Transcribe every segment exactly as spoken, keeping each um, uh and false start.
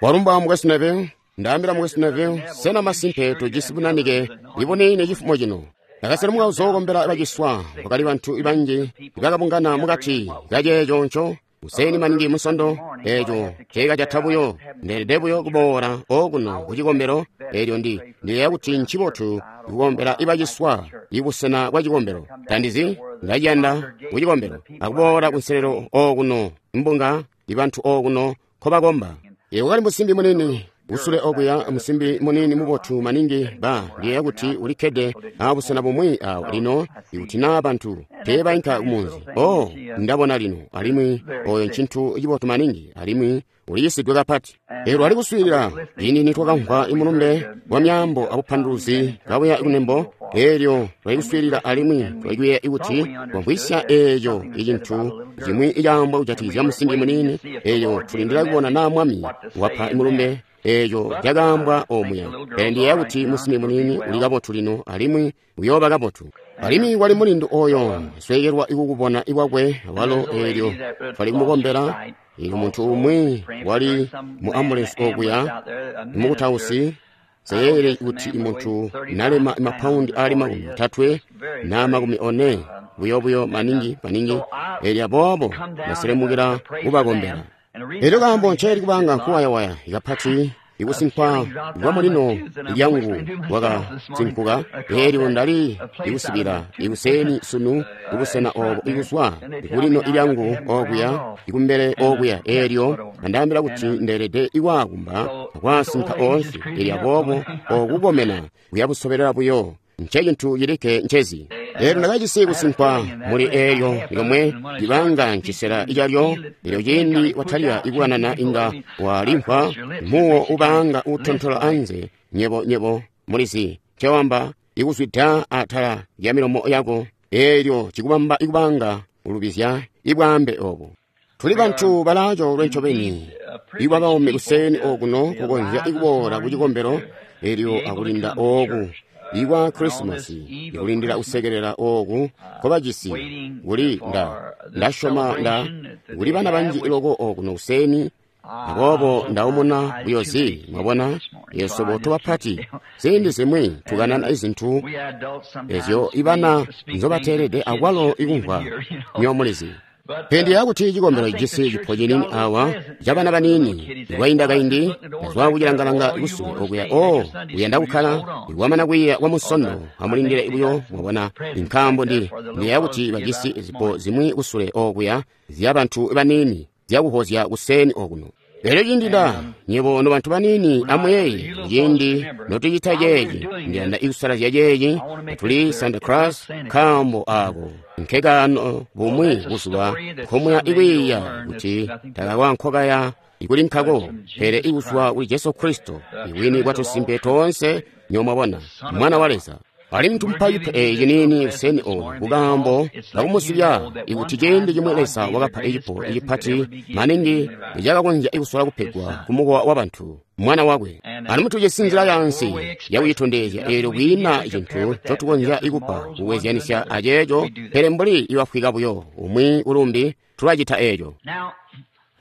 Walumba Mukwesu Neville. Ndaambila Mukwesu Neville, sena masimpe tujisi bunanike ibuniini cifumo cino? Ndakaselemuka kuzookombela baciswa. Kwakali bantu banji bakabungana mukati kaceeco nco kuseeni maningi Musondo. Eeco ceekacata buyo, ndeelede buyo kuboola okuno ku cikombelo. Eelyo ndi ndiyeeya kuti ncibotu kukombela ibaciswa ibusena bwa cikombelo. Tandizi ndaciyanda ku cikombelo akuboola kunselelo okuno mbunga ibantu okuno nkobakomba. Eeyo kwakali musimbi muniini kusule okuya, musimbi muniini mubotu maningi. Ba ndiyeeya kuti ulikkede abusena bumwi awo lino, ikuti naa bantu teebainka kumunzi. Oh, ndabona lino, alimwi oyo ncintu cibotu maningi, alimwi uliyisidwe kapati. Eelyo lwali kuswiilila ciindi nitwakamvwa imulumbe wa myaambo abupanduluzi kabuya kunembo. Eelyo twali kuswiilila alimwi twali kuyeeya kuti twamvwisya eeco icintu cimwi icaambwa kujatikizya musimbi muniini. Eelyo tulindila kubona naa Mwami wapa imulumbe eeco cakaambwa omuya. Pele ndiyeeya kuti musimbi muniini uli kabotu lino, alimwi uyooba kabotu. Alimwi kwali mulindu oyo sweekelwa ikukubona ikwakwe awalo. Eelyo twali kumukombela. Eelyo muntu umwi wali mu ambulensi okuya, mukutausi, seyeeyele kuti muntu nalema mapaundi ali makumi otatwe na makumi one, buyo buyo maningi maningi. Eelyo aboobo ndaselemukila kubakombela. Eelyo kaambo nceeli kubanga nkuwayawaya kapati, ikusinkwa kwa mulino lyangu kwakasinkuka. Eelyo ndali ikusibila ikuseeni sunu kubusena obo ikuzwa kulino lyangu okuya ikumbele okuya. Eelyo andaambila kuti ndeelede ikwaakumba akwasinka oonse. Eelyo aboobo okukomena kuyabusobelela buyo ncecintu cilikke ncezi. Eelyo ndakajisi kusinkwa muli eelyo lyomwe libanga ncisela calyo. Eelyo ciindi watalika ikukanana inga walimvwa muwo ubanga utontola anze. Nyebo nyebo mulizi ncewamba, ikuzwida atala lya milomo yako. Eelyo cikubamba ikubanga ulubizya ibwaambe obo. Tuli bantu balaacoolwe ncobeni ibwabaume kuseeni okuno kukonzya ikuboola ku cikombelo eelyo akulinda ooku ikwa Krisimasi, ikulindila kusekelela ooku nkobajisi. Kuli nda ndasyoma nda kuli bana banji loko okuno kuseeni, aboobo ndaumuna buyozi. Mwabona, yeswebo tobapati ziindi zimwi tukanana izintu ezyo ibana nzobateelede akwalo ikumvwa, nyo mulizi. Pele ndiyeeya kuti cikombelo cijisi cipo ciniini awa cabana baniini. Ikwainda kaindi ndazwa kucilangalanga kusule okuya. Oh, uyanda kukkala ikwamana kwiiya kwa Musondo, amulindile buyo, mwabona, nkaambo ndi ndiyeeya kuti bajisi zipo zimwi kusule okuya zya bantu baniini zyakuhozya kuseeni okuno. Elyo ciindi nda nyebo nobantu baniini amuyeeye, ciindi notucita ceeci, ndiyanda ikusalazya ceeci, tuli Santa Claus, nkaambo ako nkekaano bumwi buzuba nkomuya ikwiiya kuti takakwa nkokaya ikuli nkako, pele ikuzwa kuli Jesu Kristo, ibwini bwatusimpe toonse, nyomwabona, Mwana wa Leza. Alimwi tumupa cipo eeci ciniini kuseeni oku kukaambo kakumuzibya ikuti ciindi cimwi Leza wakapa icipo icipati maningi icakakonzya ikusola kupegwa kumukowa wabantu, Mwana wakwe. Alimwi tujisi nzila yaansi yakucitondezya eelyo kwiina cintu ncotukonzya ikupa kukwezyanisya aceeco, pele mbuli ibafwika buyo umwi kulumbi tulacita eeco.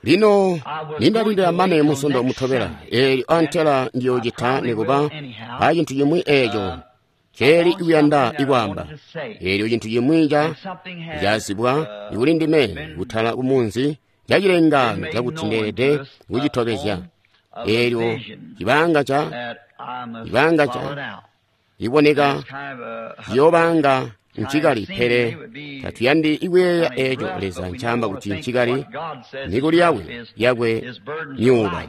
Lino nindalindila mane Musondo mutobela, eelyo antela ndiyoocita nikuba acintu cimwi eeco ceeli ikuyanda ikwaamba. Eelyo cintu cimwi ca cazibwa ikuli ndime kutala kumunzi cacilengaano cakuti ndeelede kucitobezya. Eelyo cibanga ca cibanga ca iboneka ciyoobanga ncikali, pele tatuyandi ikuyeeya eeco Leza ncaamba kuti ncikali, mikuli yakwe yakwe myuuba.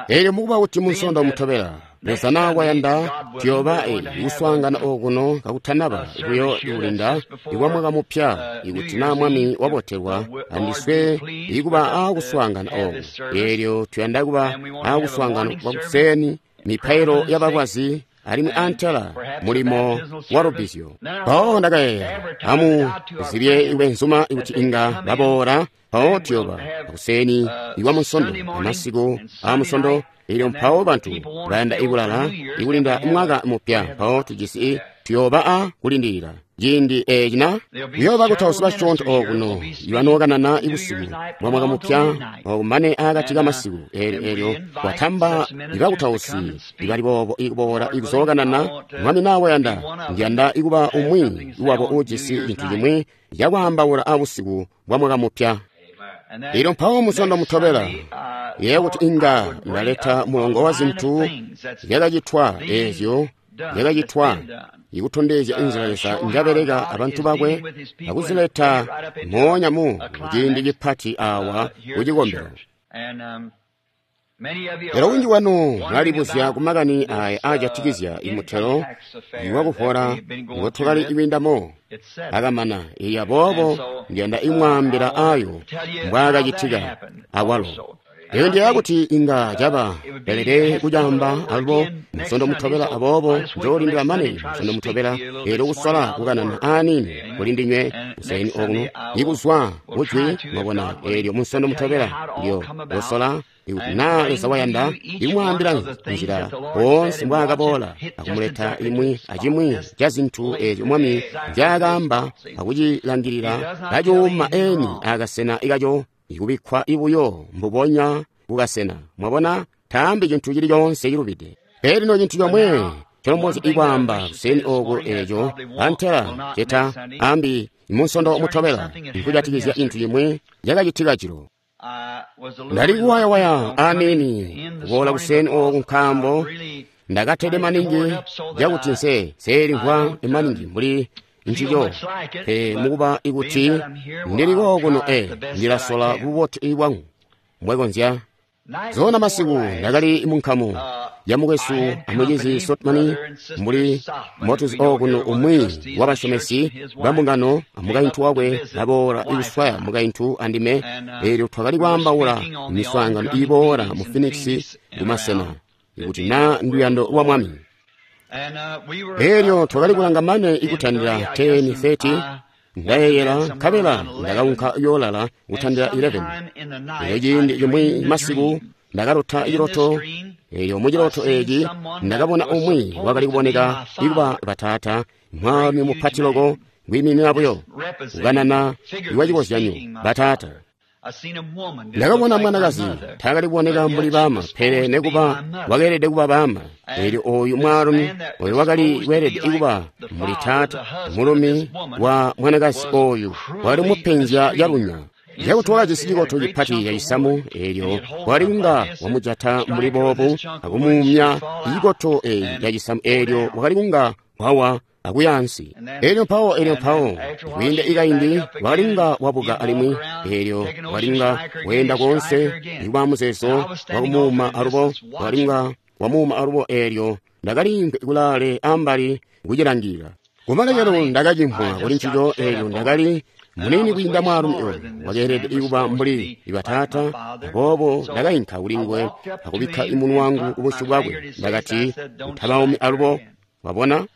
Eelyo mukuba kuti Munsondo mutobela, Leza naa kwayanda, tuyooba kuswaangana okuno kakutanaba buyo ikulinda ikwa mwaka mupya, ikuti naa Mwami wabotelwa andiswe ikuba aakuswaangana ooku. Eelyo tuyanda kuba aakuswaangana kwa kuseeni, mipailo yabalwazi, alimwi antela mulimo wa lubbizyo. Mpawo ndakayeeya, amu zibye ibwenzuma kuti inga baboola, mpawo tuyooba kuseeni ikwa Munsondo amasiku aa Musondo. Eelyo mpawo bantu bayanda ikulala ikulinda mwaka mupya, mpawo tujisi Tuyooba a kulindilila ciindi eeci na kuyooba kutausi basyoonto okuno ibanookanana ibusiku bwa mwaka mupya okumane akati kamasiku eelyo eelyo watamba ibakutausi ibali boobo ikuboola ikuzookanana Mwami nawe yanda ndiyanda ikuba umwi wabo uujisi cintu cimwi cakwaambaula abusiku bwa mwaka mupya. Elyo mpawo musondo mutobela yeeya kuti inga ndaleta mulongo wa zintu zyakacitwa eezyo zyakacitwa ikutondezya inzila Leza njabeleka abantu bakwe akuzileta moonya mu ciindi cipati awa kucikombelo. Lero winji wanu mwalibuzya kumakani aya aajatikizya imutelo iwakuvola ngotwakali iwindamo akamana. Iya boobo ndiyanda imwaambila ayo mbwaakacitika awalo. Eyo ndiyeeya kuti inga caba pelede kucaamba alubo musondo mutobela, aboobo njoolindila mane musondo mutobela eelyo kusola kukanana aaniini kuli ndinywe kuseeni okuno ikuzwa kujwi mwabona. Eelyo musondo mutobela ndiyo kusola ikuti naa Leza wayanda ikumwaambila nzila woonse mbwaakaboola akumuleta imwi acimwi ca zintu eezyo Mwami nzyaakaamba akucilangilila kacuuma eni akasena ikaco ikubikkwa ibuyo mbubonya kukasena. Mwabona, taambi cintu cili coonse cilubide. Pele lino cintu comwe calombozya ikwaamba kuseeni oku eeco antela ceta ambi imunsondo mutobela nkujatikizya cintu cimwi cakacitika jilo. Ndali kuwayawaya aniini kuboola kuseeni oku nkaambo ndakatede maningi cakuti nse seelimvwa maningi mbuli ncico. Pe mukuba ikuti ndili kookuno e ndilasola bubotu bwangu mbwekonzya. Zona masiku ndakali munkamu ya mukwesu amucizi Sotmani mbuli motuzi okuno umwi wabasyomesi bambungano amukaintu wakwe baboola ikuswaya mukaintu andime. Eelyo twakali kwaambaula miswaangano iboola mu Phoenix kumasena ikuti naa nduyando lwa Mwami. Eelyo twakali kulanga mane ikutandila ten thirty ndayeeyela nkabela ndakaunka yoolala kutandila eleven. Eelyo ciindi cimwi masiku ndakalota ciloto. Eelyo muciloto eeci ndakabona umwi wakali kuboneka ikuba bataata, mwaalumi mupati loko kwiiminina buyo kukanana iwacikozyanyo bataata. Ndakabona mwanakazi taakali kuboneka mbuli baama, pele nekuba wakeelede kuba baama. Eelyo ooyu mwaalumi oyo wakali kweelede kuba mbuli taata, mulumi wa mwanakazi ooyu wakali mupenzya calunya cakuti wakajisi cikoto cipati cacisamu. Eelyo wakali kunga wamujata mbuli boobu akumuumya cikoto eeci cacisamu. Eelyo wakali kunga wawa akuya ansi. Eelyo mpawo eelyo mpawo kwiinda ikaindi wakali kunga wabuka alimwi. Eelyo wakali kunga weenda koonse ikuba muzeezo wakumuuma alubo, wakali kunga wamuuma alubo. Eelyo ndakali kulaale ambali kucilangilila. Kumalekelo ndakacimvwa kuli ncico. Eelyo ndakali munini kwiinda mwaalumi oyo wakeelede ikuba mbuli bataata, aboobo ndakainka kuli nguwe akubikka imunwe wangu kubusyu bwakwe. Ndakati, utabaumi alubo. Wabona?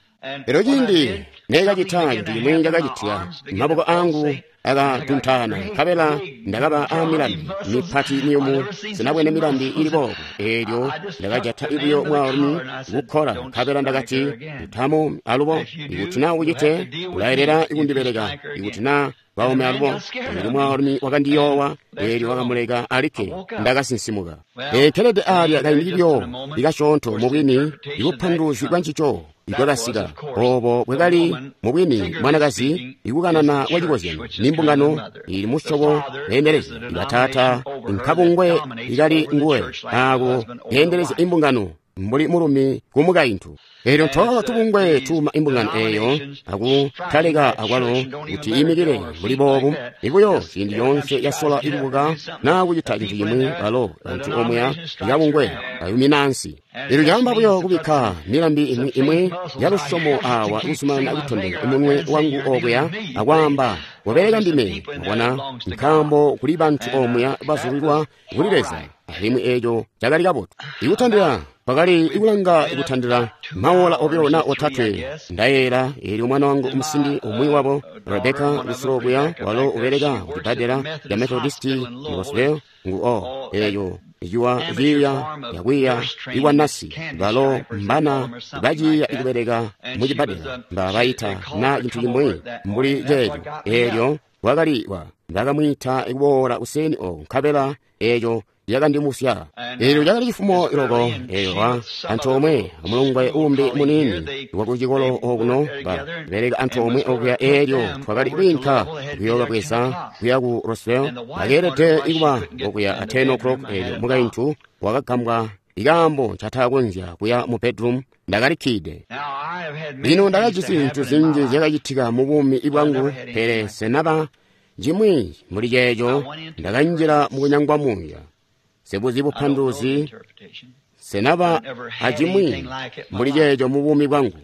Elyo ciindi neekacita cintu cimwi cakacitika, maboko angu akatuntaana nkabela ndakaba amilambi mipati miyumu sinabwene milambi ili boobo. Eelyo ndakajata ibuyo mwaalumi kukkola nkabela ndakati, utamu alubo. Ikuti naa ucite ulayelela ikundibeleka. Ikuti naa baume alubo. Eelyo mwaalumi wakandiyoowa. Eelyo wakamuleka alikke. Ndakasinsimuka. Eekelede aalya kaindi buyo ikasyoonto mubwini ibupanduluzi bwa ncico ibwakasika. Oobo bwakali mubwini mwanakazi ikukanana wacikozyanyo nimbungano ili musyobo beendelezi ibataata nkabungwe ikali nguwe aako beendelezya imbungano mbuli mulumi kumukaintu. Eelyo ntoola tubungwe tuuma imbungano eeyo akutaleka akwalo kuti imikile mbuli boobu. Ibuyo ciindi coonse yasola ikubuka naa kucita cintu cimwi, balo bantu omuya ikabungwe bayumina ansi. Eelyo caamba buyo kubikka milambi imwi imwi yalusyomo awa kuzumanana kutondeka umunwe wangu okuya akwaamba wabeleka ndime. Mwabona, nkaambo kuli bantu omuya bazulilwa kuli Leza, alimwi eeco cakali kabotu. Ikutandila pakali ikulanga ikutandila maola obilo na otatwe ndayeera. Eelyo mwana wangu umusimbi umwi wabo Rebeka lusulo buya walo ubeleka kucibbadela ya Methodist mu Roseville ngu o eeyo ciwa ciiya yakwiiya ikwa nasi balo mbana baciiya ikubeleka mu cibbadela mba bayita na cintu cimwi mbuli ceeco eelyo wakali wa bakamwiita kuboola kuseni oko nkabela eeco yakandimusya eelyo cakali cifumo loko eelyo wa antoomwe amulongwe uumbi muniini wakucikolo okuno babeleka antoomwe okuya eelyo twakali kwiinka kuyoobabweza kuya ku Roswell bakeelede kuba okuya a ten o'clock eelyo mukaintu wakagambwa ikaambo ncataakonzya kuya mu bedroom ndakalikkide lino ndakajisi zintu zinji zyakacitika mu buumi bwangu pele senaba cimwi muli ceeco ndakanjila mukunyangwa muuya sebuzi bupanduluzi senaba acimwi muli ceeco mu buumi bwangu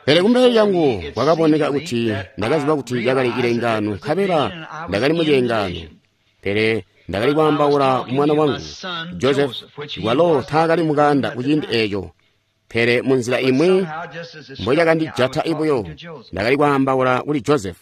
pele kumbele lyangu kwakaboneka kuti ndakaziba kuti cakali cilengaano nkabela ndakali mu cilengaano pele ndakali kwaambaula mwana wangu Joseph walo taakali mukanda kuciindi eeco pele munzila imwi mbocakandijata ibuyo ndakali kwaambaula kuli Joseph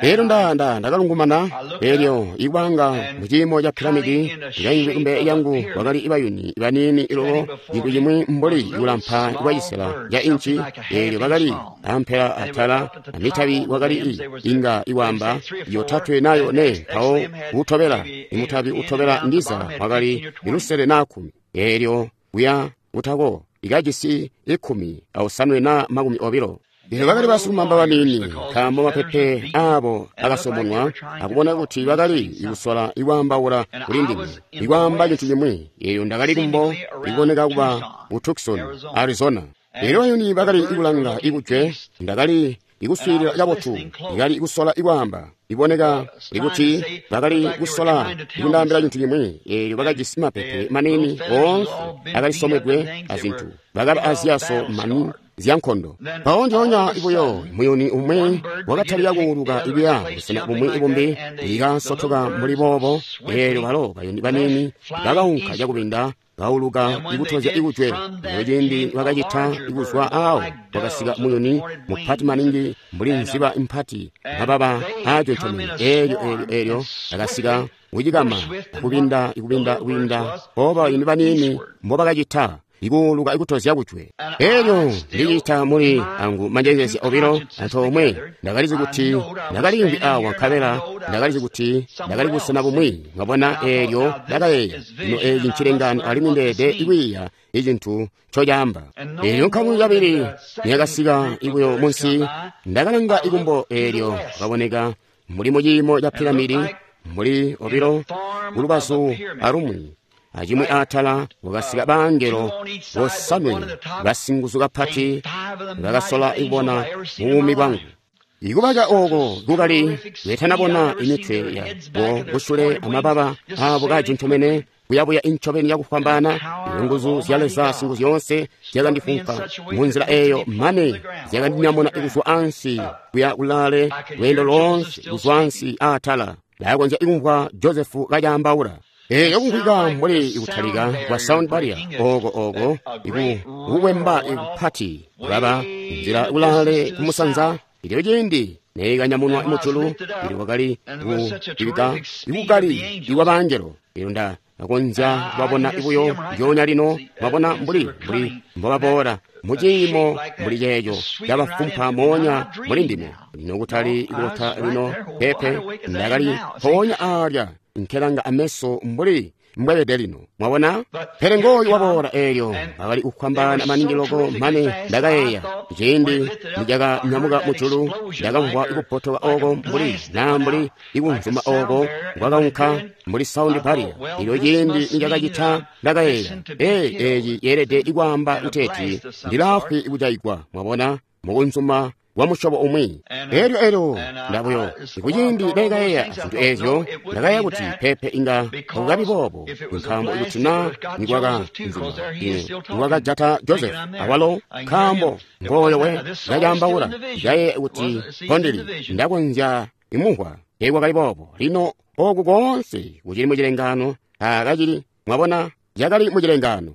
eelyo nda ndakalungumana eelyo ikwanga muciimo ca piramidi ndikaimvwi kumbele lyangu kwakali ibayuni baniini ilolo cintu cimwi mbuli kulampa kwa cisela ca inci eelyo bakali ampela atala amitabi kwakali inga iwamba yotatwe nayo ne mpawo utobela imutabi utobela ndiza wakali ilusele na kkumi eelyo kuya utako ikajisi ikkumi ausanwe na makumi obilo Lino bakali basilumamba baniini nkaambo mapepe aabo akasomonwa akubona kuti bakali ikusola ikwaambaula kuli ndime ikwaamba cintu cimwi eeyo ndakali kumbo ikuboneka kuba ku Tucson, Arizona eelyo bayuni bakali ikulanga ikujwe ndakali ikuswiilila kabotu ikali ikusola ikwaamba iboneka ikuti bakali kusola ikundaambila cintu cimwi eelyo bakajisi mapepe maniini oonse akalisomwedwe azintu bakaba aziyaso mani zyankondo mpawo njoonya ibuyo muyuni umwi wakatalika kuuluka ikuya busena bumwi bumbi ikasotoka mbuli boobo eelyo balo bayuni baniini bakaunka cakubinda kauluka ikutozya ikujwe elyo ciindi bakacita ikuzwa aawo kwakasika muyuni mupati maningi mbuli nziba impati mababa aajontomene eelyo eelyo eelyo akasika kucikama akubinda ikubinda kubinda oba bayuni baniini mbobakacita ikuuluka ikutozya kujwe eelyo ndicita muli angu manjezezya obilo antoomwe ndakalizi kuti ndakaliimvwi awa nkabela ndakalizi kuti ndakali busena bumwi mwabona eelyo ndakayeeya lino eeci ncilengano alimwi ndeede ikwiiya icintu ncocaamba eelyo nkamu yabili niyakasika ibuyo munsi ndakalanga ikumbo eelyo kaboneka muli muciimo ca piramidi muli obilo kulubazu alumwi acimwi atala wakasika bangelo bosanwe basinguzu kapati bakasola ikubona mubuumi bwangu ikubaca ooko kukali betanabona imitwe yabo kusule amababa aabo kajontomene kuyabuya incobeni yakufwambaana nguzu zya Leza singuzu zyoonse zyakandifunka munzila eeyo mane zyakandinyamuna kuzwa ansi kuya kulaale lweendo loonse kuzwa ansi aatala ndakonzya ikumvwa Josefu kacaambaula eeyo kumvwika mbuli ikutalika kwa sound barrier oko oko ikuwemba ikupati kulaba nzila kulaale kumusanza ilyo ciindi neekanyamunwa mujulu ili wakali kuibika ikukali ikwa bangelo eelyo nda akonzya kubabona ibuyo njoonya lino mwabona mbuli mbuli mbobaboola muciimo mbuli ceeco cabafumpa moonya muli ndime lino kutali ikulota lino pepe ndakali mpoonya aalya nkelanga ameso mbuli mbwebede lino mwabona pele ngooyu waboola eelyo bakali kufwambaana maningi loko mane ndakayeeya ciindi nicakanyamuka mujulu ndakamvwa ikupotoka oko mbuli naa mbuli ikunzuma oko kwakaunka mbuli sound barrier ilyo ciindi nicakacita ndakayeeya ee eeci yeelede ikwaamba kuteeti ndilaafwi ikujaigwa mwabona mukunzuma wa musyobo umwi eelyo eelyo ndabuyo kuciindi ndakayeeya zintu eezyo ndakayeeya kuti pepe inga akukabi boobo nkaambo ikuti naa nikwaka nikwakajata Joseph awalo nkaambo ngooyo we ndacaambaula ndayeeya kuti kondili ndakonzya imumvwa teekwakali boobo lino oku koonse kucili mucilengaano akacili mwabona cakali mucilengaano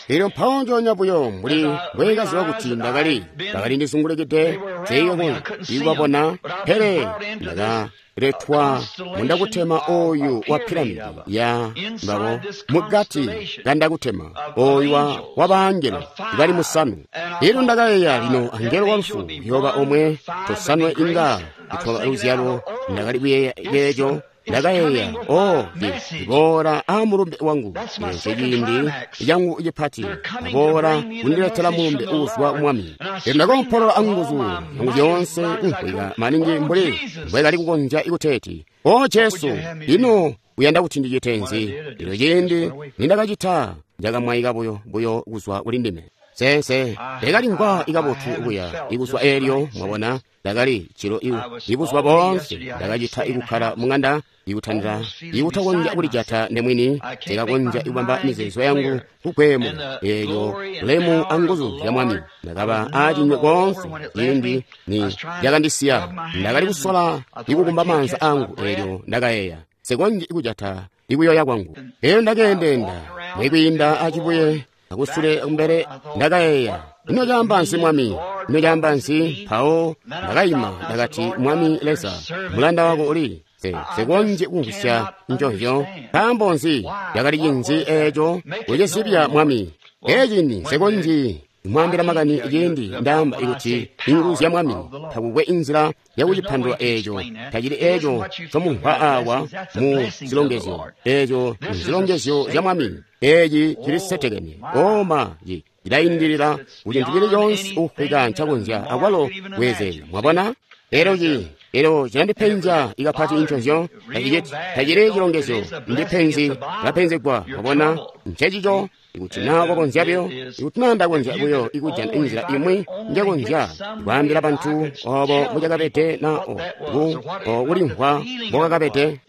Elyo mpawo njoonya buyo mbuli mbwekaziba kuti ndakali bakali ndizungulukide teekubabona, pele ndakaletwa mundakutema oyu wa piramidi ya mbabo mugati kandakutema oyu wa baangelo bali musanu. Elyo ndakayeeya, lino angelo wa lufu uyooba omwe, tosanwe inga itwaba luzyalo. Ndakali kuyeeya eeco. Ndakayeeya, o ndiboola a mulumbe wangu, eco ciindi cangu cipati, aboola kundiletela mulumbe uuzwa Mwami. Elyo ndakoompolola anguzu yangu zyoonse kumvwika maningi mbuli mbwekali kukonzya ikuteeti, O Jesu, ino uyanda kuti ndicite nzi? Elyo ciindi nindakacita, njakamwaika buyo buyo kuzwa kuli ndime. Sense ndakalimvwa ikabotu kuya ikuzwa eelyo, mwabona, ndakali cilo ibuzuba boonse ndakacita ikukkala mung'anda ikutandila ikutakonzya kulijata ndemwini, ndikakonzya ikubamba mizeezo yangu kugwemo eelyo bulemu anguzu zya Mwami. Ndakaba aacinywe koonse ciindi ni lyakandisiya. Ndakali kusola ikukumba maanza angu, eelyo ndakayeeya nsikonzyi ikujata ikuyoya kwangu. Eelyo ndakeendeenda mwikwiinda acibuye akusule kumbele, ndakayeeya, ino caamba nzi Mwami? Ino caamba nzi? Mpawo ndakayima, ndakati, Mwami Leza, mulanda wako uli nsikonzyi kumvwisya nconzyo. Nkaambo nzi? Cakali cinzi eeco? Kucizibya Mwami. Eeci nsikonzyi kumwaambila makani ciindi ndaamba ikuti inguzu zya Mwami, takukwe inzila yakucipandula eeco. Tacili eeco ncomumvwa awa mu zilongezyo. Eeco nzilongezyo zya Mwami. Eeci cili setekene. Oma cilaindilila kucintu cili coonse ufwika ncakonzya akwalo kuyezeeza. Mwabona? Elyo ci elyo cilandipenzya ikapati nconzyo. Tacili cilongezyo, ndipenzi, lapenzegwa. Mwabona? Ncencico. Ikuti naa wakonzya buyo, ikuti naa ndakonzya buyo ikujana inzila imwi njakonzya kwaambila bantu obo mbucakabede na kulimvwa mbokakabede.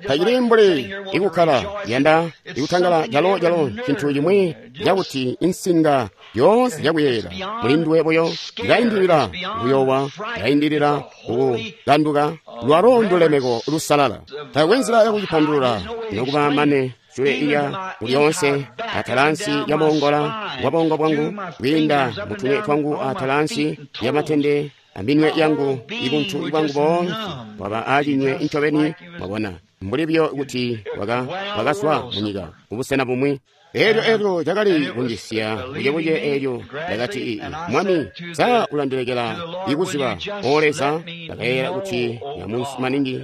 Tacili mbuli ikukkala yanda ikutangala calo calo cintu cimwi cakuti insinga yoonse yakuyeeyela mulinduwe buyo ilaindilila kuyowa, ilaindilila kukanduka. Lwalo ndulemeko lusalala. Taakwe nzila yakucipandulula nokuba mane sule iya kulyoonse atalansi ya moongola wa bongo bwangu, kwiinda mutunwe twangu atalansi ya matende aminwe yangu, ibuntu bwangu boonse bwaba acinywe incobeni. Mwabona, mbuli buyo kuti wakazwa munyika kubusena bumwi. Elyo elyo cakali kundisiya bucebuce. Elyo ndakati, Mwami, sa ulandilekela ikuziba? O Leza, ndakayeeya kuti yamunsi maningi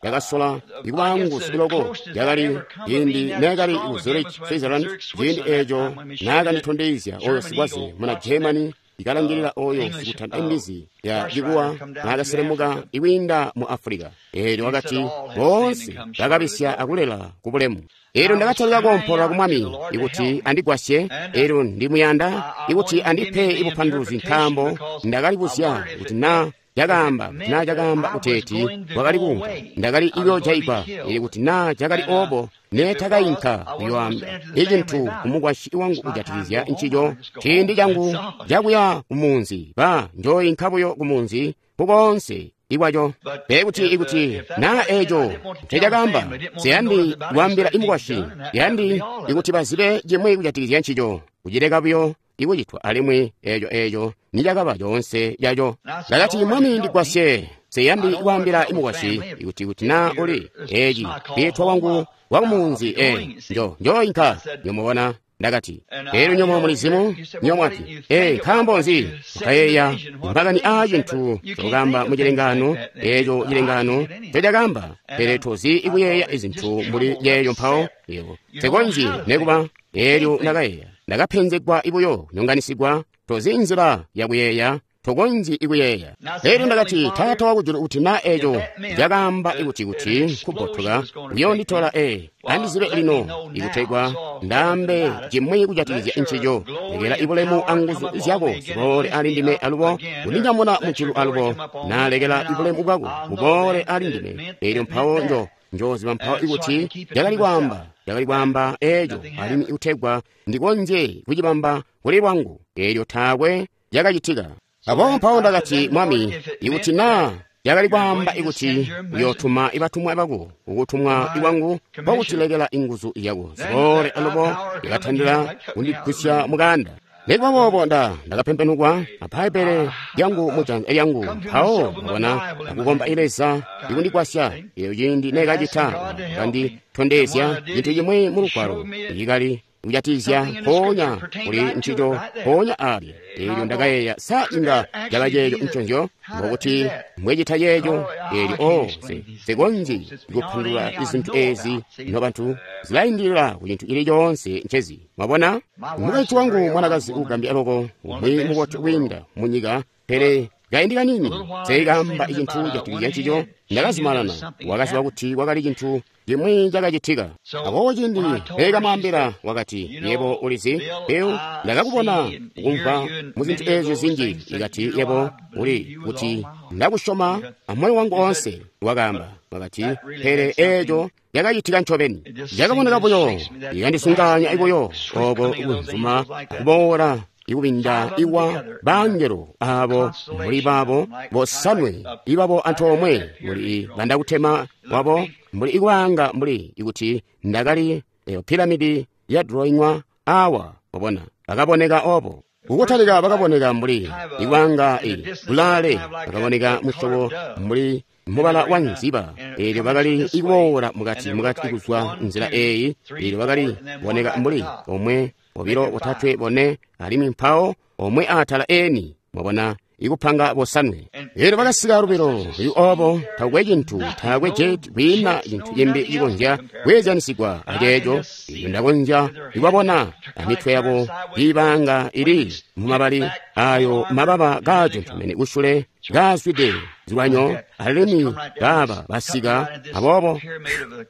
ndakasola ikuba nguzu loko. Yakali ciindi neekali ku Zurich, Switzerland, ciindi eeco naakanditondezya oyo sikwaze muna Germany ikalangilila oyo sikutanda imbizi ya cikuwa naakaselemuka ikwiinda mu Africa. Eelyo wakati, boonse bakabisya akulela ku bulemu. Eelyo ndakatalika koompolola ku Mwami ikuti andigwasye. Eelyo ndimuyanda ikuti andipe ibupanduluzi, nkaambo ndakalibuzya kuti naa cakaamba kuti naa cakaamba kuteeti wakali kuunka, ndakali ikuyoojayigwa. Ili kuti naa cakali oobo, neetakainka kuyoamba icintu kumukwasyi wangu kujatikizya ncico. Ciindi cangu cakuya kumunzi, ba njooyinka buyo kumunzi kukoonse ikwaco. Pele kuti ikuti naa eeco ncecakaamba, nsiyandi kwaambila imukwasyi, yandi ikuti bazibe cimwi kujatikizya ncico, kucileka buyo ikucitwa. Alimwi eeco eeco nicakaba coonse caco. Ndakati, Mwami, ndigwasye, nsiyandi kwaambila imukwasyi ikuti kuti naa uli eeci kwiitwa kwangu kwakumuunzi, e njo njooyinka. Nyomubona, ndakati, eelyo nyomo mulizimu nyomwati, e nkaambo nzi mukayeeya makani aa cintu cokamba mu cilengano? Eeco cilengano ncecakaamba, pele tozi ikuyeeya izintu mbuli yeeyo. Mpawo yebo nsikonzyi nekuba. Eelyo ndakayeeya, ndakapenzegwa ibuyo, kunyonganisigwa. Tozi nzila yakuyeeya, tokonzyi ikuyeeya. Eelyo ndakati, Taata wakujulu, kuti naa eeco cakaamba ikuti kuti kubbotoka uyoonditola, e andizibe lino ikutegwa ndaambe cimwi kujatikizya ncico. Lekela ibulemu anguzu zyako ziboole ali ndime alubo, kundinyamuna mujulu alubo. Naalekela ibulemu bwako buboole ali ndime. Eelyo mpawo njo njooziba mpawo ikuti cakali kwaamba cakali kwaamba eeco, alimwi ikutegwa ndikonzye kucibamba kuli lwangu. Eelyo taakwe cakacitika. Aboobo mpawo ndakati, Mwami, ikuti naa Yakali kwaamba ikuti uyootuma ibatumwa bako kukutumwa kwangu kwakutilekela inguzu yako ziboole alubo yakatandila kundigusya mukanda. Nikuba boobo nda ndakapempenukwa a Bbaibbele lyangu mujanza lyangu mpawo mwabona akukomba Leza ikundigwasya. Eyo ciindi nekacita kanditondezya cintu cimwi mu Lugwalo ikali kujatizya mpoonya kuli ncico mpoonya alya. Eelyo ndakayeeya, sa inga caba ceeco nconzyo? Mbokuti mbwecita ceeco? Eelyo o nsikonzyi kupandulula izintu ezi nobantu, zilaindilila ku cintu cili coonse ncezi. Mwabona, mukaintu wangu mwanakazi ugambya loko, umwi mubotu kwiinda munyika, pele kaindi kanini seikamba icintu jatikizya ncico. Ndakazumanana, wakaziba kuti kwakali cintu cimwi cakacitika. Aboobo ciindi neekamwaambila, wakati, yebo ulizi, Bill, ndakakubona kumva mu zintu eezyo zinji. Ikati, yebo uli kuti ndakusyoma amoyo wangu oonse, wakaamba. Wakati, pele eeco yakacitika ncobeni. Cakaboneka buyo, ikandisunganya buyo obo kunzuma kuboola ikubinda iwa bangelo abo mbuli babo bosanwe ibabo antoomwe mbuli bandakutema wabo mbuli ikwaanga mbuli ikuti ndakali eyo piramidi ya drawingwa awa. Mwabona, bakaboneka obo kukutalika, bakaboneka mbuli ikwaanga i bulale, bakaboneka musyobo mbuli mubala wa nziba. Eelyo bakali ikuboola mukati mukati kuzwa nzila eyi. Eelyo bakali boneka mbuli omwe, obilo, botatwe, bone, alimwi mpawo omwe atala eni. Mwabona, ikupanga bosanwe. Eelyo bakasika lubilo luli obo, takwe cintu, taakwe jeti, kwiina cintu cimbi cikonzya kweezyanisigwa aceeco. Eelyo ndakonzya ikubabona amitwe yabo iibanga ili mumabali ayo mababa kaaco ncobeni kusule kaazwide zilwanyo, alimwi kaaba basika aboobo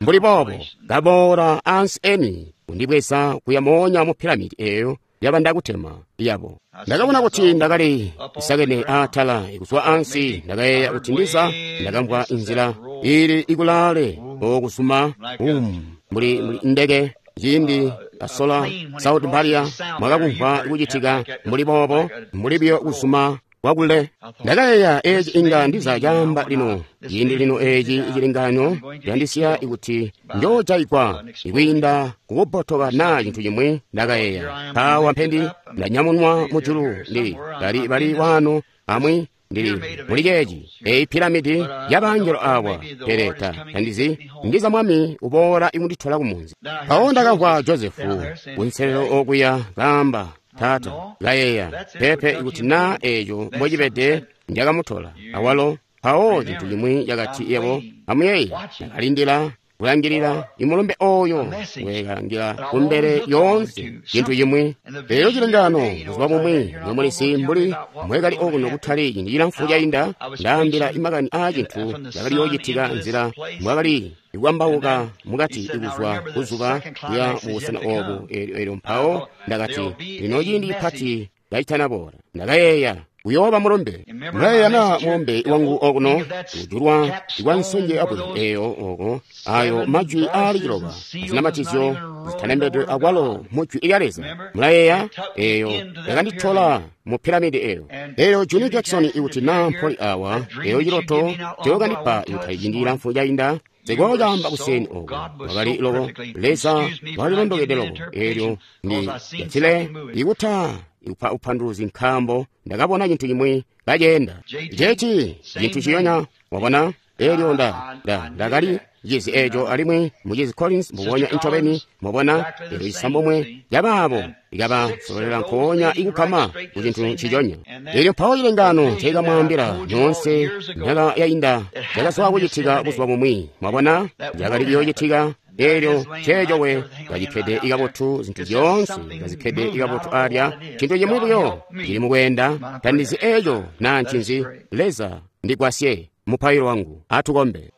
mbuli boobo kaboola ansi eni kundibweza kuya moonya mu piramidi eyo yabandakutema yabo. Ndakabona kuti ndakali isakene atala kuzwa ansi. Ndakayeeya kuti ndiza ndakamvwa inzila ili ikulaale okuzuma um mbuli mbuli ndeke ciindi kasola South Baria mwakakumvwa kucitika mbuli boobo mbuli biyo kuzuma kwakule. Ndakayeeya eeci inga ndiza caamba lino ciindi lino eeci icilinganyo yandisiya ikuti njoojayigwa ikwiinda kukubotoka naa cintu cimwi. Ndakayeeya mpawa mpendi ndanyamunwa mujulu ndili bali bali waano amwi ndili muli ceeci eyi piramidi yabangelo awa, pele ta tandizi ndiza mwami uboola ikunditola kumunzi. Mpawo ndakamvwa Josefu kunselelo okuya kaamba, taata. Kayeeya pepe ikuti naa eeco mbocibede njakamutola awalo. Mpawo cintu cimwi cakati, yebo amuyeeye, ndakalindila kulangilila imulumbe oyo wekalangila kumbele yoonse cintu cimwi. Eyo cilengano buzuba bumwi nomulisi mbuli mwekali okuno kutali ciindi cilamfu cainda, ndaambila imakani aa cintu cakali yoocitika nzila mwakali ikwambauka mukati ikuzwa kuzuba kuya mubusena obu. Eelyo mpawo ndakati, lino ciindi cipati kacitanaboola. Ndakayeeya uyooba mulumbe. Mulayeeya na mulumbe wangu okuno ujulwa ikwa nsonje abwe eyo oko ayo majwi aali ciloba azinamatizyo zitalembedwe akwalo mujwi lya Leza. Mulayeeya eyo yakanditola mu piramidi eyo. Eyo Junior Jackson ikuti naa mpoli awa eyo ciloto cookandipa ikuti ciindi cilamfu cainda sikoocaamba kuseni oko wakali loko Leza walilondokede loko. Eelyo ndi jatile ikuta ikupa upanduluzi nkaambo ndakabona cintu cimwi kaceenda ceci cintu ciyonya. Wabona, eelyo nda nda ndakali cizi eeco alimwi mucizi Collins mbubonya incobeni. Mwabona, eelyo cisambomwe cabaabo ikabasololela nkoonya ikukama ku cintu nciconya. Eelyo mpawo cilengano ncekamwaambila nyoonse myaka yainda cakazwa kucitika buzuba bumwi. Mwabona, cakali kuyoocitika. Eelyo ceeco we kacikkede ikabotu, zintu zyoonse kazikkede ikabotu alya, cintu cimwi buyo cili mukweenda. Tandizi eeco naa ncinzi. Leza ndigwasye mupailo wangu. Atukombe.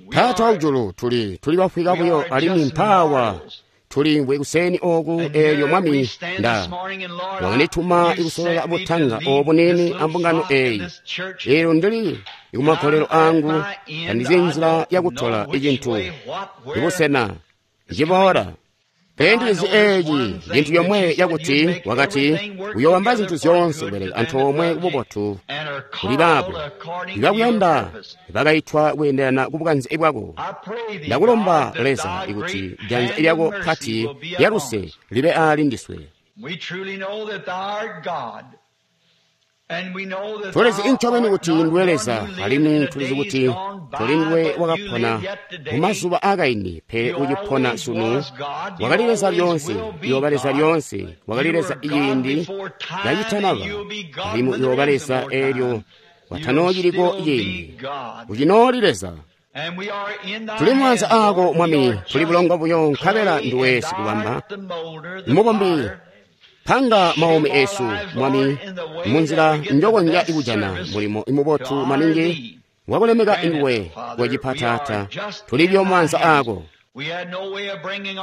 Taata wakujulu, tuli tuli bafwika buyo alimwi mpaawa tulimvwe kuseni oku. Eelyo Mwami nda wakandituma ikusolola butanga obunene ambungano eyi. Eelyo ndili ikumagolelo angu, tandizi nzila yakutola icintu ibusena ciboola. Pele ndilizi eeci cintu yomwe yakuti wakati uyoowamba zintu zyoonse kubeleka antoomwe kububotu kuli baabo ibakuyanda bakaitwa kweendelana kubukanze bwako. Ndakulomba Leza ikuti janza lyako pati lyaluse libe aali ndiswe. Tulizi incobeni kuti nduwe Leza, alimwi tulizi kuti tuli nduwe wakapona mumazuba aakaindi, pele ucipona sunu. Wakali Leza lyoonse, uyooba Leza lyoonse. Wakali Leza ciindi kacitanaba, alimwi uyooba Leza eelyo kwatanoociliko ciindi. Ucinooli Leza. Tuli mumaanza aako Mwami, tuli bulongo buyo, nkabela nduwe sikubamba mubombi. Panga maumi esu Mwami munzila njokonzya ikujana mulimo imubotu maningi wakulemeka nduwe wecipa Taata. Tuli buyo mumaanza aako.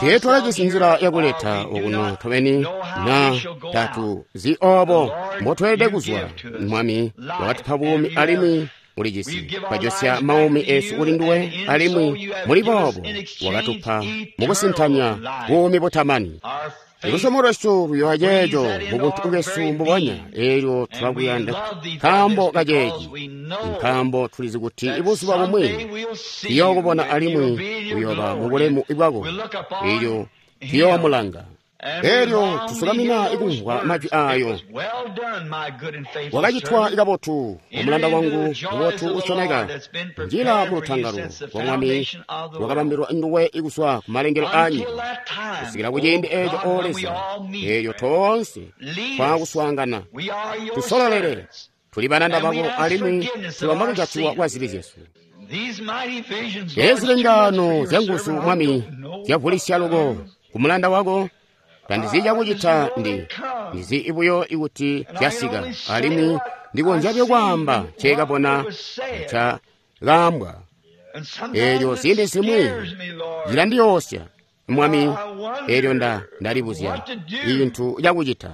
Teetwakajisi nzila yakuleta okuno tobeni na tatuzi oobo mbotweelede kuzwa. Mwami wakatupa buumi alimwi ulijisi twajosya maumi esu kuli nduwe, alimwi muli boobo wakatupa mukusintanya buumi butamani. Lusyomo lwesu luyoa ceeco mubuntu bwesu mbubonya, eelyo tulakuyanda nkaambo kaceeci, nkaambo tulizi kuti ibuzuba bumwi tuyookubona alimwi uyooba mubulemu bwako, eelyo tuyoomulanga. Eelyo tusukamina ikumvwa majwi aayo. Wakachitwa kabotu omulanda wangu mubotu usyomeka, njila mulutangalo lwa Mwami lwakabambilwa nduwe ikuzwa kumalengelo aanyika kusikila kuciindi eeco. O Leza, eelyo toonse twaakuswaangana, tusololele. Tuli balanda bako alimwi tulomba kujatiwa kwa zibi zyesu. Eezi zilengaano zyanguzu Mwami zyavulisya loko kumulanda wako. Tandizi cakucita, ndi ndizi buyo ikuti zyasika, alimwi ndikonzya buyo kwaamba nceekabona nca kaambwa. Eelyo ziindi zimwi zilandiyoosya Mwami, eelyo nda ndalibuzya cintu cakucita.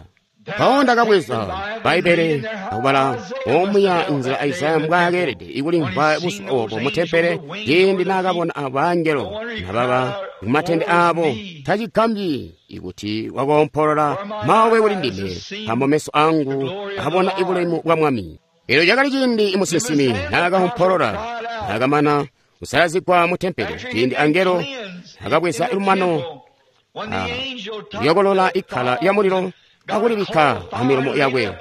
Mpawo ndakabweza Bbaibbele akubala omuya nzila Isaya mbwaakeelede ikulimvwa buzuba oobo mutempele ciindi naakabona abangelo nababa mumatende aabo. Tacigambyi ikuti wakoompolola, "Mawe kuli ndime, nkaambo meso angu abona ibulemu bwa Mwami." Eelyo cakali ciindi musinsimi naakaompolola naakamana kusalazigwa mutempele, ciindi angelo akabweza lumano kuyokolola ikkala lya mulilo akulibikka amilomo yakwe.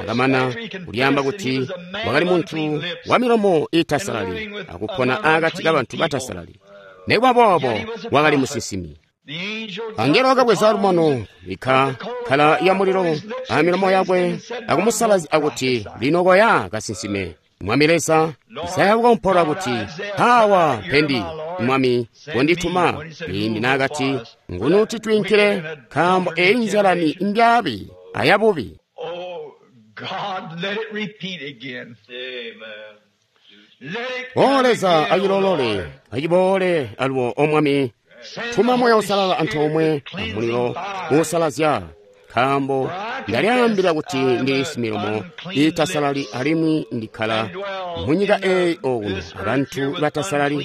Akamana kulyaamba kuti wakali muntu wa milomo iitasalali akupona akati kabantu batasalali, nikuba boobo wakali musinsimi. Angelo wakabweza lumano bikka kkala ya mulilo amilomo yakwe akumusalazya akuti, "Lino koya kasinsime." Mwami Leza, Isaya wakaompolola kuti, "Awa mpendi, Mwami, kondituma." Ciindi naakati, "Nguni titwiinkile, nkaambo eyi nzyalani mbyaabi ayabubi." O Leza, acilolole, aciboole alubo. O Mwami, tuma Moya Usalala antoomwe amulilo uusalazya, nkaambo ndalyaambila kuti ndili similomo iitasalali alimwi ndikkala munyika eeyi okuno abantu batasalali.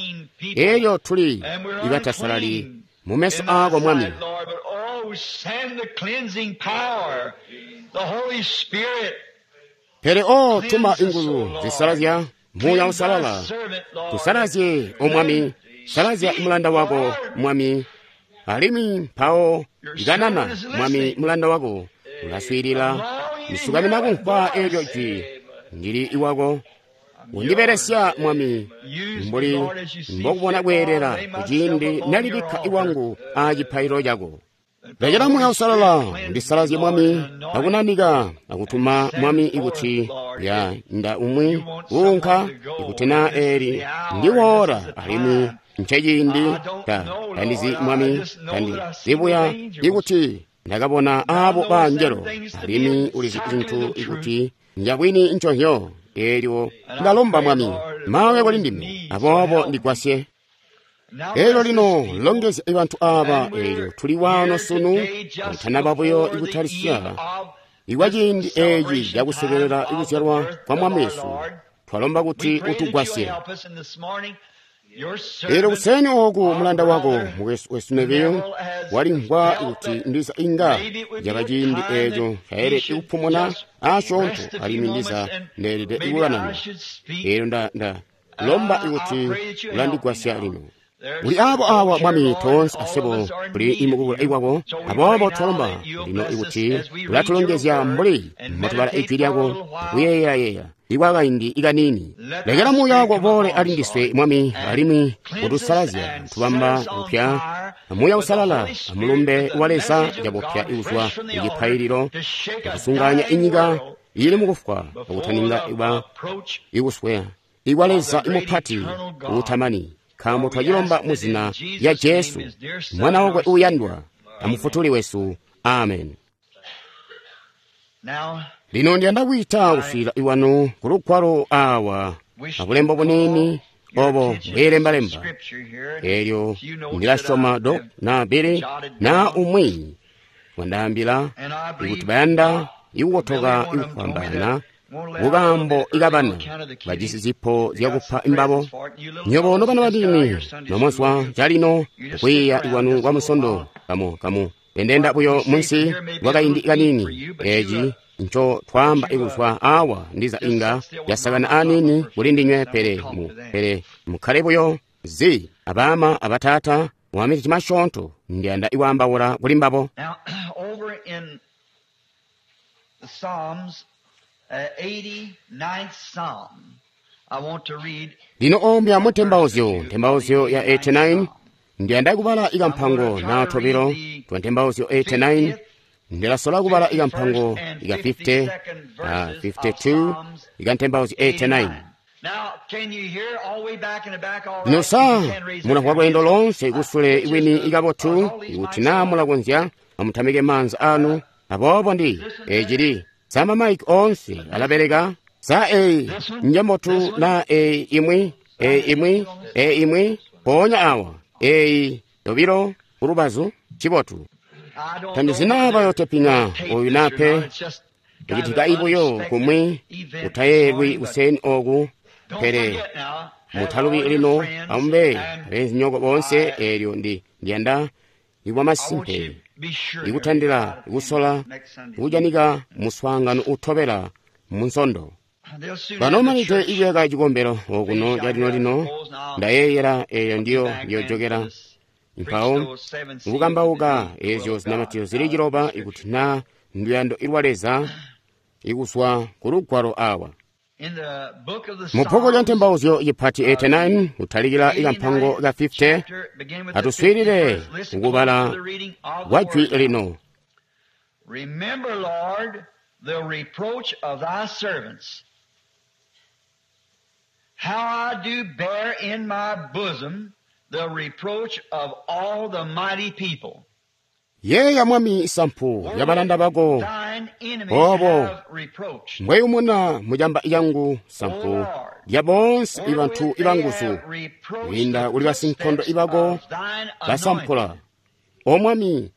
Eelyo tuli ibatasalali mumeso aako Mwami. Pele o tuma inguzu zisalazya, Muuya Usalala, tusalazye o Mwami, salazya mulanda wako Mwami. Alimwi mpawo kanana Mwami, mulanda wako ulaswiilila. Ndisukamina kumvwa eelyo jwi, ndili iwako. Undibelesya Mwami mbuli mbokubona kweelela kuciindi nalibikka iwangu aacipaililo cako. Lekela Muuya Usalala ndisalazye Mwami akunanika akutuma Mwami ikuti ya nda umwi uunka ikuti na eeli ndiwoora alimwi nceciindi ta tandizi Mwami, tandizibuya ikuti ndakabona aabo bangelo, alimwi ulizi zintu ikuti njabwini nconzyo. Eelyo ndalomba Mwami, mawe kuli ndime, aboobo ndigwasye. Eelyo lino longezya bantu aaba. Eelyo tuli waano sunu kakutanaba buyo ikutalisya ikwa ciindi eeci cakusekelela ikuzyalwa kwa Mwami Yesu. Twalomba kuti utugwasye. Elyo kuseeni oku mulanda wako mukwesu wesu Neville walimvwa kuti ndiza inga yaba ciindi eeco ncaelede kupumuna asyoonto alimwi ndiza ndeelede ikukanana. Elyo nda nda lomba ikuti ulandigwasya lino. Kuli abo awa Mwami toonse aswebo tuli mukubula ikwako, aboobo twalomba lino ikuti ulatulongezya mbuli mbotubala ijwi lyako akuyeeyayeeya ikwakaindi ikaniini. Lekela Muuya wako uboole ali ndiswe Mwami, alimwi kutusalazya tubamba kupya Muuya Usalala amulumbe wa Leza cabupya ikuzwa kucipaililo akusunganya inyika ili mukufwa akutaninga iba ikusweya ikwa Leza imupati uutamani. Nkaambo twacilomba mu zina lya Jesu, Mwana wakwe uuyandwa, amufutuli wesu. Amen. Lino ndiyanda kwiita kuswiilila iwanu ku lugwalo awa abulembo buniini obo bweelembalemba. Elyo ndilasyoma do na Billy na umwi wandaambila ikuti bayanda ikukotoka ikufwambaana kukaambo ikabana bajisi zipo zyakupa imbabo. Nywebo nobana baniini nomozwa calino kwiiya ikwanu kwa musondo kamu kamu endenda buyo munsi kwakaindi kaniini. Eci nco twaamba ikuzwa awa ndiza inga yasakana aniini kuli ndinywe, pele mu pele mukkale buyo zi abama abatata mwamiti cimasyoonto ndiyanda ikwaambaula kuli mbabo. Lino ombya mu ntembauzyo, ntembauzyo ya eighty-nine, ndiyanda kubala ikampango na tobilo twa ntembauzyo eighty-nine. Ndilasola kubala ikampango ika fifty, uh, fifty-two, ika ntembauzyo eighty-nine. Lino sa mulamvwa lweendo lonse kusule iwini ikabotu, ikuti naa mulakonzya amutamike maanza anu. Aboobo ndi ecili sama maiki onse alabeleka. Sa eyi njambotu na eyi imwi, eyi imwi, eyi imwi, ponya awa, eyi yobilo kulubazu, cibotu. Tandizina bayoteping'a oyu nape, icitika ibuyo kumwi kutayeelwi kuseeni oku, pele mutalubi lino amube abenzinyoko bonse. Elyo ndi ndiyanda ikwamasimpe ikutandila ikusola ikujanika muswaangano utobela munsondo. Banomanide ikuyaka cikombelo okuno calino-lino, ndayeeyela eyo ndiyo ndiyojokera mpawo nkukambauka ezyo zinamatiro zili ciloba ikuti na nduyando ilwa Leza ikuzwa ku lugwalo awa. Mu bbuku lya ntembauzyo ipati eighty-nine kutalikila ikampango ka fifty, atuswiilile kukubala kwa jwi lino. Remember, Lord, the reproach of thy servants, how I do bear in my bosom the reproach of all the mighty people. Yeeya Mwami sampu ya balanda bako, obo mbweyumuna mujamba yangu sampu lya bonse ibantu ibanguzu, kwiinda kuli basinkondo ibako basampula. O Mwami,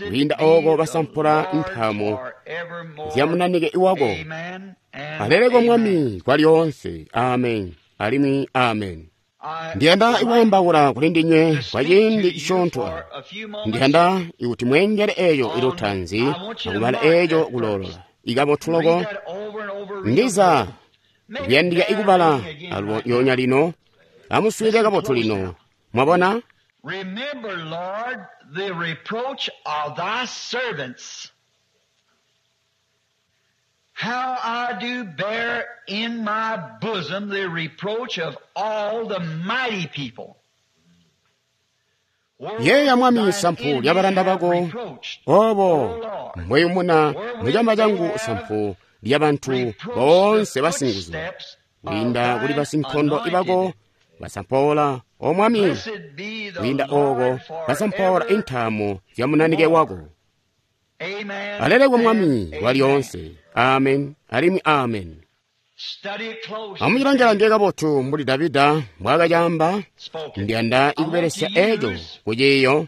kwiinda oko basampula nthamo zya munanike iwako. Aleleko Mwami kwa lyonse. Amen alimwi amen. Ndiyanda ikwaambaula kuli ndinywe kwa ciindi cisyoonto. Ndiyanda ikuti mweengele eyo ilutanzi akubala eyo kuloolola ikabotu loko. Ndiza kuyandika ikubala alyonya lino. Amuswiilile kabotu lino. Mwabona? Remember, Lord, the reproach of thy servants, how I do bear in my bosom the reproach of all the mighty people. Yeeya Mwami sampu lya balanda bako, obo mbweyumuna mucamba changu sampu lya bantu boonse basinguzu, kwiinda kuli basinkondo ibako basampoola. O Mwami, kwiinda oko basampoola intaamo zya munanike wako. Alelekwe Mwami wa lyonse. Amen alimwi amen. Amucilangelange kabotu mbuli Davida mbwaakacaamba. Ndiyanda ikubelesya eco kuciiyo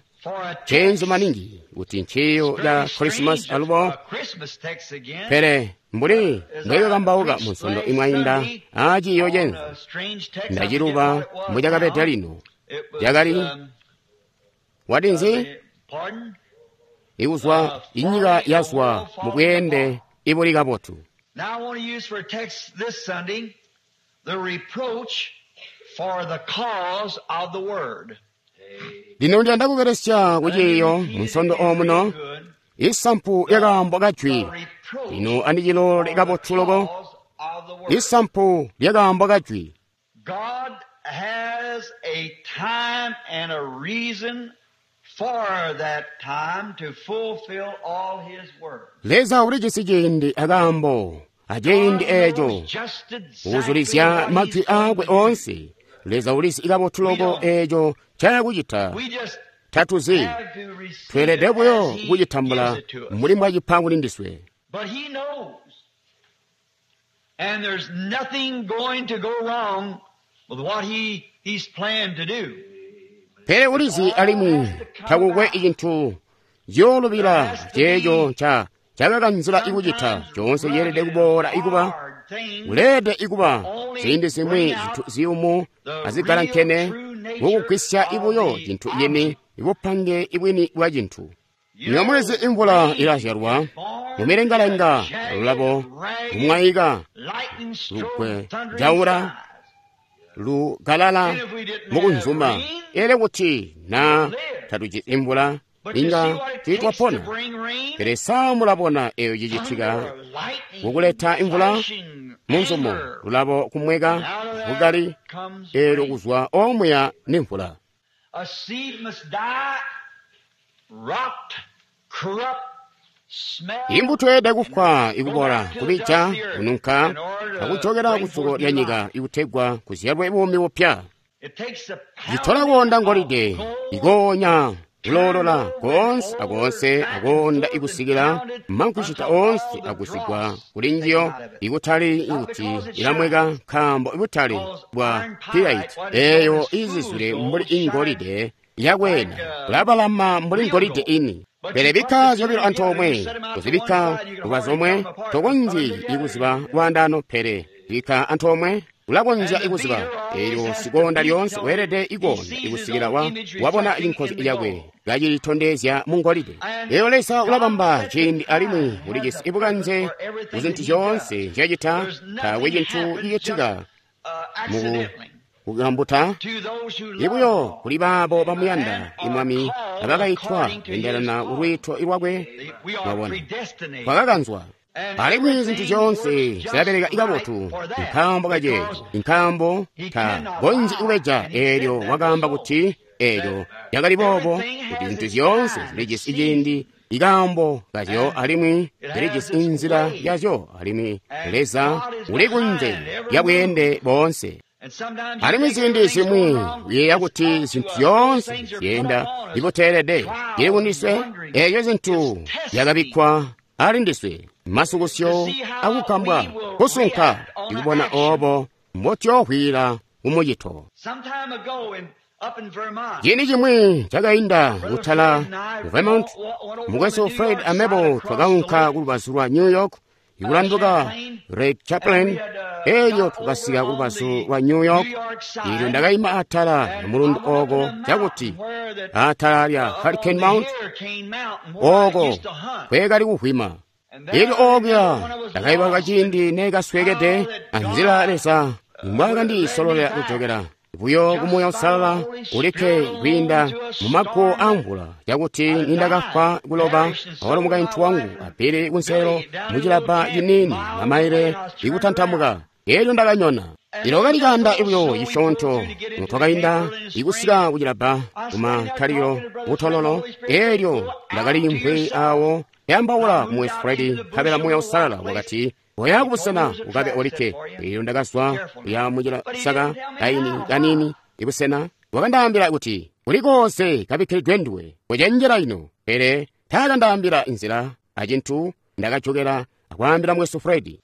Cenzo maningi kuti nciyo ca Christmas alubo, pele mbuli mbwekakambauka mu nsondo imwainda aa ciiyo cenzo, ndaciluba mbucakabeda lino. Cakali watinzi? Ikuzwa inyika yazwa mu bweende ibuli kabotu. Now I want to use for a text this Sunday the reproach for the cause of the word. Lino ndiyanda kubelesya kuciiyo mu nsondo omuno isampu lyakaambo kajwi. Lino andicilole kabotu loko isampu lyakaambo kajwi. God has a time and a reason for that time to fulfill all his word. Leza ulijisi ciindi akaambo aciindi eeco kuzulizya majwi aakwe oonse. Leza ulizi kabotu loko eeco ncayakucita. Tatuzi, tweelede buyo kucitambula mbuli mbwacipa kuli ndiswe. But he knows. And there's nothing going to go wrong with what he, he's planned to do. Pele ulizi alimwi takukwe icintu ciyoolubila ceeco nca cakakanzila ikucita. Coonse ceelede kuboola ikuba kuleede ikuba ziindi zimwi zintu ziyumu azigalankene mukugwisya ibuyo cintu cini ibupange ibwini bwa cintu. Nyamwezi imvula ilazyalwa mumilengalenga lulabo lumwaika lugwe jaula lugalala mukunzuma. Ele kuti na tatuji imvula inga tiitwapona. Pele saa mulabona eyo cicitika kukuleta imvula munzumo lulabo kumweka bukali eelyo kuzwa omuya nimvula. A seed must die, rot, corrupt, smell, Imbuto yeelede kufwa ikubola, kubija, kununka, akujokera kusuko lya nyika ikutegwa kuzyalwe buumi bupya. It takes the Citola kuonda ngolide, ikonya kuloolola koonse akoonse akoonda ikusikila mankucita oonse akusigwa kuli njiyo ikutali ikuti ilamweka nkaambo ibutali bwa pirite eeyo izizwile mbuli ingolide yakwena kulabalama mbuli ngolide ini. Pele bikka zyobilo antoomwe, kuzibikka kuba zomwe, tokonzyi ikuziba lwaandano, pele bikka antoomwe ulakonzya ikuziba. Eelyo sikonda lyoonse weelede ikonda ikusikila wa wabona cinkozi lyakwe kacilitondezya mu ngolide. Eelyo Leza ulabamba ciindi alimwi ulijisi ibukanze ku zintu zyoonse nzyacita. Taakwe cintu cicitika mu kukambuta ibuyo kuli baabo bamuyanda imwami abakaitwa kwendelana kulwiito lwakwe. Mwabona, twakakanzwa alimwi zintu zyoonse zilabeleka ikabotu nkaambo kaceeco, nkaambo ta konzyi kubeja. Eelyo wakaamba kuti eelyo lyakali boobo, kuti zintu zyoonse zilijisi ciindi ikaambo kazyo alimwi zilijisi inzila yazyo, alimwi Leza uli kunze lya bweende boonse. Alimwi ziindi zimwi uyeeya kuti zintu zyoonse zyeenda ibuteelede ili kundiswe. Eeyo zintu zyakabikkwa ali ndiswe, masukusyo akukambwa kusunka ikubona oobo mbotyohwila kumucito. Some time ago in, up in Vermont, Ciindi cimwi cakainda kutala ku Vermont, mukwesu Fred amebo twakaunka kulubazu lwa New York ikulanduka Red Chaplin. Eelyo twakasika kulubazu lwa New York. Eelyo ndakayima atala mulundu ooko cakuti atala lya Hurricane Mount ooko kwekali kuhwima. Eelyo okuya ndakayibaluka ciindi neekasweekede anzila Leza mbwaakandisololela kujokera buyo kumuuya usalala ulikke kwiinda mumaguwo amvula, cakuti nindakafwa kuloba awalo mukaintu wangu apili kunselo mucilabba ciniini mamaile ikutantamuka. Eelyo ndakanyona. Ilo kali kanda ibuyo cisyoonto twakainda ikusika kucilabba kumatalilo kutololo. Eelyo ndakaliimvwi awo yambaula kumwesi Fredi, nkabela muuya usalala wakati, "Oya kubusena ukabe olikke." Eelyo ndakazwa kuya mucilasaka kaini kanini ibusena. Wakandaambila kuti, "Kuli koonse kabikkilidwe nduwe, kucenjela ino." Pele taakandaambila inzila acintu. Ndakajokera akwaambila mwesu Fred.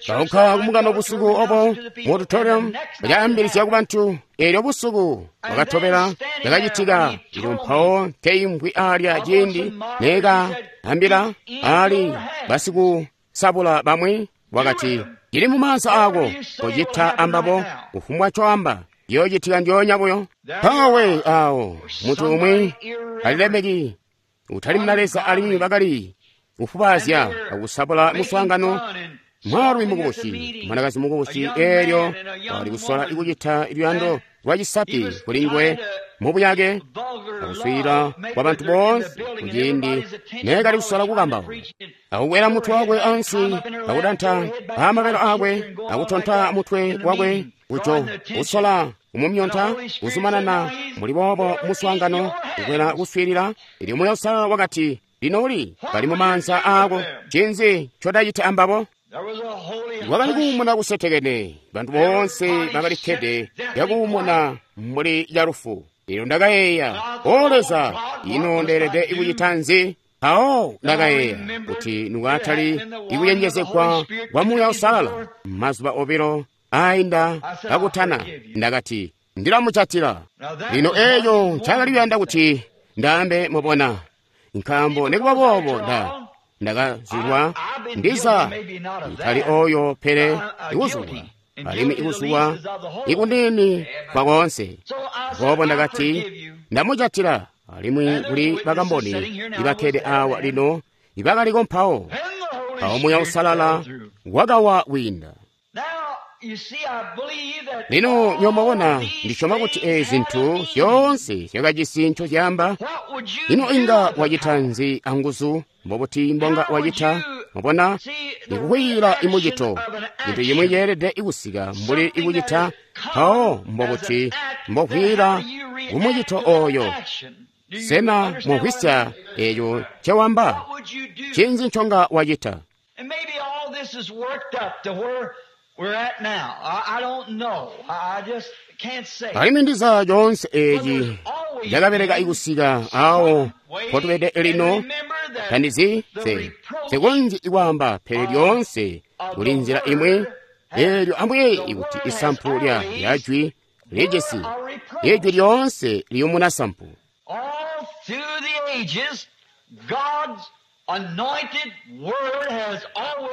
Kaunka kumukano busiku obo mu auditorium, bacaambilizya ku bantu. Eelyo busiku bwakatobela cakacitika. Ilyo mpawo nkeimvwi alya ciindi neekaambila ali basikusabula bamwi, wakati, cili mu maanza ako, kocita ambabo kufumbwa coamba, ciyoocitika ndyoonya buyo. Mpawe awo muntu umwi alilemeki utali muna Leza alimwi bakali kufubaazya akusabula muswaangano. Mwaalumi mukubusi, mwanakazi mukubusi, eelyo wakali kusola ikucita luyando lwa cisapi kuli nguwe mubuyake akuswiilila kwa bantu boonse kuciindi neekali kusola kukambauka, akukwela mutwe wakwe ansi, akutanta amabelo akwe, akutonta mutwe wakwe kujo kusola kumumyonta, kuzumanana muli boobo muswaangano, kukwela kuswiilila. Elyo Muuya Uusalala wakati, lino uli bali mu maanza ako, ncinzi ncodacita ambabo? Wakali kuumuna kusetekene, bantu boonse bakalikkede yakuumuna mbuli calufu. Elyo ndakayeeya, O Leza, ino ndeelede ikucita nzi? Mpawo ndakayeeya kuti nikwatali ikucenjezegwa kwa Muuya Uusalala mazuba obilo ainda kakutana, ndakati ndilamucatila. Lino eeco ncakali kuyanda kuti ndaambe, mubona, nkaambo nikuba boobo nda ndakazulwa ndiza itali oyo, pele ikuzulwa alimwi ikuzulwa ikuniini kwa koonse. Boobo ndakati ndamucatila, alimwi kuli bakamboni ibakkede awa lino ibakaliko mpawo. Mpawo Muuya Uusalala wakawa kwiinda. Lino nyomubona, ndisyoma kuti ezi zintu zyoonse zyakajisi ncozyaamba. Ino inga wacita nzi anguzu? Mbobuti mbonga wacita? Mubona, ikukwiyila imucito, cintu cimwi ceelede ikusika mbuli ikucita. Mpawo mbobuti mbokwiyila kumucito oyo? Sena mumvwisya eeco ncewamba? Ncinzi nconga wacita? Alimwi ndiza coonse eeci cakabeleka ikusika awo mpotubede lino. Tandizi se nsikonzyi ikwaamba, pele lyoonse kuli nzila imwi. Eelyo ambuyeeye kuti isampu lya lyajwi lijisi ijwi lyoonse liyumuna sampu.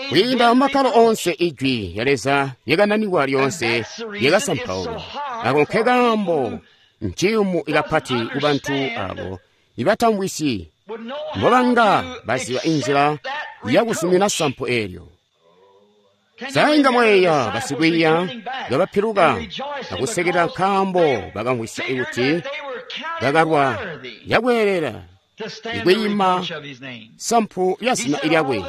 Kwiinda mumakkalo oonse ijwi lya Leza lyakananikwa lyoonse lyakasampaulwa. Ako nkekaambo nciyumu ikapati kubantu abo ibatamvwisyi mbobanga baziba inzila yakuzumina sampu eelyo. Sainga mweeya basikwiiya ngabapiluka akusekela nkaambo bakamvwisya kuti bakalwa yakweelela ikwiima sampu lya zina lyakwe.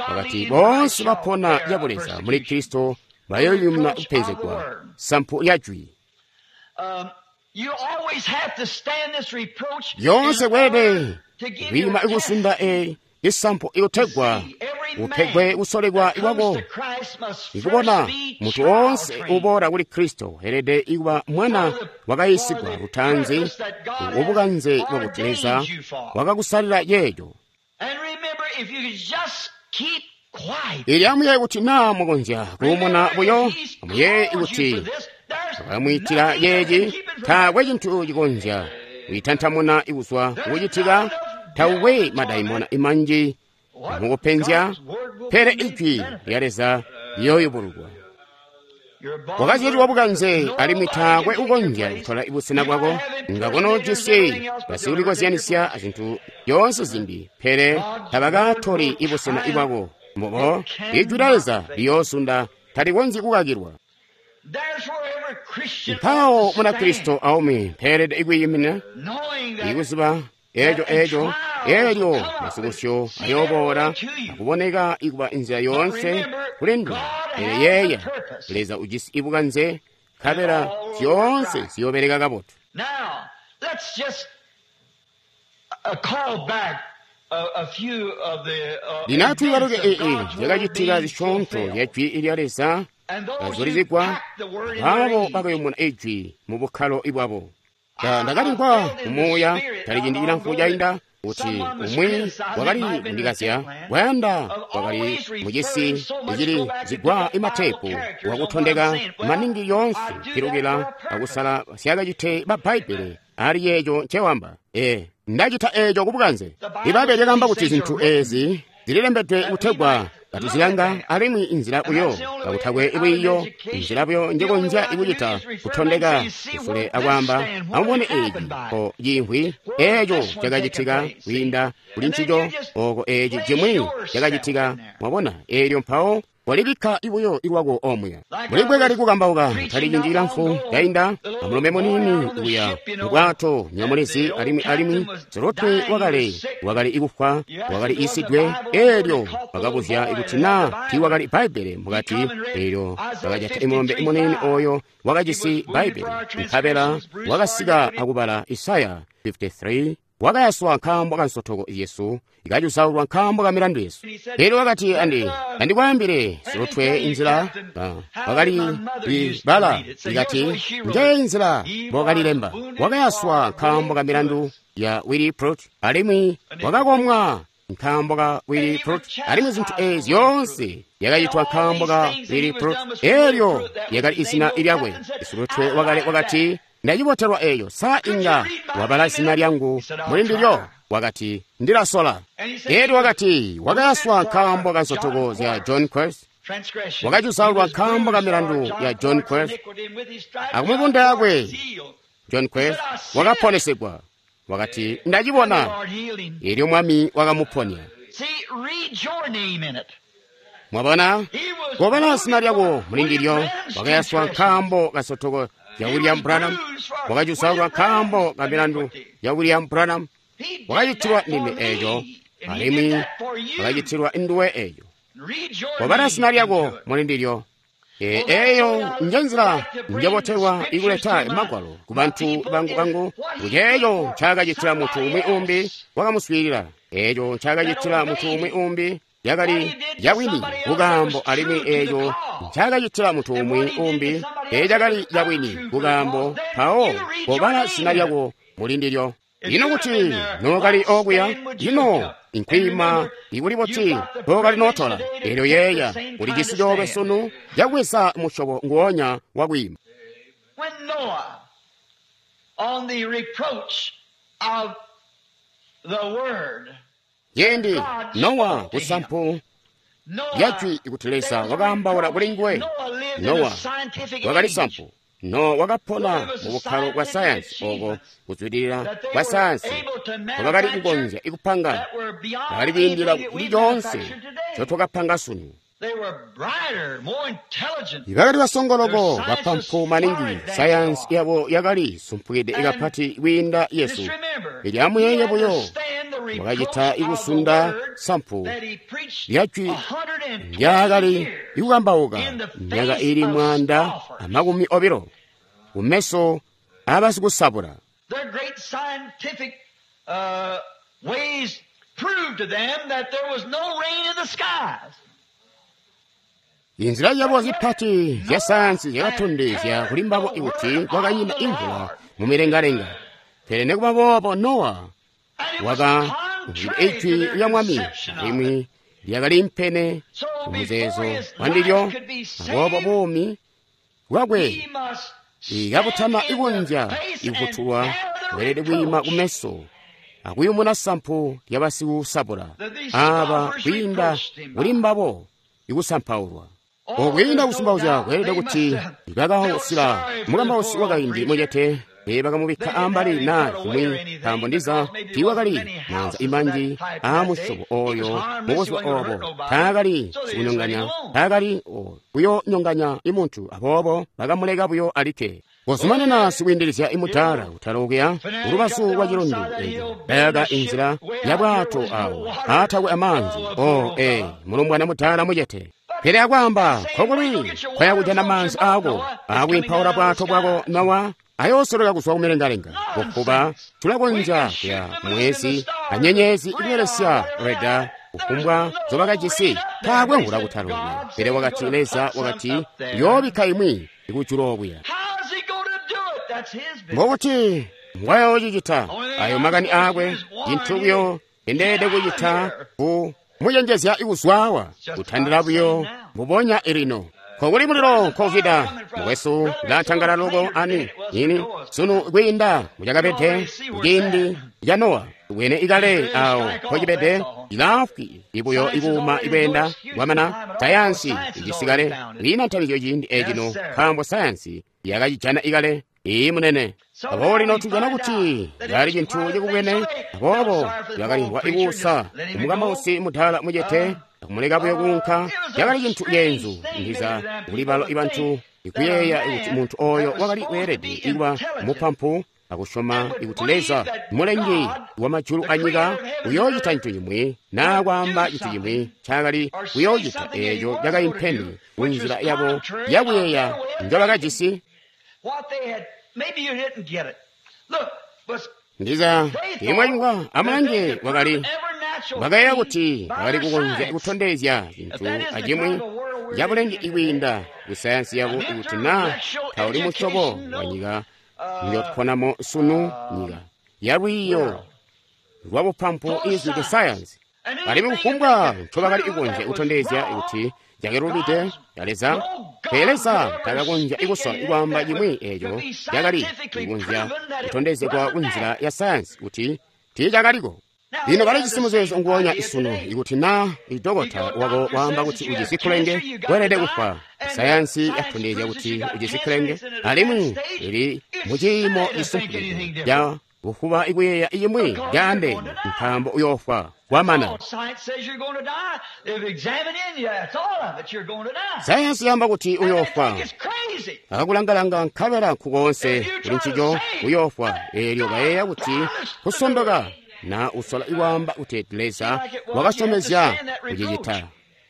Wakati boonse bapona yabuleza muli Kristo bayoyumna kupenzegwa sampu lya jwi. Lyoonse kweelede kwiima ikusunda e isampu ikutegwa upegwe kusolekwa ikwako. Ikubona muntu woonse uboola kuli Kristo elede ikuba mwana wakayisigwa lutanzi ubukanze bwakuti Leza wakakusalila yeejo. Ili amuyeeye kuti naa mukonzya kuumuna buyo, amuyeeye kuti wakamwiitila yeeci, taakwe cintu cikonzya kuitantamuna ikuzwa kukucitika. Taukwe madaimona imanji mukupenzya, pele ijwi lya Leza liyooyubululwa. Wakazyalilwa bukanze, alimwi taakwe ukonzya kutola ibusena bwako. Ngakono jisi basikulikozyanisya azintu zyoonse zimbi, pele tabakatoli ibusena bwako. Mbobo ijwi lya Leza liyoosunda, talikonzyi kukakilwa. Mpawo Munakristo aumwi mpeelede ikwiimina ikuziba eeco eeco eelyo masukusyo ayooboola akuboneka ikuba inzila yoonse kuli nduwe. Pele yeeya, Leza ujisi ibukanze, nkabela zyoonse ziyoobeleka kabotu. Lino atwiibaluke ee zyakacitika zisyoonto zya jwi lya Leza kazulizigwa, aabo bakayumuna ijwi mu bukkalo bwabo. Ndakalimvwa kumuuya tali ciindi cilamfu cainda kuti umwi wakali kundikazya wayanda wakali mucisi icili zigwa imatepu wakutondeka maningi yoonse pilukila akusala syakacite ba Bbaibbele ali yeeco ncewamba. E ndacita eeco kubukanze. Ibbaibbele lyakaamba kuti zinthu ezi zililembedwe kutegwa katuzilanga, alimwi inzila buyo kakutakwe lwiiyo, inzila buyo njekonzya kucita kutondeka kusule akwaamba, amubone eeci po ciimvwi eeco cakacitika kwiinda kuli ncico, oko eeci cimwi cakacitika, mwabona, eelyo mpawo walibikka buyo lwako omuya. Mbuli kali kukambauka tali ciindi cilamfu cainda, amulombe muniini kuya mubwato nyamulezi, alimwi alimwi silutwe wakale wakali ikufwa, wakali isidwe, eelyo bakabuzya kuti naa tiiwakali Bbaibbele mukati, eelyo bakajata imulombe muniini oyo wakajisi Bbaibbele, nkabela wakasika akubala Isaya makumi aamakumi atatu. Wakayaswa nkaambo ka nsotoko yesu, ikacuzaulwa nkaambo ka milandu yesu. Elyo wakati, andi andikwaambile silutwe inzila wakali libala, ikati nje inzila mbokalilemba. Wakayaswa nkaambo ka milandu ya Willie Prut, alimwi wakakomwa nkaambo ka Willie Prut, alimwi zintu ezi zyoonse yakacitwa nkaambo ka Willie Prut. Elyo yakali izina lyakwe. Silutwe wakale wakati, ndacibotelwa eyo, sa inga wabala zina lyangu muli ndilyo? Wakati, ndilasola. Elyo wakati, wakayaswa nkaambo ka nsotoko zya John Quest, wakacuzaulwa nkaambo ka milandu ya John Quest, akumibunda yakwe John Quest wakaponesegwa. Wakati, ndacibona. Elyo Mwami wakamuponya. Mwabona, kobala zina lyako muli ndilyo. Wakayaswa nkaambo ka nsotoko ya William Branham, wakacuzaulwa nkaambo ka milandu ya William Branham, wakacitilwa ndime eeco, alimwi wakacitilwa nduwe eeco. Kobala zina lyako muli ndilyo. Eeyo njenzila njobotelwa ikuleta magwalo ku bantu bangu bangu, kuceeco ncaakacitila muntu umwi umbi wakamuswiilila, eeco ncaakacitila muntu umwi umbi yakali yabwini kukaambo, alimwi eeco ncaakacitila muntu umwi umbi eecakali yabwini kukaambo. Mpawo kobala zina lyako muli ndilyo. Ino kuti nookali okuya, ino inkwima ikuli buti tookali nootola? Elyo yeeya ulijisi coolwe sunu cakuweza musyobo nguonya wakwiima. Ciindi Nowa kusampu lyajwi kuti Leza wakaambaula kuli nguwe, Nowa wakali sampu. Nowa wakapona mu bukkalo bwa sayansi, oko kuzwidilila kwa sayansi kwakali kukonzya ikupanga, bakali kwiindila kuli coonse ncotwakapanga sunu. Bakali basongoloko bapampu maningi, sayansi yabo yakali sumpukide kapati kwiinda yesu. Elyo amuyeeye buyo, wakacita ikusunda sampu lyajwi lyakali ikukambauka myaka ili mwanda amakumi obilo kumeso abasikusabula. Inzila yabo zipati zya sayansi zyakatondezya kuli mbabo kuti kwakanyina imvula mu milengalenga. Pele nekuba boobo Nowa wakamvwida ijwi lya Mwami, alimwi lyakali mpene kumuzeezo wandilyo. Aboobo buumi bwakwe ikabutana ikunzya ikufutulwa, weelede kwiima kumeso akuyumuna sampu lyabasikusabula aba kwiinda kuli mbabo ikusampaulwa. Okwiinda kusumpauzya kweelede kuti bakausila mukambausi wakaindi mucete, bakamubikka ambali naa kumwi, nkaambo ndiza tiiwakali maanza imanji aamusyobo oyo mubuzuba obo. Taakali sikunyonganya, taakali kuyonyonganya imuntu, aboobo bakamuleka buyo alikke. Kozumanana sikwiindilizya imudaala kutalokuya kulubazu lwa cilundu eco, bayaka inzila ya bwato awo aatakwe amaanzi. O ee, mulumbwana mudaala mucete. Pele akwaamba, nkokuli kwaya kujana maanzi aako akwiimpaula bwato bwako Nowa, ayoosoloka kuzwa kumilengalenga. Kufuba tulakonzya kuya mwezi anyenyezi ikubelesya reda kufumbwa nzobakajisi, taakwe mvula kutalokuya. Pele wakati Leza wakati yoobikka imwi ikujulu okuya. Ngokuti mbwayoocicita ayo makani aakwe cintu buyo ndeelede kucita ku mucenjezya ikuzwawa kutandila buyo mbubonya ilino nkokuli mulilo nkovida mukwesu latangala loko ani ini sunu kwiinda mucakabede kuciindi ca Nowa bwene ikale awo nkocibede ilaafwi ibuyo ikuuma ikweenda kwamana sayansi icisikale kwiina ntamizyo ciindi ecino nkaambo sayansi yakacijana ikale iyi munene aboobo lino tujana kuti cali cintu cikubwene aboobo bakalimvwa ikuusa umukambausi mudaala mucete akumuleka buyo kuunka cakali cintu ceenzu ndiza kuli balo ibantu ikuyeeya kuti muntu oyo wakali weelede ikuba mupampu akusyoma ikuti Leza mulengi wa majulu anyika uyoocita cintu cimwi naa kwaamba cintu cimwi ncaakali kuyoocita eeco cakaimpene kunzila yabo yakuyeeya njobakajisi. Ndiza imwayungwa amulange wakali bakayeeya kuti bakali kukonzya kutondezya cintu acimwi cabulengi ikwiinda kusayansi yabo ikuti naa tauli musyobo wa nyika njotuponamo sunu nyika yalwiiyo lwabupampu izwide sayansi alimwi kufumbwa ncobakali kukonzya kutondezya kuti cakalubide ya Leza pele Leza takakonzya ikusola ikwaamba cimwi eeco cakali kukonzya kutondezegwa kunzila ya sayansi kuti tiicakaliko. Lino balijisi muzeezo nguwonya isunu ikuti naa idokota wako waamba kuti ujisi kkulenge weelede kufwa. Sayansi yatondezya kuti ujisi kkulenge alimwi ili muciimo cisumpukide ca bufuba ikuyeeya icimwi caandeene nkaambo uyoofwa kwamana. Sayansi yaamba kuti uyoofwa akakulangalanga nkabela nkukoonse kuli ncico uyoofwa eelyo bayeeya kuti kusondoka na usola ikwaamba kuti Leza wakasyomezya kucicita.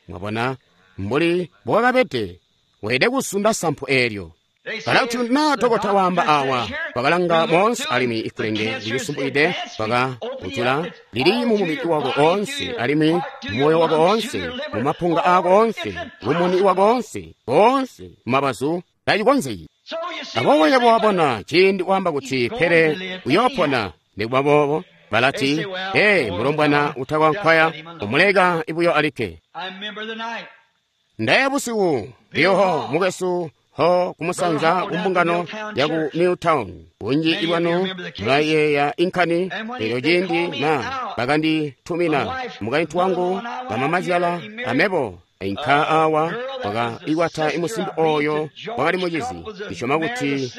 Mwabona mbuli mbowakabede weelede kusunda sampu eelyo. Kana kuti naa dokota waamba awa wakalanga moonse alimwi ikulenge lilisumpukide wakakujula lili mu mubili wako oonse alimwi mumoyo wako oonse mumapunga aako oonse mumuni wako oonse oonse mumabazu tacikonzeki. Aboobo yebo wabona ciindi waamba kuti pele uyoopona nikuba boobo balati ee mulombwana utakwankwaya umuleka ibuyo alikke. Ndaya busiku ndiyoho mukwesu ho kumusanza kumbungano yaku Milltown bunji ibwanu mulayeeya inkani elyo ciindi na bakanditumina mukaintu wangu bamamazyala amebo inka awa wakaikwata imusimbi oyo wakali mucizi ndisyoma kuti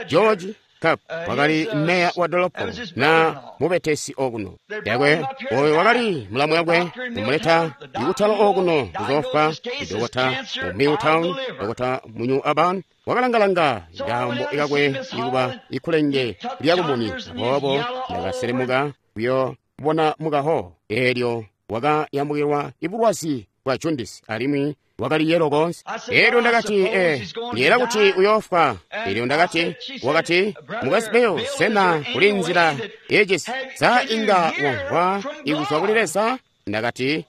George Cup wakali meya wa dolopo na mubetesi okuno yakwe oyo wakali mulamu yakwe kumuleta ikutalo okuno kuzofwa idokota mu Milltown dokota mu New Urban wakalangalanga ngambo ikakwe ikuba ikulenge lyakumuni aboobo ndakaselemuka kuyo bona mukaho eelyo wakayambukilwa ibulwazi bwa jaundice alimwi wakali yelo konse. Eelyo ndakati eh ndiyela kuti uyoofwa. Eelyo ndakati wakati mukwesu Bill sena kuli nzila yecisi sa inga wamvwa ikuzwa kuli Leza? Ndakati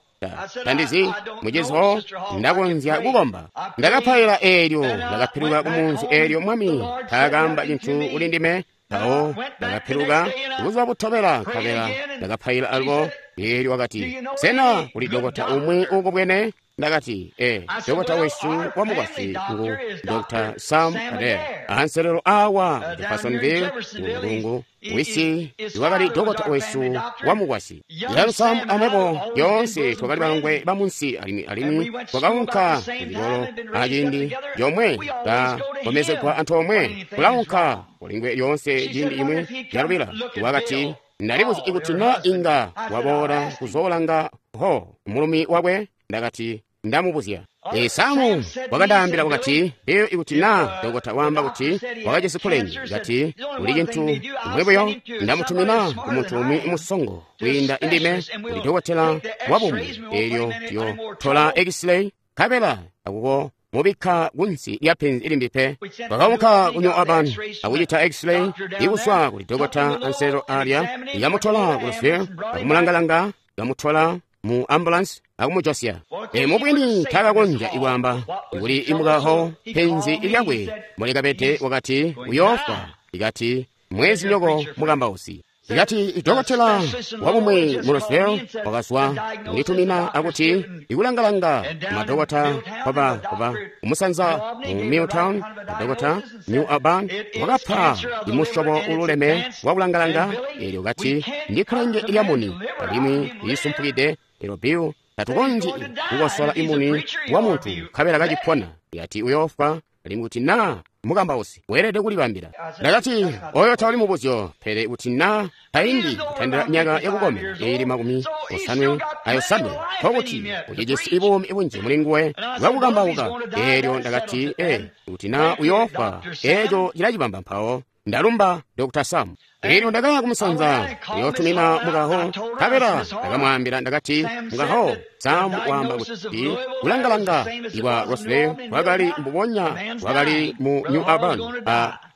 tandizi muciziho ndakonzya kukomba. Ndakapaila eelyo ndakapiluka kumunzi eelyo mwami taakaamba cintu kuli ndime. Mpawo ndakapiluka buzuba butobela nkabela ndakapaila alubo. Eelyo wakati sena kuli dokota umwi uukubwene? Ndakati ee dokota wesu wa mukwasyi ngu Doctor Sam Adair anselelo awa Jeffersonville ngulungu wisi iwakali dokota wesu wa mukwasyi. Yalo Sam amebo yoonse twakali balongwe bamunsi alimwi alimwi twakaunka kulikolo aciindi yomwe kakomezegwa antoomwe kulaunka kulingwe lyoonse ciindi imwi yalubila. Wakati ndalibuzi ikuti na inga waboola kuzoolanga ho mulumi wakwe. Ndakati ndamubuzya. E Samu wakandaambila wakati Bill ikuti na dokota waamba kuti wakajisi kkulenge kati kuli cintu umwi buyo ndamutumina kumuntu umwi musongo kwiinda indime kuli dokotela wabumi eelyo tiyotola x-ray nkabela akuko mubikka kunsi lya penzi limbi pe. Twakaunka ku New Urban akucita x-ray ikuswa kuli dokota anselo alya yamutola ku Louisville akumulangalanga yamutola mu ambulance akumujosya. E mubwini takakonzya ikwaamba kuli imukaho penzi lyakwe mulikabede wakati uyoofwa ikati Mwezinyoko mukambausi. Ikati dokotela wabumwi mu Roswell wakazwa kunditumina akuti ikulangalanga madokota kwaba kwaba umusanza mu Milltown, madokota New Albany wakapha imushobo ululeme wakulangalanga elyo kati ndi khalenge lyamuni alimwi lisumpukide elo Bill tatukonzyi kukosola imuni wa munthu khabela kachipona yati uyofwa alimwi kuti na mukambausi weelede kulibambila. Ndakati oyo tawuli mubuzyo pele kuti na taindi kutandila myaka yakukomena ili makumi osanwe ayosanwe nkokuti ucijisi ibuumi bunji muli nguwe bwakukambauka. Eelyo ndakati e kuti na uyofwa eeco cilacibamba mpawo. Ndalumba Doctor Sam. Eelyo ndakaya kumusanza kuyotumina mukaho nkabela ndakamwaambila ndakati mukaho Sam waamba kuti kulangalanga iwa Roswell wakali mbubonya wakali mu New Albany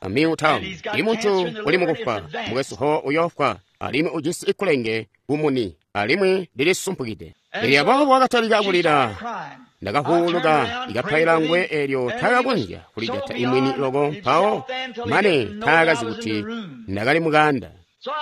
a Milltown. Ili munthu uli mukufa mukwesu ho uyofwa alimwi ujisi ikulenge kumuni alimwi lilisumpukide. Elyo aboobo wakatalika kulira. Ndakahuuluka ikapaila ngwe elyo taakakonzya kulijata imwini loko mpawo mane taakazi kuti ndakali mukanda.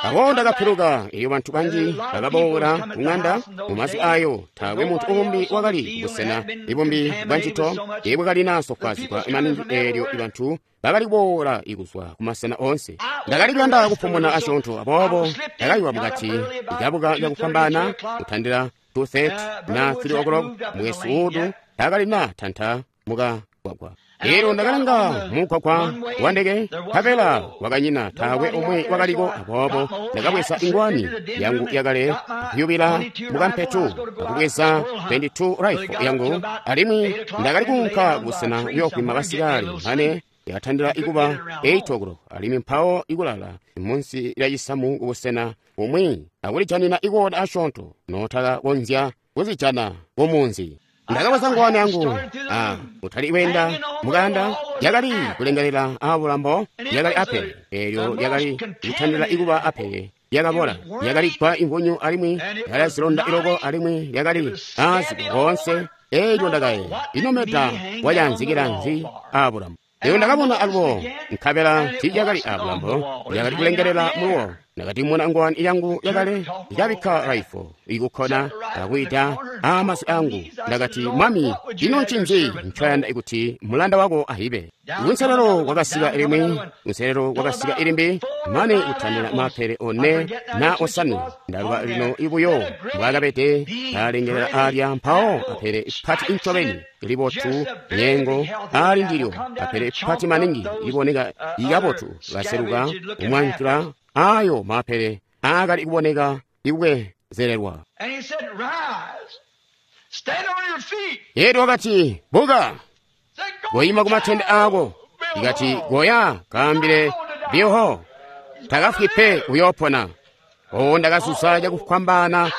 Awo ndakapiluka elyo bantu banji bakaboola kung'anda mu mazu ayo taakwe munthu umbi wakali kubusena ibumbi bwa ncito ibwakali sofwaazigwa maningi eelyo ibantu bakali kuboola ikuzwa kumasena onse. Ndakali kuyanda kupumuna asyoonto aboobo ndakayiwa mukati ikabuka cakufwambaana kutandila two thirty na three o'clock mwesu udu takali na tanta mukagwagwa. Elyo ndakalanga mugwagwa wa ndeke nkabela wakanyina taakwe omwe wakaliko aboobo ndakabweza ingwani yangu yakale kuyubila mukampetu akubweza twenty-two rifle yangu alimwi ndakali kuunka kubusena kuyokwima basikali mane yakatandila ikuba eight o'clock alimwi mpawo ikulala munsi lya cisamu kubusena bumwi akulijanina ikoda asyoonto notakakonzya kuzijana kumunzi. Ndakabweza ngwani yangu ah, utali wenda mukanda yakali kulengelela abulambo yakali apele elyo lyakali kutandila ikuba apele lyakabola lyakali gwa imvunyu alimwi lyakali zilonda iloko alimwi lyakali aaziko konse. Elyo ndakayeeya ino meda wayanzikila nzi abulambo. Elyo ndakabona alubo nkabela tiilyakali abulambo lyakali kulengelela muluwo. Ndakati muna ngwani yangu yakale ikabikka raifo ikukhona akuyita amasi angu. Ndakati mwami ino ncinzi ncoyanda kuti mulanda wako ahibe. Kunselelo kwakasika limwi kunselelo kwakasika ilimbi mane kutandila mapele one na osanwe. Ndaluka lino ibuyo mbwakabede kalengelela alya mpawo apele ipati incobeni libotu nyengo ali ndilyo apele ipati maningi liboneka ikabotu kaseluka kumwanjula ayo mapele akali kuboneka ikubwezelelwa. Elyo wakati buka goyima kumatende ako. Ikati goya kaambile Bill takafwi pe uyopona. Oo ndakasusa cakufwambaana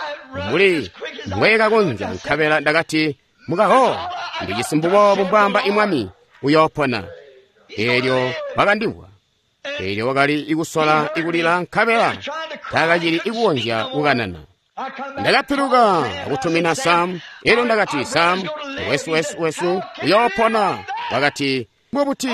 mbuli mbwekakonzya nkabela ndakati mukaho ndijisi mbubobu mbwamba imwami uyopona. Elyo wakandimvwa. Elyo wakali ikusola ikulila nkabela takacili ikukonzya kukanana. Ndakapiluka akutumina Sam. Elyo ndakati Sam wesu wesu wesu uyopona. Wakati mbobuti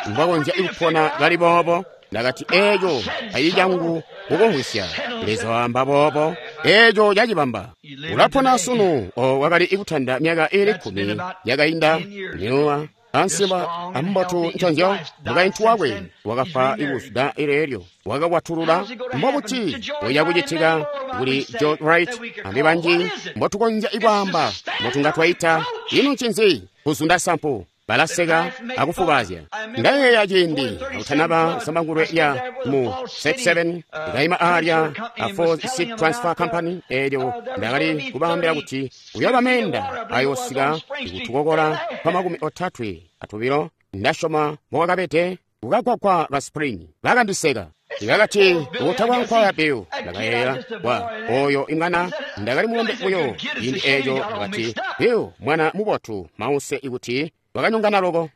mbwakonzya ikupona kali boobo? Ndakati eeco ayi cangu kukumvwisya. Leza waamba boobo eeco cacibamba. Ulapona sunu. O wakali ikutanda myaka ili kkumi yakainda minuwa ansiba ambotu nconzyo mukaintu wakwe wakafa ikuzuda ileelyo wakakwatulula. Mbobuti uya kucitika kuli George Wright ambi banji mbotukonzya ikwaamba mbotunga twaita ino ncinzi kuzunda sampu. Balaseka akufubazya. Ndayeeya ciindi akutanaba zambangulwe lya mu thirty-seven ndayima alya a Ford Seed Transfer Company elyo ndakali kubaambila kuti uyoba menda ayosika ikutukokola kwa makumi otatwe atubilo ndasyoma mbokwakabede kukagwagwa ka Spring. Bakandiseka. Ndakati utakwa nkwaya Bill. Ndakayeeya wa oyo imwana ndakali mulombe buyo ciindi eeco. Ndakati Bill mwana mubotu mause ikuti wakanyongana loko.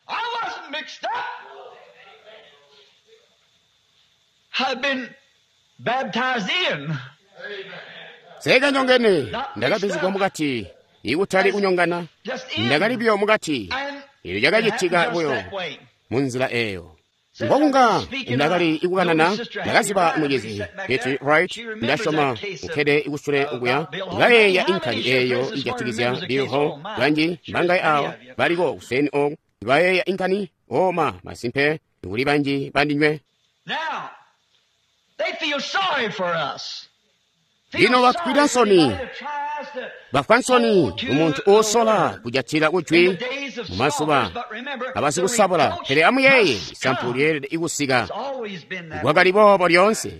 Sekanyongene ndakabizigwa mukati ikutali kunyongana ndakali biyo mukati. Elyo cakacitika buyo munzila eyo. Ngokunga ndakali ikukanana, ndakaziba mucizi Betty Wright, ndasyoma ukkede kusule okuya, kayeeya inkani eyo ijatikizya Bill Hall. Banji mbangaye awa baliko kuseni oku bayeeya inkani oma masimpe kuli banji bandinywe. Now, they feel sorry for us. Lino bafwida nsoni, bafwa nsoni umuntu osola kujatila kujwi mu mazuba abasikusabula. Pele amuyeeye, isampu lyeelede ikusika. Kwakali boobo lyoonse.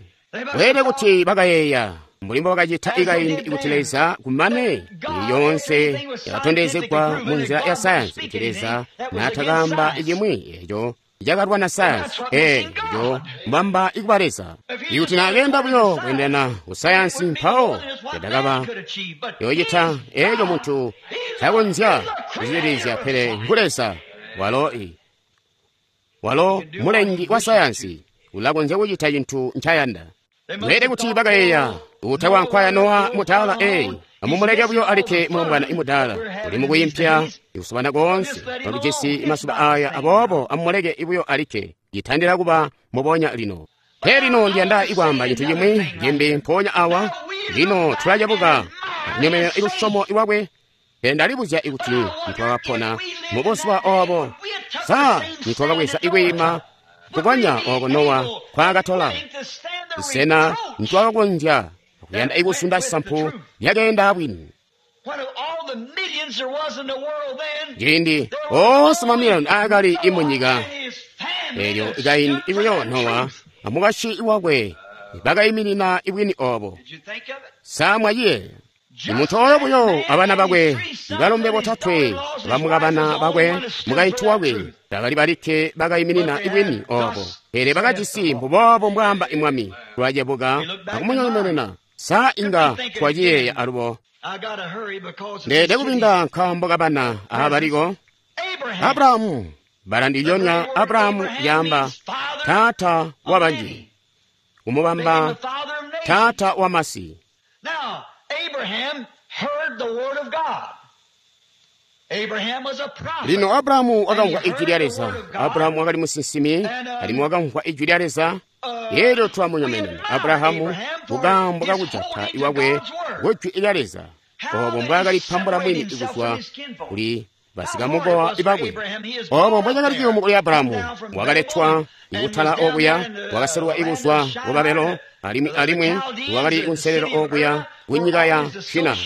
Weelede kuti bakayeeya mbuli mbobakacita ikaindi kuti Leza kumane lyoonse yakatondezegwa mu nzila ya sayansi kuti Leza naatakaamba cimwi eco cakalwana sayansi, eco mbamba ikuba Leza. Ikuti naakenda buyo kweendelana ku sayansi, mpawo yadakaba yocita eco muntu takonzya kucililizya, pele ngu Leza. Walo i walo mulengi wa sayansi, ulakonzya kucita cintu ncayanda. Weelede kuti bakayeeya utakwankwaya Nowa mudaala, ee, amumuleke buyo alikke mulombwana imudaala uli mukuyimpya ikusubana koonse kwalujisi masuba aya, aboobo amumuleke buyo alikke citandila kuba mubonya lino. Pele lino ndiyanda ikwaamba cintu cimwi cimbi mpoonya awa. Lino tulacebuka akunyomenena ilusyomo lwakwe, pele ndalibuzya ikuti nitwakapona mubuzuba obo, sa nitwakabweza ikwiima kukonya oko Nowa kwaakatola? Sena nitwakakonzya kuyanda ikusunda sampu lyakeenda bwini? Ciindi oonse mamiliyoni aakali imunyika eelyo ikaindi ibuyo Nowa amukashi wakwe bakayiminina ibwini obo. Sa mwaciyeeya? Imuntu oyo buyo abana bakwe balombe botatwe bamukabana bakwe mukaintu wakwe bakali balikke bakayiminina ibwini obo, pele bakajisi mbuboobo mbwaamba imwami. Tulacebuka akumunyomenena. Sa inga twaciyeeya alubo? Ndeede kubinda nkaambo kabana abaliko. Abrahamu, bala ndilyonya Abrahamu lyaamba taata wa banji, kumubamba taata wa masi. Now, Abraham heard the word of God. Abraham was a prophet. Lino Abrahamu wakamvwa ijwi lya Leza. Abrahamu wakali musinsimi, alimwi wakamvwa ijwi lya Leza. Elyo twamunyomenena Abrahamu kukaambo kakujata iwakwe kujwi lya Leza, obo mbwaakalipambula mwini kuzwa kuli basikamukowa bakwe. Obo mbwacakali ciyumu kuli Abrahamu, wakaletwa ikutala okuya, wakaselwa ikuzwa ku Babelo, alimwi alimwi wakali kunselelo okuya kunyika ya Shina,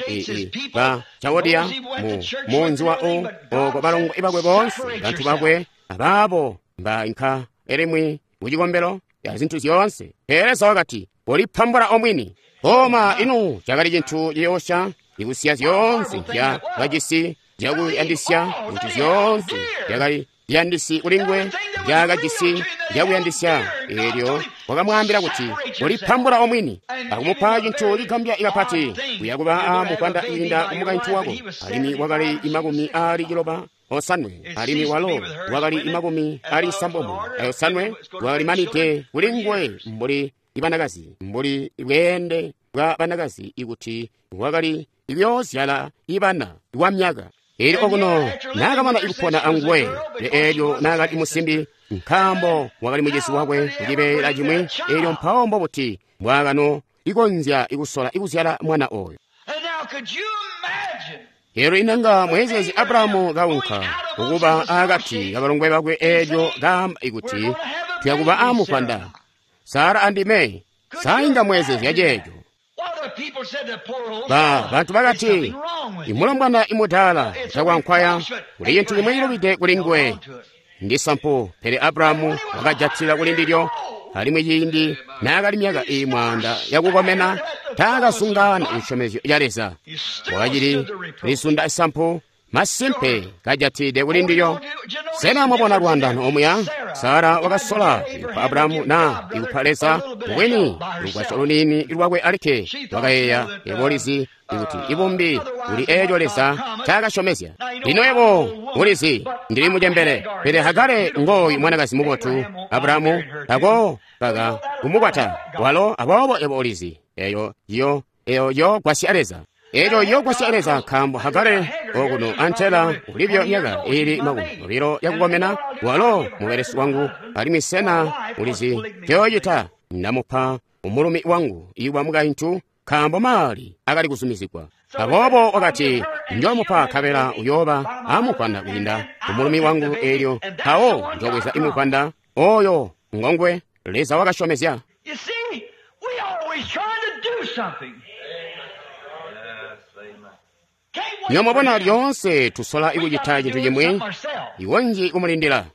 ba Chaldea, mu munzi wa U, oko balongo bakwe boonse, bantu bakwe abaabo mbainka elimwi kucikombelo ya zintu zyoonse. Pele Leza wakati, "Kolipambula omwini." Oma inu cakali cintu ciyoosya ikusiya zyoonse zya kajisi zyakuyandisya, kuti zyoonse zyakali ziyandisi kulingwe zyakajisi zyakuyandisya. Eelyo wakamwaambila kuti, "Kolipambula omwini," akumupa cintu cigambya kapati, kuya kuba amuvwanda kwiinda kumukaintu wako. Alimwi wakali imakumi aali ciloba osanwe, alimwi walo wakali imakumi aali sambomo ayosanwe, wakali manide kulingwe mbuli ibanakazi, mbuli bweende bwa banakazi, ikuti wakali ibyozyala ibana wa myaka. Eelyo okuno naakamana ikupona anguwe, eelyo naakali musimbi, nkaambo wakali mucizi wakwe kucibeela cimwi. Eelyo mpawo mbobuti mbwaakano ikonzya ikusola ikuzyala mwana oyo? And now, could you imagine? Eelyo inanga mwezeezi Abrahamu kaunka kukuba akati kabalongwe bakwe, eelyo kaamba ikuti tuyakuba amuvwanda Sara andime. Sainga mwezeezi ceeco. Well, the people said the poor old Ba fella, bantu there's bakati, something wrong with him. imulombwana imudaala takwankwaya kuli cintu cimwe cilubide kuli nguwe, ndi sampu. Pele Abrahamu wakajatila kuli ndilyo, alimwi ciindi naakali myaka iyi mwaanda yakukomena taakasungana cisyomezyo ca Leza. Wakacili lisunda isampu, masimpe kajatide kuli ndilyo. Sena mwabona lwandano omuya? Sara wakasola ikupa Abrahamu na ikupa Leza mubwini lugwasyo luniini lwakwe alikke. Wakayeeya yebo ulizi ikuti ibumbi kuli eeco Leza ncaakasyomezya. Lino yebo ulizi ndili mucembele, pele Hagare ngooyu mwanakazi mubotu. Abrahamu tako kaka kumukwata walo, aboobo yebo ulizi eyo yo eyo yogwasya Leza. Eyo yogwasya Leza, nkaambo Hagare okuno antela ulibyo myaka iili makumi obilo yakukomena, walo mubelesi wangu, alimwi sena ulizi ncoyocita? Ndamupa umulumi wangu iwa mukaintu, nkaambo maali akali kuzumizigwa. Aboobo wakati, njoomupa nkabela uyooba amuvwanda kwiinda umulumi wangu, eelyo mpawo njoobweza imuvwanda oyo ngongwe Leza wakasyomezya. You see, we always trying to do something. Can't wait Nyomubona for him. lyoonse tusola We ikucita got to cintu do cimwi, something ourselves. iwonji kumulindila.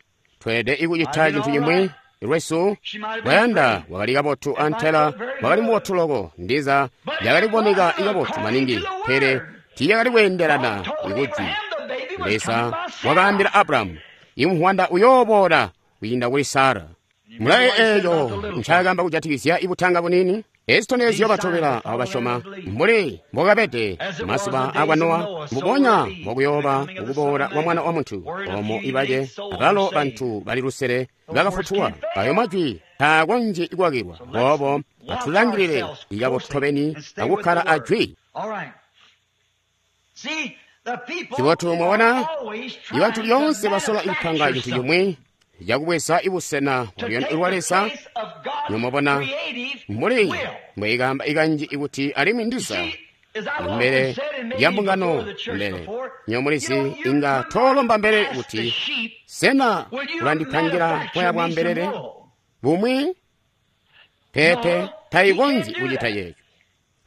Tweelede ikucita cintu cimwi lwesu. Bwayanda wakali kabotu antela wakali mubotu loko, ndiza yakali kuboneka ikabotu maningi, pele tiiyakali kweendelana ikujwi. Leza wakaambila Abrahamu, imuvwanda uyooboola kwiinda kuli Sara. Mulaye eeyo ncaakamba kujatikizya ibutanga bunini. Ezi zitondezyo batobela abo basyoma mbuli mbokabede mazuba akwa Nowa, mbubonya mbokuyooba ukuboola kwa Mwana wa Muntu. Omo ibace abalo bantu bali lusele bakafutulwa. Ayo majwi taakonzyi kwakilwa. Boobo atulangilile ikabotu tobeni akukkala ajwi. All right. See, the people Cibotu mwabona, are always trying ibantu to lyoonse basola ikupanga manufacture cintu something. cimwi cakubweza ibusena To bwa take lwa the Leza. place of God's Nyomubona, creative mbuli will. mbweyikamba ikanji ikuti alimwi ndiza See, as I've often mbele said, and maybe ya mbungano before the church mbele before, nyomulizi you know, you inga could tolomba mbelele ask the kuti sheep, sena will you ulandipangira manufacture boya bwa me some mbelele wool? bumwi? Pepe No, tayikonzyi he can't do kucita that. yeco.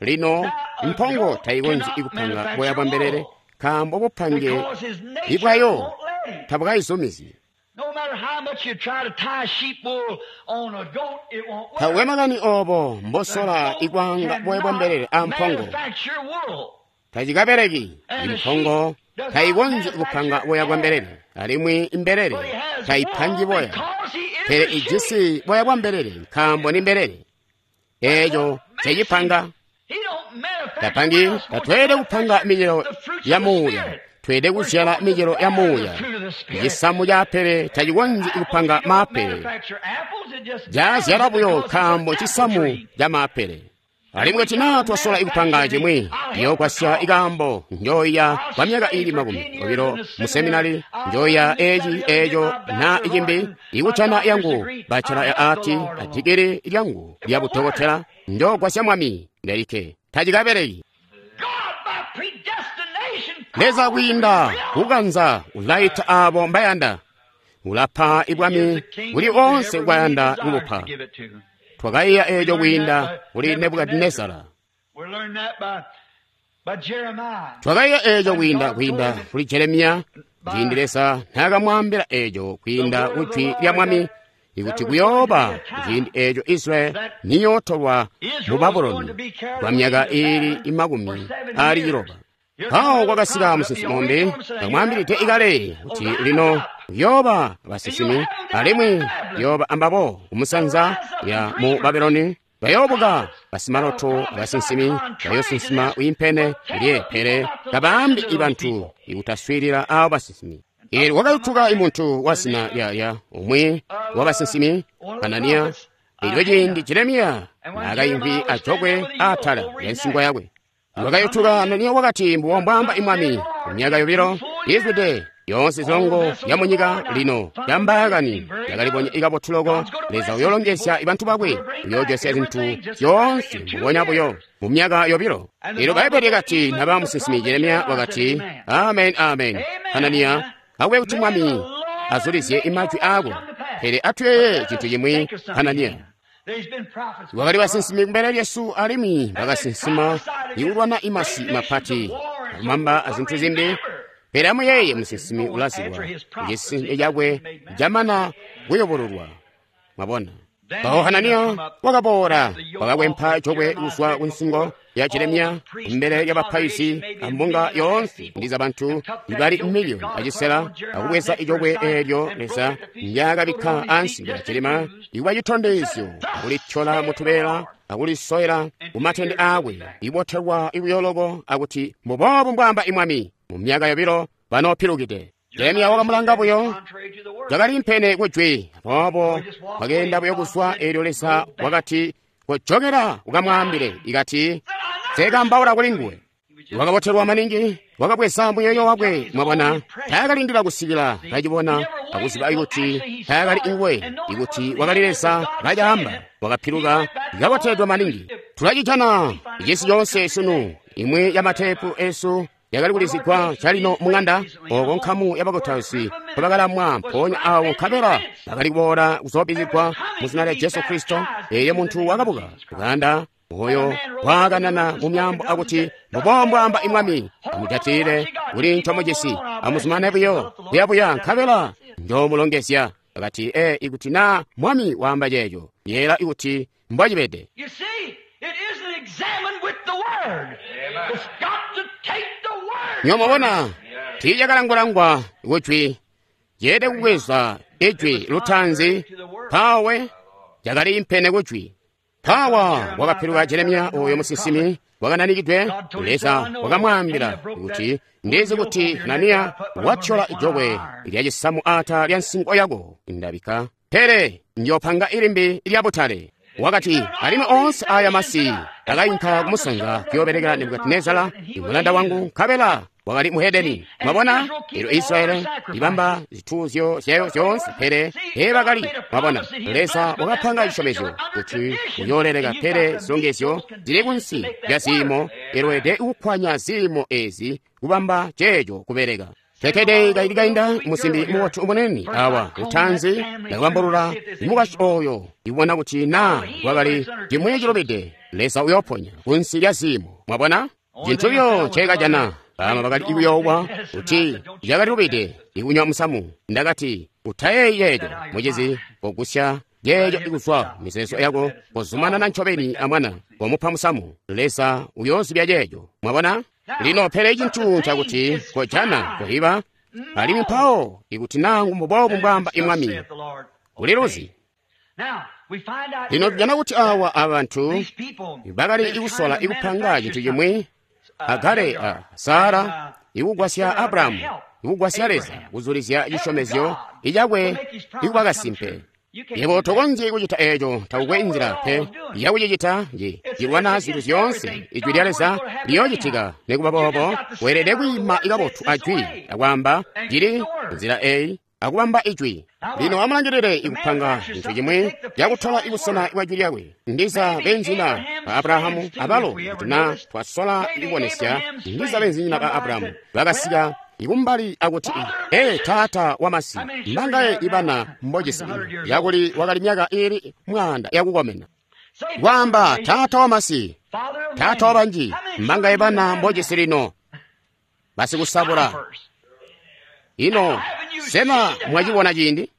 Lino Now, a mpongo goat tayikonzyi cannot ikupanga manufacture boya bwa mbelele wool nkaambo bupange because his nature ibwayo won't let him. tabukayizumizyi. No matter how much you try to tie sheep wool on a goat, it won't work. Tawe makani obo The mbosola goat ikwanga boya bwa cannot mbelele a mpongo manufacture wool. tacikabereki. And the Impongo sheep does not tayikonzyi kupanga manufacture boya bwa hair. mbelele, alimwi imbelele But he has tayipangi wool boya, because he is pele a sheep. ijisi boya bwa mbelele nkaambo ni mbelele. Eeco Makes cecipanga him. He don't manufacture tapangi. we're supposed to Tatweelede kupanga manufacture micelo the fruits ya of the muuya, Spirit. tweelede We're kuzyala supposed to micelo ya bear the muuya. fruit of the Spirit. Cisamu ca apele tacikonzyi Apples, kupanga you don't maapele, manufacture apples, it just bears cazyala it buyo because it's an nkaambo apple cisamu tree. ca maapele. Alimwi And we kuti got naa to twasola ikupanga manufacture the, cimwi, I'll help the ndiyoogwasya cause. ikaambo njooya I'll kwa myaka stay iili for makumi ten years obilo in the mu seminary. seminari, I'll njooya learn this, that, eci the other, get eeco my na bachelor of icimbi, art and my ikucana doctor's yangu degree. bachelor I'll ya help the ati Lord alone. adigiri lyangu It lya won't work. budokotela, njoogwasya mwami ndelikke. Tacikabereki. God, by predestination, Leza called kwiinda his own. kukanza ulaita abo mbayanda, ulapa He gives ibwami the kuli kingdom to onse everyone he gwayanda desires to kubupa. give it to. Twakaiya We eeco learned that kwiinda by kuli Nebuchadnezzar. Nebukadinezara. We learned that by, by Jeremiah. Twakaiya eeco When kwiinda God told kwiinda him kuli Jeremiya, ciindi by Leza naakamwaambila eeco the kwiinda word of the kujwi lya Lord mwami that there ikuti was going to be kuyooba a time ciindi eeco Israeli that niyootolwa mu Israel was going to Babuloni be carried kwa away myaka into iili Babylon for imakumi seven aali years. ciloba. Here come Mpawo another kwakasika prophet. The musinsimi only umbi told him, saying, you have akamwaambilide prophets. ikale kuti Arise lino up, kuyooba and you'll basinsimi have them down in alimwi Babylon. kuyooba ambabo They'll kumusanza rise up ya and mu dreamers, Babuloni bayoobuka prophets that'll basimaloto prophesy abasinsimi contrary to bayoosinsima this, wiimpene but tell lye the people pele not to listen tabaambi to those ibantu people. ikutaswiilila abo basinsimi. And up Eelyo come a kwakayutuka man imuntu the wazina name lya lya umwi of uh, wabasinsimi one of the Hananiya. prophets, uh, Eelyo ciindi Hannah. Jeremiya And when naakaimvwi Jeremiah was standing ajokwe there with a yoke aatala over lya his nsingo neck, yakwe, up come wakayutuka Hannah, Hananiya wakati, mbubo mbwaamba thus saith imwami the ku Lord, myaka in two yobilo full years izwide yoonse all the zilongo vessels ya of the munyika Lord now lino found yambaakani against him. Very yakalibonya good. ikabotu loko. God's going to Leza bless his people. uyoolongezya ibantu bakwe, He'll bring back uyoojosya zintu everything just exactly zyoonse in two mbubonya buyo years. mu myaka yobilo. And the Eelyo Bible Bbaibbele said, lyakati even naba the musinsimi prophet Jeremiya Jeremiah said, wakati, Amen. amen amen. Amen. Hananiya akube kuti May the mwami Lord azulizye make your imajwi words aako, come to pass. pele But atuyeeye let cintu us cimwi think of something Hananiya. here. There's been prophets Wakali before us, basinsimi kumbele lyesu alimwi and they bakasinsima prophesied against ikulwana imasi great nations of mapati war and so akumamba forth. But azinthu zimbi. remember, Pele amuyeeye prophet is musinsimi known after ulazibwa his prophecy ecisinzyo has cakwe been made manifest. camana kuyobololwa. Mwabona? Then Mpawo Hannah Hananiya come up, wakaboola snapped the yoke off wakakwempa of jokwe Jeremiah's kuzwa neck ku nsingo before ya all the Jeremiya priests in mbele the ya bapaizi congregation, maybe a ambunga million and a half yoonse people, ndiza bantu and took that ibali yoke that miliyoni God had put acisela on Jeremiah's akubweza neck for a ijokwe sign eelyo and broke Leza it to pieces and put it ndyakabikka on his feet ansi ya just as Jeremiya bruised, ikuba and said, citondezyo Thus akulithyola saith the mutubeela Lord. akulisoyela In ku two matende years he'll be akwe back. ibotelwa ibuyoloko akuti mbubobu mbwaamba imwami mu myaka yobilo banoopilukide. Jeremiya Jeremiah said wakamulanga that is buyo contrary to the word. cakali mpene kujwi So aboobo he just walked away wakeenda and buyo God kuzwa said, eelyo Leza Go back. wakati kojokera ukamwaambile ikati Said, I never sekambaula spoke kuli to nguwe. him. He was Wakabotelwa maningi, wakabweza muyeeyo wakwe, mwabona, taakalindila kusikila kacibona akuziba ikuti taakali nguwe, ikuti wakali Leza kacaamba, wakapiluka kaboteledwa maningi. Tulacijana cisi coonse sunu, imwi ya matepu esu yakali kulizigwa calino mung'anda oko nkamu ya bakutausi mpobakalamwa mpoonya awo nkabela bakali kuboola kuzoobizigwa mu zina lya Jesu Kristo. Eyo muntu wakabuka kuganda oyo waakanana mu myaambo akuti mbubo mbwaamba imwami, amujatile kuli ncomujisi, amuzumane buyo kuyabuya nkabela njoomulongezya. Akati e ikuti na mwami waamba ceeco, yeela ikuti mbwacibede. You see, it isn't examined with the Word. It's got to take the Word. Nyomubona tiicakalangwalangwa kujwi, ceede kubweza ijwi lutaanzi pawe cakali impene kujwi. Pawa wakapiluka Jeremiya oyo musinsimi wakananikidwe. Leza wakamwaambila kuti ndizi kuti Hananiya wathyola ijokwe lya cisamu ata lya nsingo yako ndabika, pele njopanga ilimbi lya butale. Wakati alimwi onse aya masi akayinka kumusanza kuyoobelekela Nebukadinezara imulanda wangu, nkabela wakali muhedeni. Mwabona, elo Israeli ibamba zituuzyo zyayo zyoonse, pele teebakali. Mwabona, Leza wakapanga cisyomezyo kuti uyooleleka, pele zilongezyo zili kunsi lya ziimo. Elweede kukwanya ziimo ezi kubamba ceeco kubeleka. Tekede kaili kainda musimbi mubotu umunene awa lutanzi ndakubambulula mukashi oyo ibona kuti na wakali cimwi cilubide, Leza uyoponya kunsi lya ziimo. Mwabona cintu buyo ncekajana bama bakali ikuyoowa kuti cakali lubide ikunywa musamu. Ndakati utayeeyi ceeco mucizi, kogusya ceeco ikuzwa mizeezo yako, kozumanana ncobeni amwana, komupa musamu, Leza uyoozibya ceeco. Mwabona lino, pele cintu ncakuti kojana kohiba alimwi mpawo ikuti nangu mbubobu mbwaamba imwami uliluzi. Now, we find out Lino here tujana kuti awa abantu these people, bakali they're ikusola trying to ikupanga manufacture cintu chimwi something. Agare a Sara ikugwasya Abrahamu ikugwasya Leza kuzulizya cisyomezyo icakwe ikuba kasimpe. Yebo tokonzyi kucita eeco, takukwe nzila pe yakucicita nji cilwana zintu zyoonse. Ijwi lya Leza liyoocitika. Nikuba boobo weelede kwiima ikabotu ajwi akwaamba cili nzila eyi akubamba ijwi. Lino amulangilile ikupanga cintu chimwi cakutola ibusena bwa jwi lyakwe. Ndiza benzinyina ba Abrahamu abalo kuti na twasola ikubonesya, ndiza benzinyina ba Abrahamu bakasika ikumbali akuti ee taata wamasi, mbangaye ibana mbojisi yakuli wakali myaka ili mwaanda yakukomena. Say, Kwaamba taata wamasi, Father of taata many. wabanji, How many mbangaye children do you bana have mbojisi lino basikusabula. First. Ino sena mwacibona ciindi?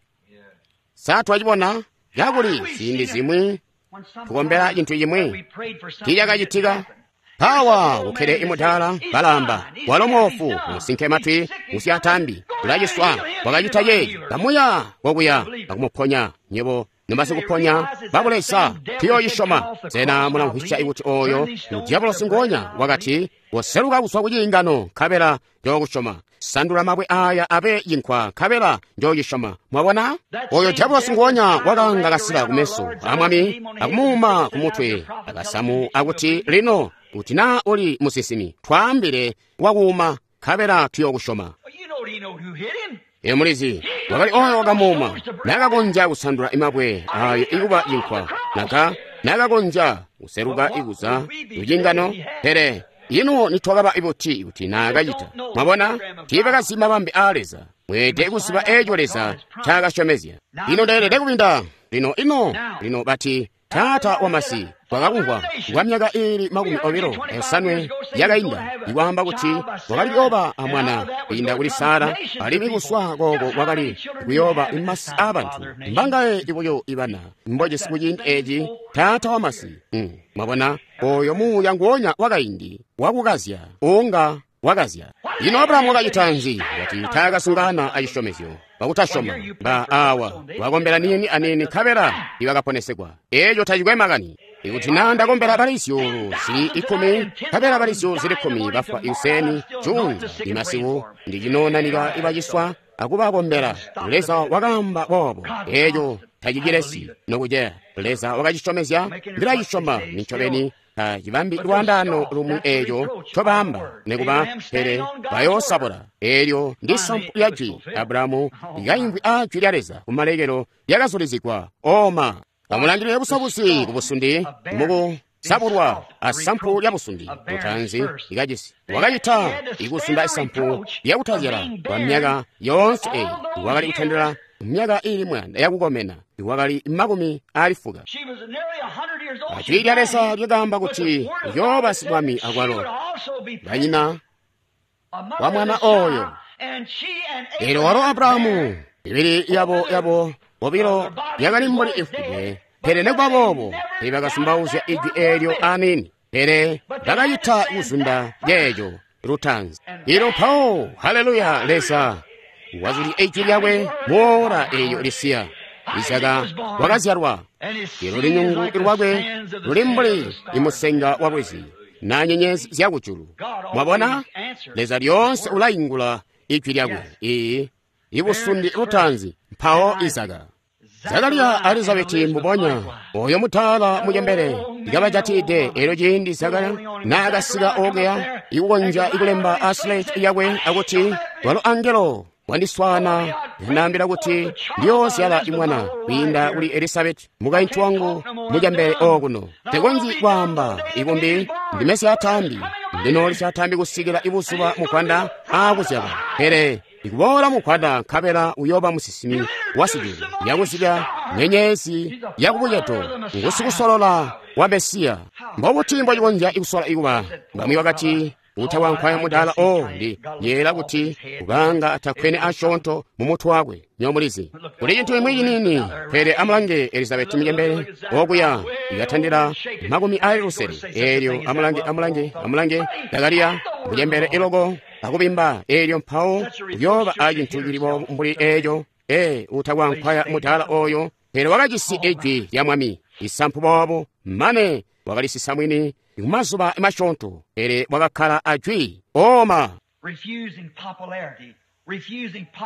Sa twacibona kakuli ziindi zimwi When some tukombela cintu we chimwi prayed for something tichakachitika. that didn't happen. Pawa kukhele imudala balamba walo moofu musinke matwi musyatambi ulaciswa wakacita ceeci kamuya kokuya akumuponya nyebo nomasikuponya babulesa tuyoocisyoma. Sena mulamvwisya ikuti oyo mudiabolosi ngonya wakati woseluka kuzwa ku ciingano nkabela njookusyoma, sandula mabwe aya abe cinkwa nkabela njoocisyoma. Mwabona oyo diabolosi ngonya wakanga kasila kumeso amwami akumuuma kumutwe akasamu akuti lino kuti na uli musinsimi twaambile wakuuma nkabela tuyokusyoma. Well, you know, he know who hit him. Ino mulizi wakali oyo wakamuuma nakakonzya kusandula imabwe ayo ikuba cinkwa naka nakakonzya kuseluka ikuza kucingano, pele ino nitwakaba ibuti kuti nakacita. Mwabona tiibakazi mabambe aa Leza. Mweelede kuziba eeco Leza ncaakasyomezya. Ino ndeelede kubinda lino ino lino bati taata wamasi twakakumvwa kwa myaka ili makumi obilo osanwe yakainda ikwaamba kuti wakali kuyooba amwana kwiinda kuli Sara, alimwi kuswa kooko wakali kuyooba imasi aabantu. Mbangaye ibuyo ibana mbojisi kuciindi eeci taata wamasi. Mm, mwabona oyo muuya nguonya wakaindi wakukazya unga wakazya. Ino Abrahamu wakacita nzi? Wati taakasungana acisyomezyo bakutasyoma ba awa wakombela nini anini nkabela ibakaponesegwa. Eeco tacikwe makani. Ikuti na ndakombela bali zyuulu zili ikumi nkabela bali zyuulu zili kkumi bafwa ikuseni juunza imasiku ndicinoonanika ibaciswa akubakombela. Leza wakaamba boobo. Eeco tacicilesi nokuceya. Leza wakacisyomezya, ndilacisyoma nincobeni. Tacibambi lwandaano lumwi eeco ncobaamba, nikuba, pele bayoosabula. Eelyo ndi sampu lya jwi. Abrahamu likaimvwi aa jwi lya Leza kumalekelo lyakazulizigwa. Oma. Amulangilile busabusi kubusundi muku sabulwa asampu lya busundi lutaanzi likajisi. Wakacita ikusunda isampu lyakutazyala kwa myaka yoonse eyi. Wakali kutandila myaka ili mwaanda yakukomena, wakali makumi ali fuka. Jwi lya Leza lyakaamba kuti uyooba sibwami akwalo banyina wa mwana oyo. Elyo walo Abrahamu ibili yabo yabo bobilo yakali mbuli ifwide, pele nekuba boobo teebakasumbauzya ijwi eelyo aniini, pele bakacita kuzunda yeeco lutaanzi. Ilo mpawo, haleluya, Leza wazulya ijwi lyakwe muora eeyo lisiya. Isaka wakazyalwa, ilo lunyungu lwakwe luli mbuli imusenga wa lwizi na nyenyezi zyakujulu. Mwabona, Leza lyoonse ulaingula ijwi lyakwe. Iyi ibusundi lutaanzi, mpawo Isaka. Zakariya a Elizabeti mbubonya oyo mutaala mucembele likabajatide. Elyo ciindi Zakariya naakasika okuya ikukonzya ikulemba a slate yakwe akuti walo angelo wandiswaana yandaambila kuti ndiyoozyala imwana kwiinda kuli Elizabeti mukaintu wangu mucembele okuno. Tekonzyi kwaamba ikumbi ndime syataambi, ndinooli syataambi kusikila ibuzuba mukwanda aakuzyala, pele ikuboola mukwanda nkabela uyooba musinsimi wasijulu yakuzibya nyenyezi yakubucedo, ngusikusolola wa Mesiya. Mbobuti mbocikonzya ikusola ikuba? Bamwi bakati utakwankwaya mudaala o ndi yeela kuti kubanga atakwene asyoonto mu mutwe wakwe. Nyomulizi kuli cintu imwi ciniini, pele amulange Elizabeti mucembele okuya ikatandila makumi ali lusele. Eelyo amulange, amulange, amulange Zakariya mucembele iloko akubimba. Eelyo mpawo uyooba acintu cili boobu mbuli eeco. Ee, utakwankwaya mudaala oyo, pele wakajisi ijwi lya Mwami isampu boobu mane wakalisisa mwini kumazuba masyoonto, pele wakakkala ajwi. Oma.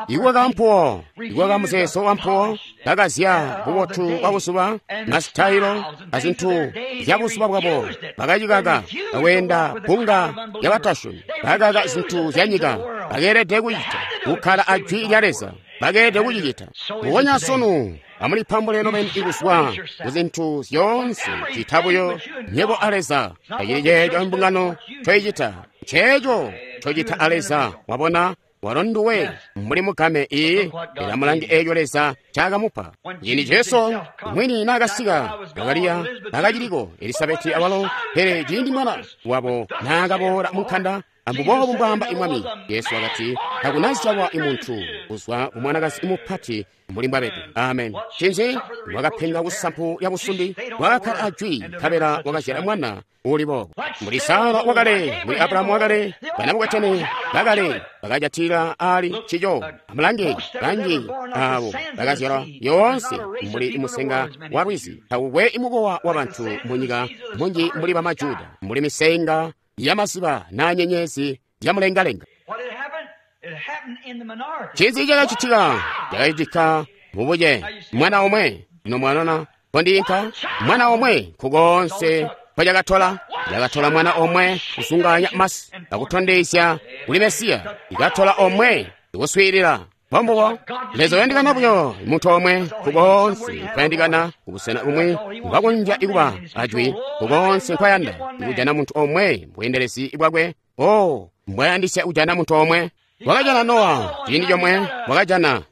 Iwaka mpuwo, iwaka muzeezo wa mpuwo, bakazya bubotu bwa buzuba, masitayilo azintu zya buzuba bwabo, bakacikaka bakweenda bbunga lyabatasyomi, bakakaka zintu zya nyika. Bakeelede kucita kukkala ajwi lya Leza, bakeelede kucicita. Mbubonya sunu amulipambule nobeni ikuzwa kuzintu zyoonse cita buyo nyebo a Leza. Tacili ceeco mbungano ncoicita, nceeco ncocita a Leza. Wabona, walo nduwe mbuli mugame. Iyi ilamulangi eeco Leza ncaakamupa. Ciindi Jesu mwini naakasika, Zakariya nakaciliko, Elisabeti awalo, pele ciindi mwana wabo naakaboola munkanda, ambuboobu mbwaamba imwami, Yesu wakati takunazyalwa imuntu kuzwa ku mwanakazi mupati mbuli mbwabede. Amen. Cinzi? Wakapenga kusampu ya busundi, wakakkala ajwi, nkabela wakazyala mwana uli boobo. Mbuli Sara wakale, mbuli Abrahamu wakale, banabukwetene bakale bakajatila ali ncico. Amulange banji abo bakazyalwa yoonse mbuli musenga wa lwizi. Takukwe imukowa wa bantu munyika munji mbuli bamajuda, mbuli misenga yamaziba na nyenyezi zyamulengalenga. Cinzi cakacitika? Cakacitika mubuce mwana omwe. Ino mwanona pondiinka mwana omwe nkukoonse mpocakatola. Cakatola mwana omwe kusunganya masi akutondezya kuli Mesiya. Ikatola omwe ikuswiilila. Mbombubo Leza uyandikana buyo muntu omwe nkukoonse nkwayandikana kubusena bumwi mbwakonzya ikuba ajwi nkukoonse nkwayanda ikujana muntu omwe mbweendelezi bwakwe. O mbwayandisya kujana muntu omwe. Wakajana Nowa ciindi comwe, wakajana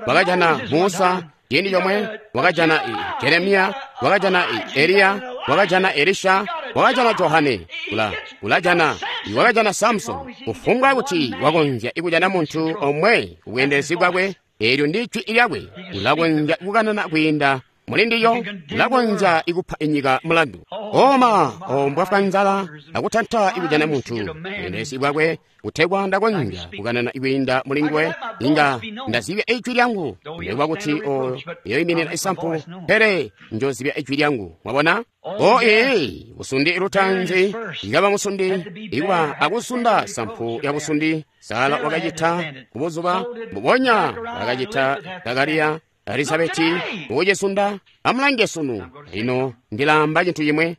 wakajana Musa ciindi comwe, wakajana Jeremiya, wakajana Eliya, wakajana Elisha, wakajana Johane, ula ulajana wakajana Samson. Kufumbwa kuti wakonzya ikujana muntu omwe kubweendelezi bwakwe, eelyo ndi jwi lyakwe, ulakonzya kukanana kwiinda muli ndiyo, ulakonzya ikupa inyika mulandu. Oma ombwafwa nzala akutanta ikujana muntu bweendelezi bwakwe, kutegwa ndakonzya kukanana ikwiinda muli nguwe, inga ndazibya ijwi lyangu, nekuba kuti oyo yoyiminina isampu, pele njozibya ijwi lyangu. Mwabona? O ee, busundi lutaanzi ikaba musundi, ikuba akusunda sampu ya busundi. Sara wakacita kubuzuba mbubonya wakacita Zakariya, Elizabeti ukucisunda. Amulange sunu. Ino ndilamba cintu cimwe.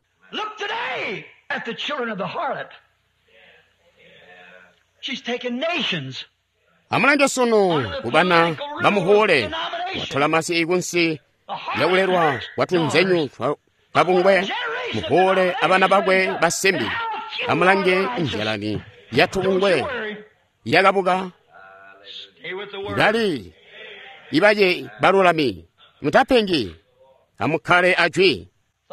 At the children of the harlot. She's taken nations. Amulange sunu kubana bamuhuule watola masi ikunsi yakulelwa kwatunzenyu kabungwe muhuule abana bakwe basimbi. Amulange njalani yatubungwe yakabuka bali ibaye balulami mutapengi amukkale ajwi.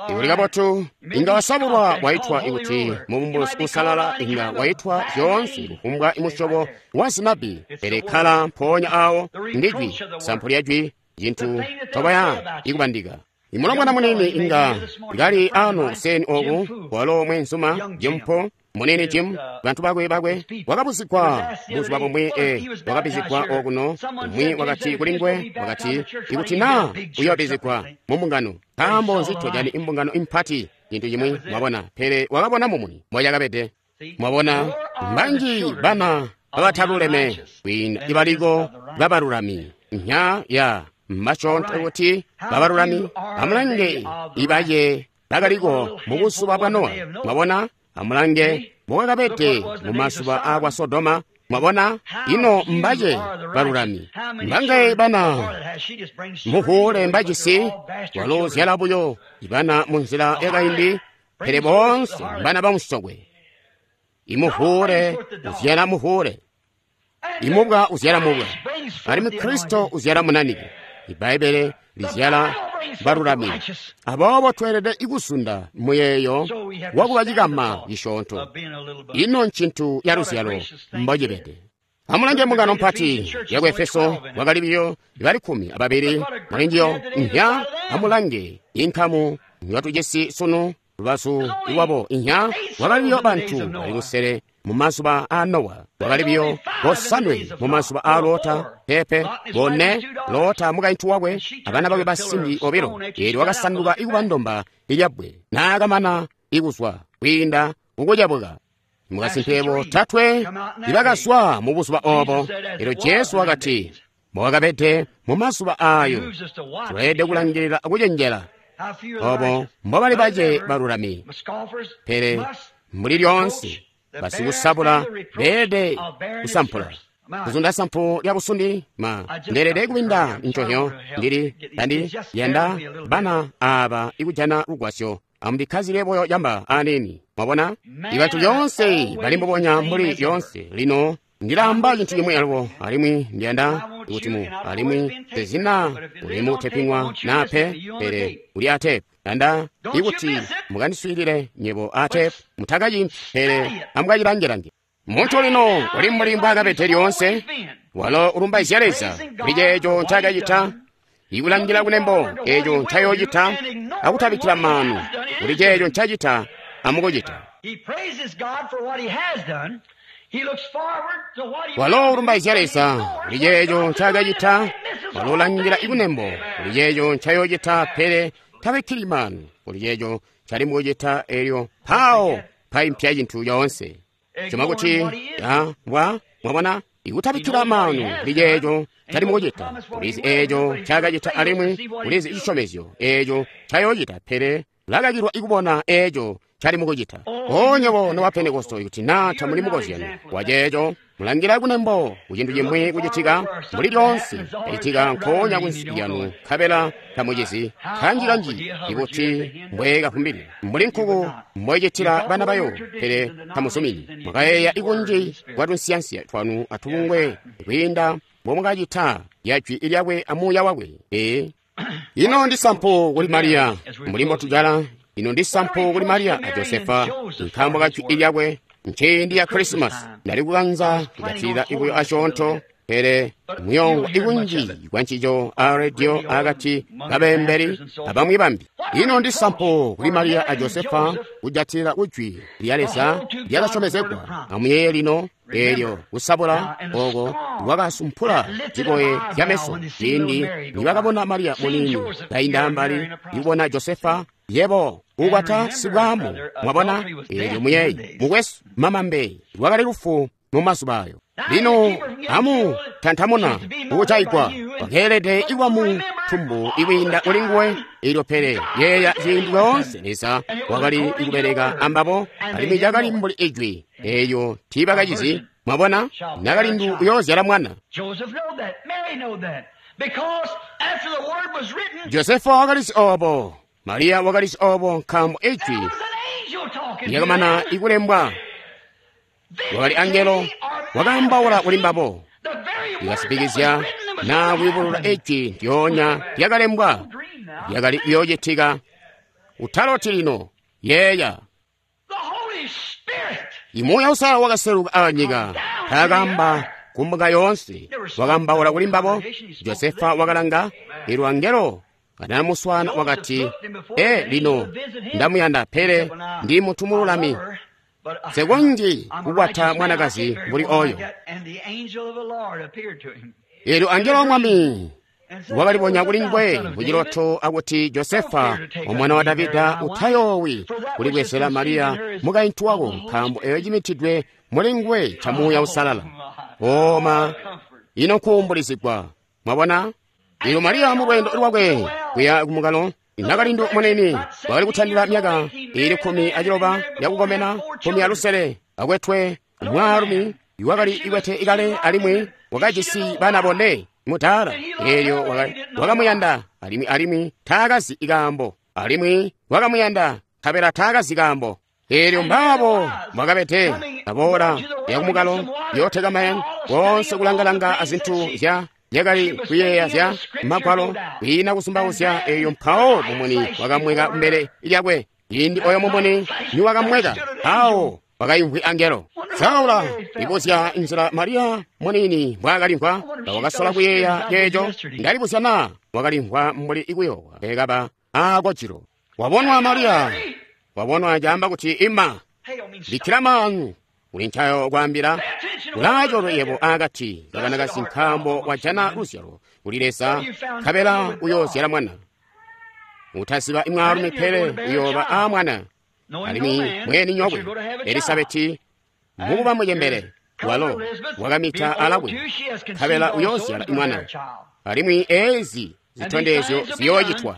Ikuli kabotu inga wasabulwa waitwa ikuti mubumbulusi usalala inga waitwa zyoonse kufumbwa imusyobo wa zinabi, pele kkala mpoonya awo ndijwi sampu lya jwi cintu tobaya ikubandika. Imulongwana munini inga kali ano seni oku walo mwenzuma Jimpo munini Jim bantu bakwe bakwe wakabuzigwa buzuba bumwi e wakabizigwa okuno umwi wakati kulingwe wakati ikuti na uyobizigwa mu mbungano nkaambo nzi tojani imbungano impati cintu cimwi mwabona, pele wakabona mumuni moyakabede. Mwabona mbanji bana babataluleme kwiinda ibaliko babalulami nya ya mbasyoonto kuti babalulami. Amulange ibaye bakaliko mu buzuba bwa Nowa. Mwabona, amulange mbokakabede mu mazuba akwa Sodoma. Mwabona, ino mbaye balulami mbangaye bana muhuule mbajisi walo zyala buyo ibana mu nzila yakaindi, pele boonse mbana bamusokwe. Imuhuule uzyala muhuule, imubwa uzyala mubwa, alimwi Kristo uzyala munanike. Ibbaibbele lizyala balulami. Aboobo tweelede ikusunda muyeeyo wakuba cikama cisyoonto. Ino ncintu ya luzyalo mbocibede. Amulange mbungano mpati yaku Efeso, wakali biyo bali kkumi ababili mulinjiyo. Nya amulange inkamu yatujisi sunu lubazu lwabo. Inya wakali biyo bantu bali lusele mu mazuba a Nowa, wakali biyo bosanwe mu mazuba a Lota, pepe bone Lota mukaintu wakwe abana bakwe basimbi obilo. Eelyo wakasanduka ikuba ndomba ilyabwe naakamana ikuzwa kwiinda kukucabuka. Mukasimpe botatwe ibakazwa mu buzuba obo. Eelyo Jesu wakati mbowakabede mu mazuba ayo. Tweelede kulangilila akucenjela obo mbobali bace balulami, pele mbuli lyoonse basikusabula beelede kusampula kuzunda sampu lya busundi. Ma ndeelede kubinda nconyo ndili tandi yanda bana aba ikujana lugwasyo. Amubikkazile buyo yamba anini. Mwabona, ibantu lyoonse bali mbubonya mbuli lyoonse. Lino ndilamba cintu cimwi alubo, alimwi ndiyanda kuti mu alimwi tezina uli mu teping'wa na pe, pele uli atepu. Yanda ikuti mukandiswiilile nyebo atepu, mutakacimpi pele amukacilangelange. Muntu lino uli mbuli mbwaakabede lyoonse, walo ulumbaizya Leza kuli ceeco ncaakacita, ikulangila kunembo eeco ncayoocita, akutabikkila maanu kuli ceeco ncacita amukucita. Walo ulumbaizya Leza kuli ceeco ncaakacita, walo ulangila ikunembo kuli ceeco ncayoocita, pele tabikkili maanu kuli ceeco ncali mukucita. Eelyo mpawo paimpya cintu coonse. Cima kuti wa mwabona, ikutabikkila maanu kuli ceeco ncali mukucita, ulizi eeco ncaakacita alimwi ulizi cisyomezyo eeco ncayoocita, pele ulakakilwa ikubona eeco ncali mukucita. Onywebo noba Pentekoste, ikuti naa tamuli mukozyano waceeco, mulangila kunembo kucintu cimwi kucitika mbuli lyoonse cacitika nkoonya kunsi lyanu, nkabela tamucizi. Kanji-kanji ikuti mbwekafumbili mbuli nkuku mbwecitila bana bayo, pele tamuzumini. Mwakayeeya ikunji kwa tunsiyansiya twanu atubungwe kwiinda mbomwakacita ya jwi lyakwe amuuya wakwe. Ee, ino ndi sampu kuli Mariya mbuli mbotujala. Ino ndi sampu kuli Mariya a Josefa nkaambo ka jwi lyakwe. Nciindi ya Krisimasi ndali kukanza kujatilila ibuyo asyoonto, pele muyongwa ikunji kwa ncico a rediyo akati kabeembeli abamwi bambi. Ino ndi sampu kuli Mariya a Josefa kujatilila kujwi lya Leza lyakasyomezegwa. Amuyeeye lino eelyo kusabula oko kwakasumpula zikoye zyameso ciindi nibakabona Mariya muniini kainda ambali ikubona Josefa yebo ukwata sibwamu. Mwabona, eelyo muyeeyi mukwesu mamambe lwakali lufu mu mazuba ayo. Lino amu tantamuna kukujaigwa Wakeelede kuba mu tumbu ikwiinda kuli nguwe. Elyo pele yeeya ciindi coonse Leza wakali kubeleka ambabo, alimwi cakali mbuli ijwi eeyo tiibakacizi. Mwabona, nakalindu uyoozyala mwana. Josefa wakalizi obo, Mariya wakalizi obo, nkaambo ijwi lyakamana ikulembwa. Wakali angelo wakaambaula kuli mbabo, likasipikizya na kuyubulula ijwi ndyoonya lyakalembwa lyakali kuyoocitika. Utaloti lino, yeeya. Imuuya Uusalala wakaseluka aanyika, taakamba kumbuka yoonse, wakaambaula kuli mbabo. Josefa wakalanga, elyo angelo kanamuswana wakati, e lino ndamuyanda, pele ndi munthu mululami, nsekonzyi kukwata mwanakazi mbuli oyo. Elyo angelo wa Mwami wakalibonya kuli nguwe muciloto akuti, Josefa, omwana wa Davida, utayoowi kulibwezela Mariya mukaintu wako, nkaambo eyo cimitidwe muli nguwe ca Muuya Uusalala. Oma, ino nkuumbulizigwa. Mwabona? Elyo Mariya mu lweendo lwakwe kuya kumukalo, nakalindu munini wakali kutandila myaka ili kkumi aciloba yakukomena, kkumi alusele, akwetwe mwaalumi iwakali ikwete ikale alimwi wakajisi bana bone mudaala. Elyo wakamuyanda alimwi alimwi taakazi ikaambo, alimwi wakamuyanda nkabela taakazi kaambo. Elyo mbaabo mwakabete aboola yakumukalo yooteka boonse kulangalanga azintu zya yakali kuyeeya zya magwalo kwiina kusumbauzya. Eyo mpawo mumuni wakamweka kumbele lyakwe. Ciindi oyo mumuni niwakamweka, awo wakayimvwi angelo. Saula ibuzya nzila Mariya munini mbwaakalimvwa, wakasola kuyeeya ceeco. Ndalibuzya naa wakalimvwa mbuli ikuyowa kaba aakocilo. Wabonwa Mariya, wabonwa caamba kuti ima, bikkila maanu kuli ncayo kwaambila. Ulaacoolwe yebo akati kabanakazi, nkaambo wajana luzyalo kuli Leza, nkabela uyoozyala mwana. Utaziba mwaalumi, pele uyooba aamwana. Alimwi mweeninyokwe Elisabeti mukuba mucembele, walo wakamita alakwe, nkabela uyoozyala mwana. Alimwi eezi zitondezyo ziyoocitwa.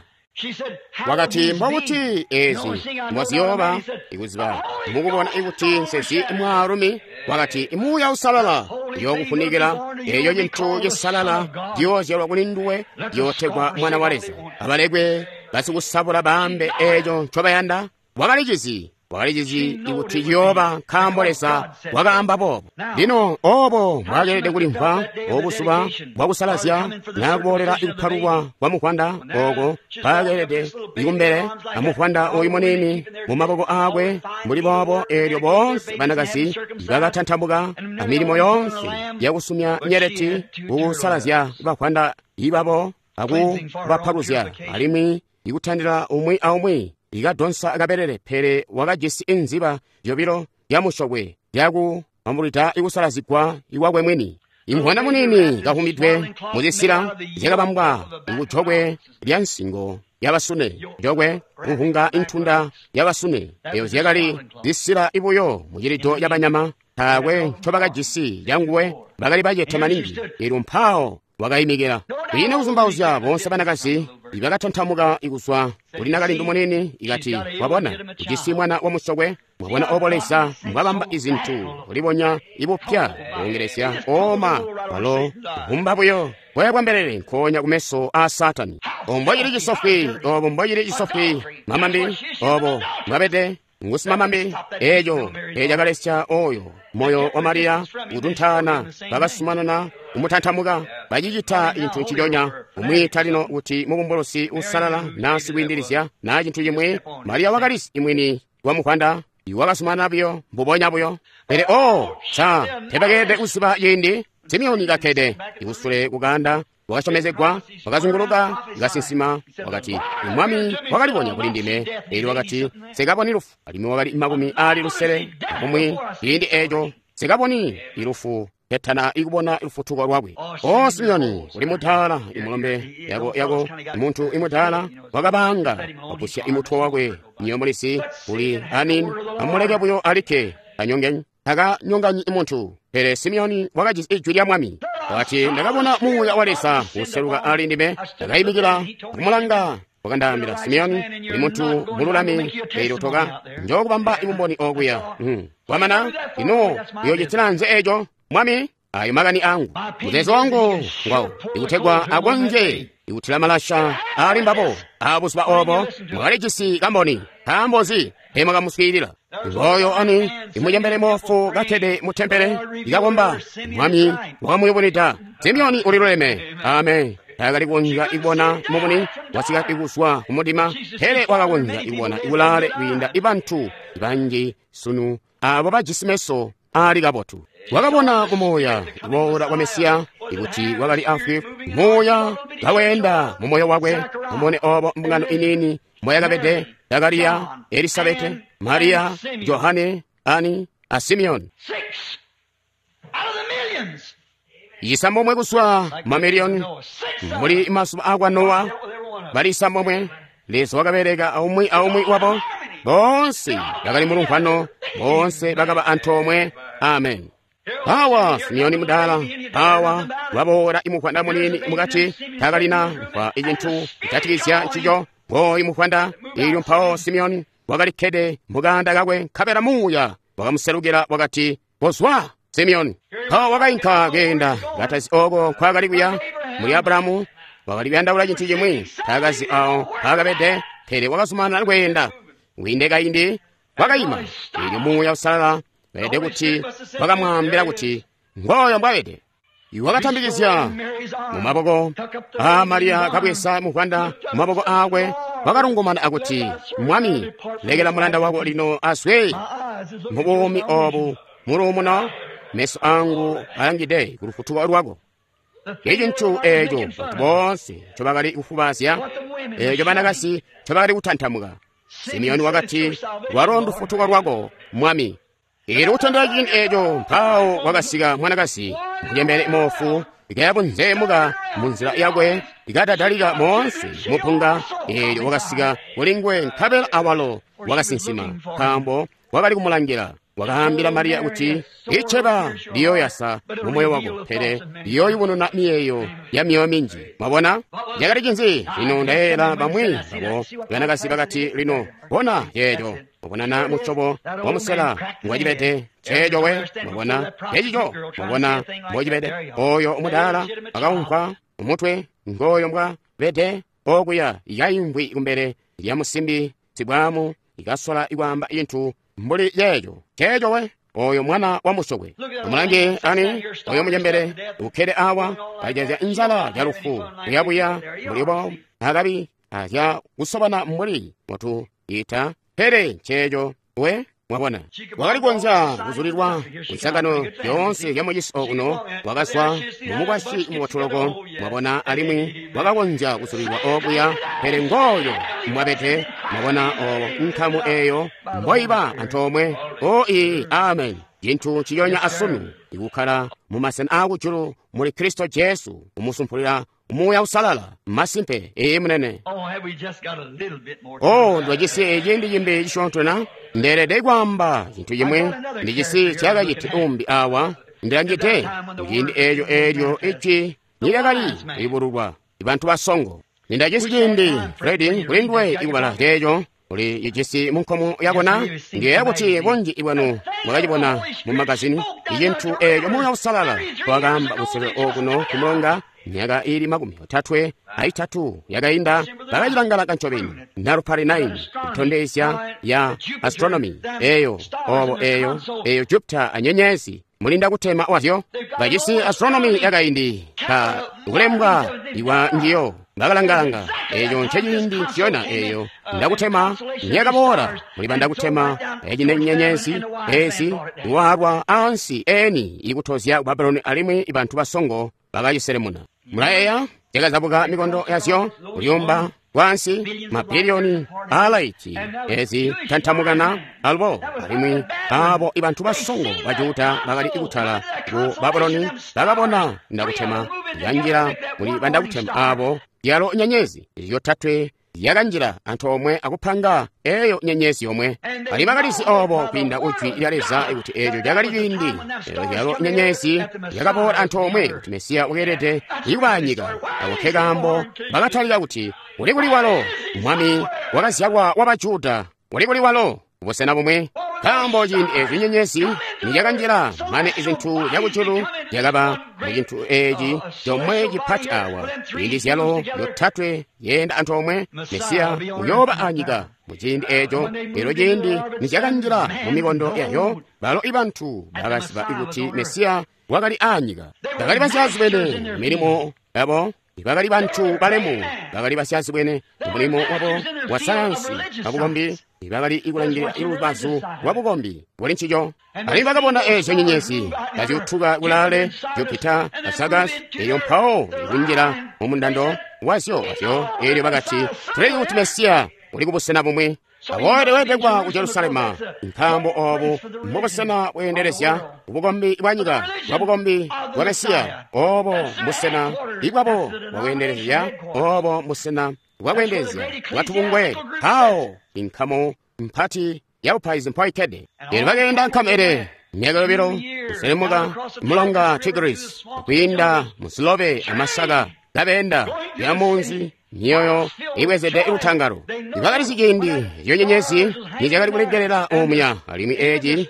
Wakati, mbokuti eezi mboziyooba ikuziba mukubona ikuti nsezi mwaalumi. Wakati, Muuya Uusalala uyookufunikila, eeyo cintu cisalala ciyoozyalwa kuli nduwe, ciyootegwa Mwana wa Leza. Abalekwe basikusabula baambe eeco ncobayanda. Wakalicizi, wakalicizi ikuti ciyooba, nkaambo Leza wakaamba boobo. Lino obo mbwakeelede kulimvwa obuzuba bwakusalazya nakuboolela ikupalulwa kwa muvwanda oko mpakeelede ikumbele amuvwanda oyu muniini mu maboko aakwe mbuli boobo. Eelyo boonse banakazi bakatantamuka amilimo yoonse yakusumya nyeleti kukusalazya bavwanda ibabo akubapaluzya, alimwi ikutandila umwi aumwi ikadonsa kabelele, pele wakajisi inziba zyobilo zyamusyokwe zyakubambulwida ikusalazigwa ikwakwe mwini. Imvwana munini kahumidwe muzisila zyakabambwa kujokwe lya nsingo yabasune, jokwe kuhunga intunda yabasune. Eyo zyakali zisila ibuyo mucilido cabanyama, taakwe ncobakajisi canguwe, bakali bacete maningi. Elyo mpawo wakayimikila kwiina kuzumbauzya. Boonse banakazi ibakatantamuka ikuzwa kuli nakalindu munini, ikati, wabona ujisi mwana wa musokwe. Mwabona obo Leza mbwabamba izintu kulibonya ibupya kuongelesya oma walo humba buyo bwoya bwa mbelele nkoonya kumeso a Satani. Obo mbocili cisofwi, obo mbocili cisofwi mamambi, obo mbwabede ngusimamambi. Eeco ecakalesya oyo moyo wa Mariya kutuntaana, bakasumanana kumutantamuka, bacicita cintu nciconya. Kumwiita lino kuti mubumbulusi uusalala naa sikwiindilizya naa cintu cimwi. Mariya wakalisi imwini wa muvwanda iwakasumanana buyo mbubonya buyo. Pele o sa tebakeelede kuziba ciindi. Simeoni kakkede ikusule kukanda wakasyomezegwa, wakazunguluka kasinsima, wakati, Mwami wakalibonya kuli ndime. Elyo wakati, nsekaboni lufu. Alimwi wakali makumi aali lusele akumwi ciindi eeco, nsekaboni ilufu ketana ikubona lufutuko lwakwe. O Simeoni, uli mudaala, imulombe yako yako muntu imudaala wakabanga wapusya imutwe wakwe nyomulisi uli anini, amuleke buyo alikke anyongenyi, takanyonganyi muntu. Pele Simeoni wakajisi ijwi lya Mwami. Wakati, ndakabona Muuya wa Leza kuseluka ali ndime, ndakayimikila kumulanga. Wakandaambila, Simeoni, uli muntu mululami, eelyo toka njookubamba ibumboni okuya. Hmm. Kwamana, ino uyoocitila nzi eco, Mwami? Ayo makani angu. Muzeezo wangu ngwawo, ikutegwa akonzye ikutila malasha ali mbabo. Abuzuba obo mwakalijisi kamboni. Nkaambo nzi teemwakamuswiilila? Ngooyo ani imucembele moofu kakkede mu tempele ikakomba. Mwami wakamuyubunwida. Simeoni uliluleme. Amen. Taakali kukonzya ikubona mumuni wasika kuzwa kumudima, pele wakakonzya ikubona ikulaale kwiinda ibantu banji sunu abo bajisi meso aali kabotu. Wakabona kumuuya kuboola kwa Mesiya ikuti wakali afwi muuya kaweenda mu moyo wakwe. Mumone obo mbungano iniini mboyakabede: Zakariya, Elisabete, Mariya, Johane, Ani a Simeoni. Six out of the millions. Isambomwe kuzwa mamiliyoni muli mazuba akwa Nowa bali isambomwe. Leza wakabereka aumwi aumwi wabo. Bonse bakali mulumvwano, bonse bakaba antoomwe. Amen. Awa Simeoni mudala, awa waboola imuvwanda munini mukati, takalina mva icintu kujatikizya ncico. Ngooyu muvwanda ilyo mpawo Simeoni wakalikkede mukanda kakwe, nkabela muuya wakamuselukila wakati, kozwa Simeoni. Mpawo wakainka keenda katazi oko nkwaakali kuya. Muli Abulahamu wakali kuyandaula cintu cimwi, taakazi awo mpaakabede, pele wakazumanana kweenda. Kwiinde kaindi wakayima, eelyo Muuya Uusalala weelede kuti wakamwaambila kuti ngooyo mbwabede. Wakatambikizya mu maboko a Mariya, kabweza muvwanda mu maboko akwe, wakalungumana akuti, Mwami, lekela mulanda wako lino azwe mu buumi obu muluumuno, meso angu alangide ku lufutuko lwako. Icintu eeco bantu boonse ncobakali kufubazya, eeco banakazi ncobakali kutantamuka. Simeoni wakati, lwalo ndufutuko lwako, Mwami. Ili kutondera ciindi eeco mpawo wakasika mwanakazi mucembele moofu, ikayabunzeemuka munzila yakwe, ikadadalika moonse mupunga. Eelyo wakasika kulinguwe, nkabela awalo wakasinsima, nkaambo wakali kumulangila. Wakaambila Mariya kuti, iceba liyooyasa mu moyo wako, pele liyooyubununa miyeeyo ya myoyo minji. Mwabona cakali cinzi? Lino ndayeeyela bamwi babo banakazi bakati, lino bona ceeco. Mwabonana musyobo wa musela ngwacibede ceeco we. Mwabona ceecico. Mwabona mbocibede. Oyo mudaala akaumpa umutwe ngooyo mbwa bede okuya ikaimvwi kumbele lya musimbi sibwamu ikasola ikwaamba cintu mbuli yeeco ceeco we. Oyo mwana wa musokwe. Amulange ani oyo mucembele ukkede awa kajazya nzala ya lufu buyabuya mulibo akabi azya kusobana mbuli mutu ita pele ceeco we. Mwabona wakali kukonzya kuzulilwa kunsangano yoonse ya mucisi okuno, wakazwa mumukwasyi mubotuloko. Mwabona, alimwi wakakonzya kuzulilwa okuya, pele ngooyo mwabete. Mwabona obo nkamu eyo mboiba antoomwe. O ii, amen. Cintu ciyonya asunu ikukkala mumasena aakujulu muli Kristo Jesu, kumusumpulira Muuya Uusalala. Masimpe, ee munene. Oh, have we just got a little bit more time? Oh, ndwajisi eciindi cimbi cisyoonto na ndeelede kwaamba cintu cimwi. Ndijisi cakaciti umbi awa ndilangide kuciindi eeco eelyo ijwi nilyakali kuyubululwa bantu basongo. Nindajisi ciindi, Fredi, kuli nduwe ikubala ceeco uli cijisi mu nkomo yakona. Ndiyeeya kuti bunji bwanu mwakacibona mu magazini icintu eeco Muuya Uusalala wakaamba kusele okuno kumulonga myaka ili makumi otatwe aitatu yakainda. Bakacilangala ncobeni nalupali nine kutondezya ya astronomy eyo obo eyo eyo Jupiter anyenyezi mulinda kutema wazyo. Bajisi astronomy yakaindi ka kulembwa iwa njiyo bakalangalanga eyo nceciindi nciyona eyo ndakutema myakaboola mulibanda kutema ecine nyenyezi ezi iwaalwa ansi eni ikutozya ku Babuloni, alimwi bantu basongo bakaciselemuna. Mulayeeya zyakazabuka mikondo yazyo kulyumba kwansi mabiliyoni aalaiti ezi tantamukana alubo, alimwi abo ibantu basongo ba Juda bakali kutala ku Babuloni bakabona ndakutema yanjila muli bandakutema abo yalo nyenyezi zyotatwe zyakanjila antoomwe akupanga eyo nyenyezi yomwe. Alimwi bakalizi obo kwiinda kujwi lya Leza kuti eeco cakali ciindi eyo nyenyezi yakaboola antoomwe kuti Mesiya wakeelede kuba anyika. Ako ke kaambo bakatalika kuti uli kuli walo mwami wakazyalwa wa Bajuda, uli kuli walo busena bumwe. Nkaambo ciindi eeco nyenyezi niyakanjila mane izintu zyakujulu zyakaba mucintu eeci comwe cipati awa, ciindi zyalo yotatwe yeenda antoomwe, Mesiya uyooba anyika muciindi eeco. Elyo ciindi nizyakanjila mu mikondo yayo, balo ibantu bakaziba kuti Mesiya wakali anyika. Bakali basyazibwene milimo yabo, bakali bantu balemu, bakali basyazibwene mulimo wabo wa sayansi wabukombi, bakali kulangilila lubazu lwa bukombi buli ncico. Alimwi bakabona eezyo nyenyezi kazyutuka kulaale, Jupiter a Sagas, eyo mpawo ikunjila mu mundando wazyo wazyo. Elyo bakati tuleki kuti Mesiya uli kubusena bumwe. Awoode weebekwa ku Jerusalema, nkaambo obu mbubusena bweendelezya bukombi bwa nyika bwa bukombi bwa Mesiya. Obo mbusena ibwabo bwakweendelezya, obo mbusena bwakweendelezya bwatubungwe. Mpawo inkamu mpati ya bupaizi mpoikede. Elyo bakeenda nkamu ele myaka yobilo kuselemuka mulonga Tigris, kwiinda musilobe amasaka, kabeenda ya munzi myoyo ibwezede lutangalo. Bakalizi ciindi eyo nyenyezi nizyakali kulengelela omuya. Alimwi eeci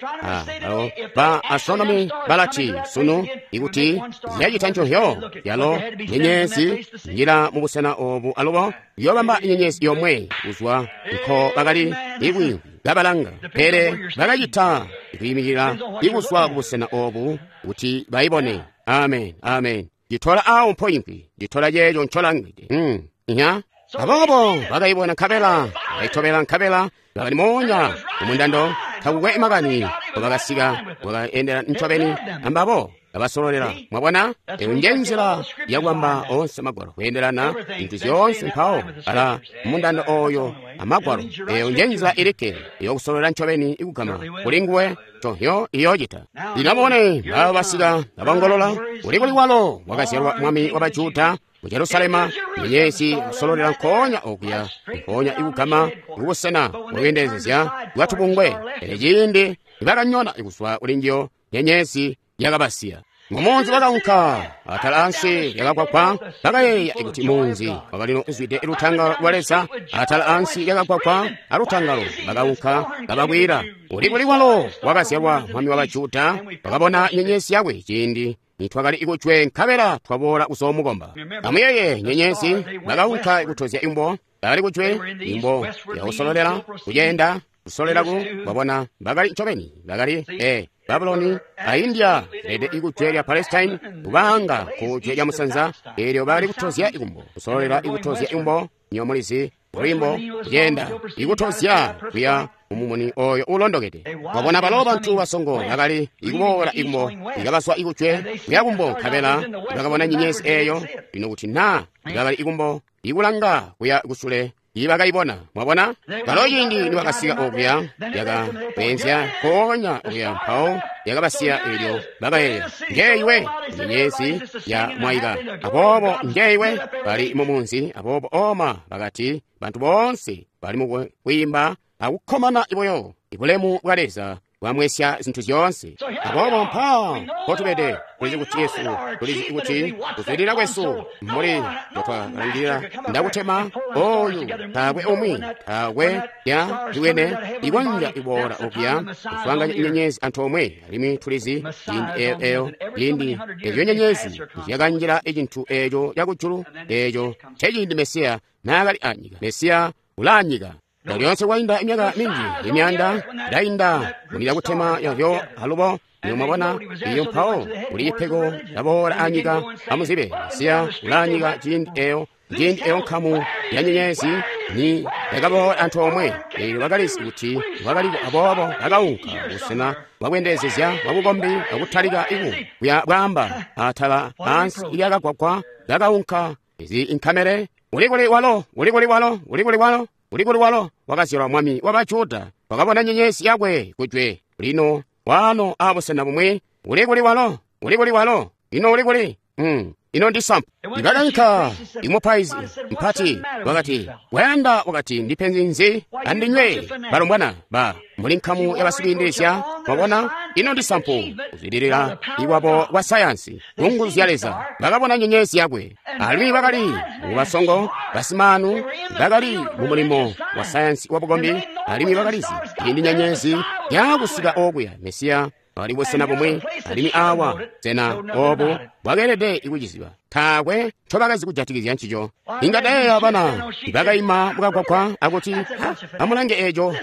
alo ba astronomy balati sunu ikuti zyacita ncohyo yalo nyenyezi njila mubusena obu alubo yobamba nyenyezi yomwe kuzwa nko bakali ikwi kabalanga, pele bakacita kuyimikila ikuzwa kubusena obu kuti bayibone. Amen, amen. Nditola awo mpoimpi, nditola yeeyo ncolangide. Mm. Nya aboobo bakayibona nkabela bayitobela nkabela bakali moonya mumundando takukwe makani bakasika bakaendela ncobeni ambabo babasololela. Mwabona, eyo nje nzila yakwamba onse magwalo kweendelana zintu zyoonse mpawo ala mundando oyo amagwalo. Eyo nje nzila ilikke yokusololela ncobeni ikugama kuli nguwe conhyo iyocita. Lino abone baba basika babongolola uli kuli walo wakazyalwa mwami wa Bajuda mu Jerusalema. Nyenyezi kusololela nkoonya okuya nkoonya ikugama kubusena bwakweendelezya bwatubungwe. Pele ciindi nibakanyona ikuzwa kuli njiyo, nyenyezi yakabasiya. Mumunzi bakaunka atala ansi lyakakwakwa. Bakayeeya kuti munzi wakalino uzwide lutangalo lwa Leza. Atala ansi lyakakwakwa alutangalo bakaunka kabakwila uli kuli walo wakazyalwa mwami wa Bajuda. Bakabona nyenyezi yakwe ciindi nitwakali ikujwe nkabela twaboola kuzoomukomba. Amuyeeye nyenyezi bakaunka kutozya imbo, bakali kujwe imbo yakusololela kuyenda kusolelaku. Babona bakali ncobeni bakali e Babuloni a India lede ikujwe lya Palestine kubanga kujwe lya musanza. Elyo bakali kutozya ikumbo kusololela ikutozya imbo nyomulizi lwimbo kuyenda ikutozya kuya mumumuni oyo ulondokede. Wabona balo bantu basongo bakali ikuboola ikumbo ikabaswa ikujwe kuya kumbo nkabela bakabona nyenyezi eyo. Lino kuti na bakali ikumbo ikulanga kuya kusule ibakaibona. Mwabona balo ciindi nibakasika okuya yakabeenzya nkoonya okuya mpawo yakabasiya. Elyo bakayeeya ngeyiwe nyenyezi ya mwayika, aboobo ngeyiwe bali mumunzi. Aboobo oma bakati bantu boonse bali mukwiimba akukkomana iboyo ibulemu bwa Leza bwamwesya zintu zyoonse. Aboobo mpaa mpotubede tulizi kuti Yesu, tulizi kuti kuzwidilila kwesu mbuli mbotwakalangilila ndakutema oyu taakwe umwi taakwe ya ziwene ikonja iboola okuya kuswaanganya inyenyezi antoomwe. Alimwi tulizi ciindi eyo eyo ciindi eyo nyenyezi zyakanjila icintu eeco cakujulu eeco nceciindi Mesiya naakali anyika. Mesiya ulaanyika. Lyoonse kwainda imyaka minji imyanda ndainda mulila kutema yavyo alubo. Niyo mwabona iyo mpawo kuli ipeko laboola anyika. Amuzibe Mesiya ulaanyika ciindi eyo ciindi eyo nkamu ya nyenyezi ni yakaboola antoomwe. Elyo bakalizi kuti bwakaliko, aboobo bakaunka busena bwakweendelezya bwabukombi akutalika iku kuya bwaamba atala ansi lyakakwakwa. Bakaunka izi inkamele uli kuli walo uli kuli walo uli kuli walo uli kuli walo wakazyalwa mwami wa Bajuda. Wakabona nyenyezi yakwe kujwe lino wano abusena bumwe. Uli kuli walo uli kuli walo ino uli kuli Mm. Ino ndi sampu. Ibakainka imupaizi mpati wakati, wayanda wakati ndipenzi nzi andinywe balombwana ba muli nkamu yabasikwiindilizya. Mwabona, ino ndi sampu kuzwidilila iwabo kwa sayansi kunguzu zya Leza. Bakabona nyenyezi yakwe, alimwi bakali mubasongo basimaanu, bakali mu mulimo wa sayansi wa bukombi, alimwi bakalizi ciindi nyenyezi yakusika okuya Mesiya bali busena bumwi, alimwi awa sena obo bwakeelede kuciziba. Taakwe ncobakazi kujatikizya ncico. Inga ndayeeya bana ibakaima mukagwagwa akuti, amulange eeco,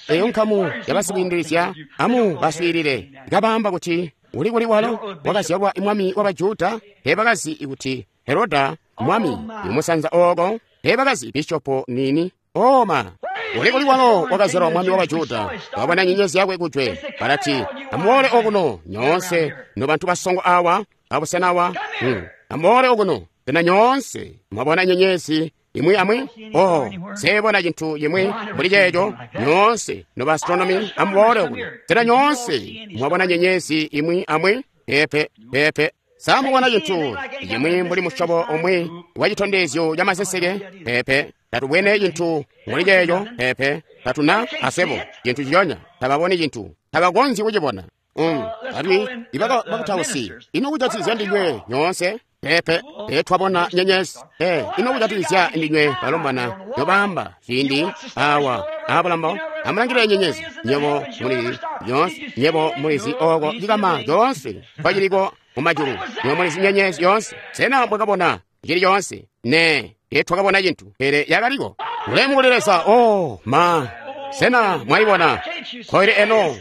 eyo nkamu yabasikwiindilizya, amu baswiilile. Kabaamba kuti, uli kuli walo wakazyalwa mwami wa Bajuda? Teebakazi kuti Heroda mwami imusanza ooko. Teebakazi bishopo nini. Oma uli kuli walo wakazyalwa mwami wa Bajuda? Wabona nyenyezi yakwe kujwe. Balati, amuboole okuno nyoonse nobantu basongo awa abusena awa. Hmm. Amuboole okuno sena nyoonse mwabona nyenyezi imwi amwi? Oh, sebona cintu cimwi mbuli ceeco. Nyoonse noba astronomy amuboole okuno sena nyoonse mwabona nyenyezi imwi amwi? Pepe pepe. Samubona cintu cimwi mbuli musyobo umwi wa citondezyo ca maseseke? Pepe. Tatubwene cintu mbuli ceeco. Pepe. Tatuna asebo cintu ciyonya. Tababoni cintu, tabakonzyi kucibona. Um, alimwi ibakutausi, ino kujatikizya ndinywe nyoonse? Pepe. Pe twabona nyenyezi. Pe ino kujatikizya ndinywe balombwana nyobaamba ciindi awa abulambo? Amulangilile nyenyezi. Nyebo mulizi nyoonse, nyebo mulizi oko cikama coonse kwaciliko mumajulu. Nyebo mulizi nyenyezi yoonse. Sena mwakabona cili coonse? Ne, twakabona cintu, pele yakaliko. Ulemu kuli Leza. Oh ma, sena mwayibona? Koili eno,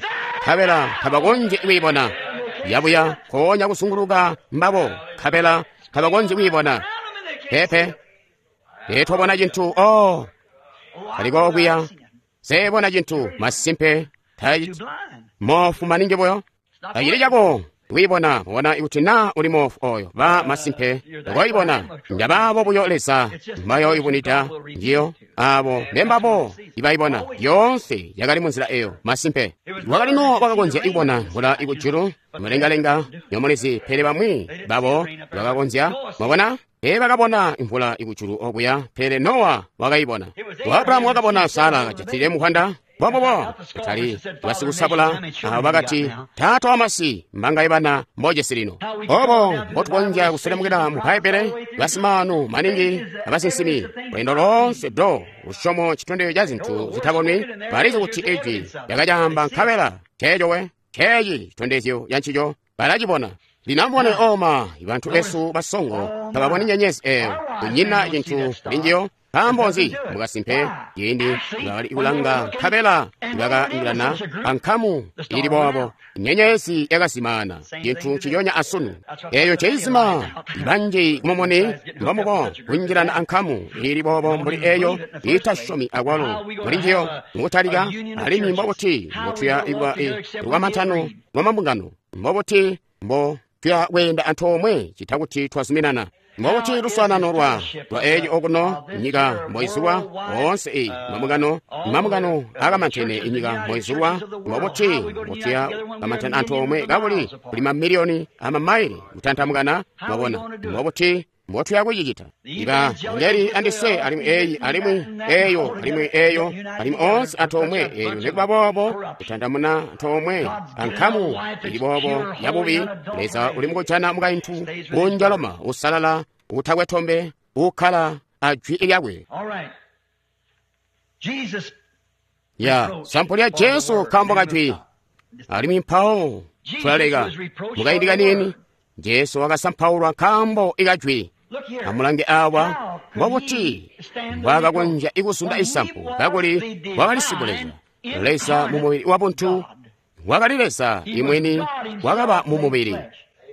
kabela tabakonzyi kuyibona. Yabuya konya kusunguluka mbabo, kabela tabakonzyi kuyibona. Pepe, twabona cintu. Oh, kaliko okuya. Sebona cintu masimpe. Mofu maningi buyo. Tacili cako kuyibona. Mubona ikuti na uli mofu oyo ba masimpe koyibona. Njabaabo buyo Leza mbayoibunida njiyo abo mbembabo ibayibona. Yoonse yakali munzila eyo masimpe. Wakali no wakakonzya ikubona mvula ikujulu mulengalenga nyomulizi, pele bamwi babo bakakonzya. Mwabona, ee bakabona imvula ikujulu okuya, pele Nowa wakayibona. Abrahamu wakabona Sara kajatile muhwanda. Bobobo kutali basikusabula abo bakati, taata wamasi mbangaye bana mbojesi lino. Obo mbotukonzya kuselemukila mu Bbaibbele, basimaanu maningi abasinsimi lwendo loonse do lusyomo citondezyo ca zintu zitabonwi. Balizi kuti ijwi lyakacaamba, nkabela ceeco we ceeci citondezyo ca ncico balacibona. Lino amubone oma bantu besu basongo tababoni nyenyezi eyo, kunyina cintu kulinjiyo. Nkaambo nzi? Mukasimpe ciindi bakali kulanga nkabela bakaingilana ankamu ili boobo, nyenyezi yakazimaana. Cintu nciconya asunu eyo nceizima banji kumumuni mbomubo kunjilana ankamu ili boobo mbuli eyo itasyomi akwalo muli njiyo mukutalika. Alimwi mbobuti mbotuya ikuba lwamantano lwamambungano? Mbobuti mbo tuya kweenda antoomwe cita kuti twazuminana? Mbobuti luswaanano lwa lwa eeci okuno nyika mboizulwa oonse eyi mambungano mambungano akamantene inyika mboizulwa? Mbobuti mbotuya kamantana antoomwe kakuli kuli mamiliyoni amamaile kutantamukana? Mwabona, mbobuti mbotuya kucicita? Iba ngeli andise alimwi eyi alimwi eyo alimwi eyo alimwi oonse antoomwe eyo nekuba boobo kutantamuna antoomwe ankamu ili boobo yabubi. Leza uli mukujana mukaintu unjaloma usalala utakwe tombe ukkala ajwi lyakwe. Ya sampu lya Jesu nkaambo kajwi. Alimwi mpawo tulaleka mukaindi kanini. Jesu wakasampaulwa nkaambo ikajwi. Amulange awa mbobuti mbwaakakonzya ikusunda isampu kakuli wakali sikuleza Leza mu mubili wa buntu. Wakali Leza imwini wakaba mu mubili.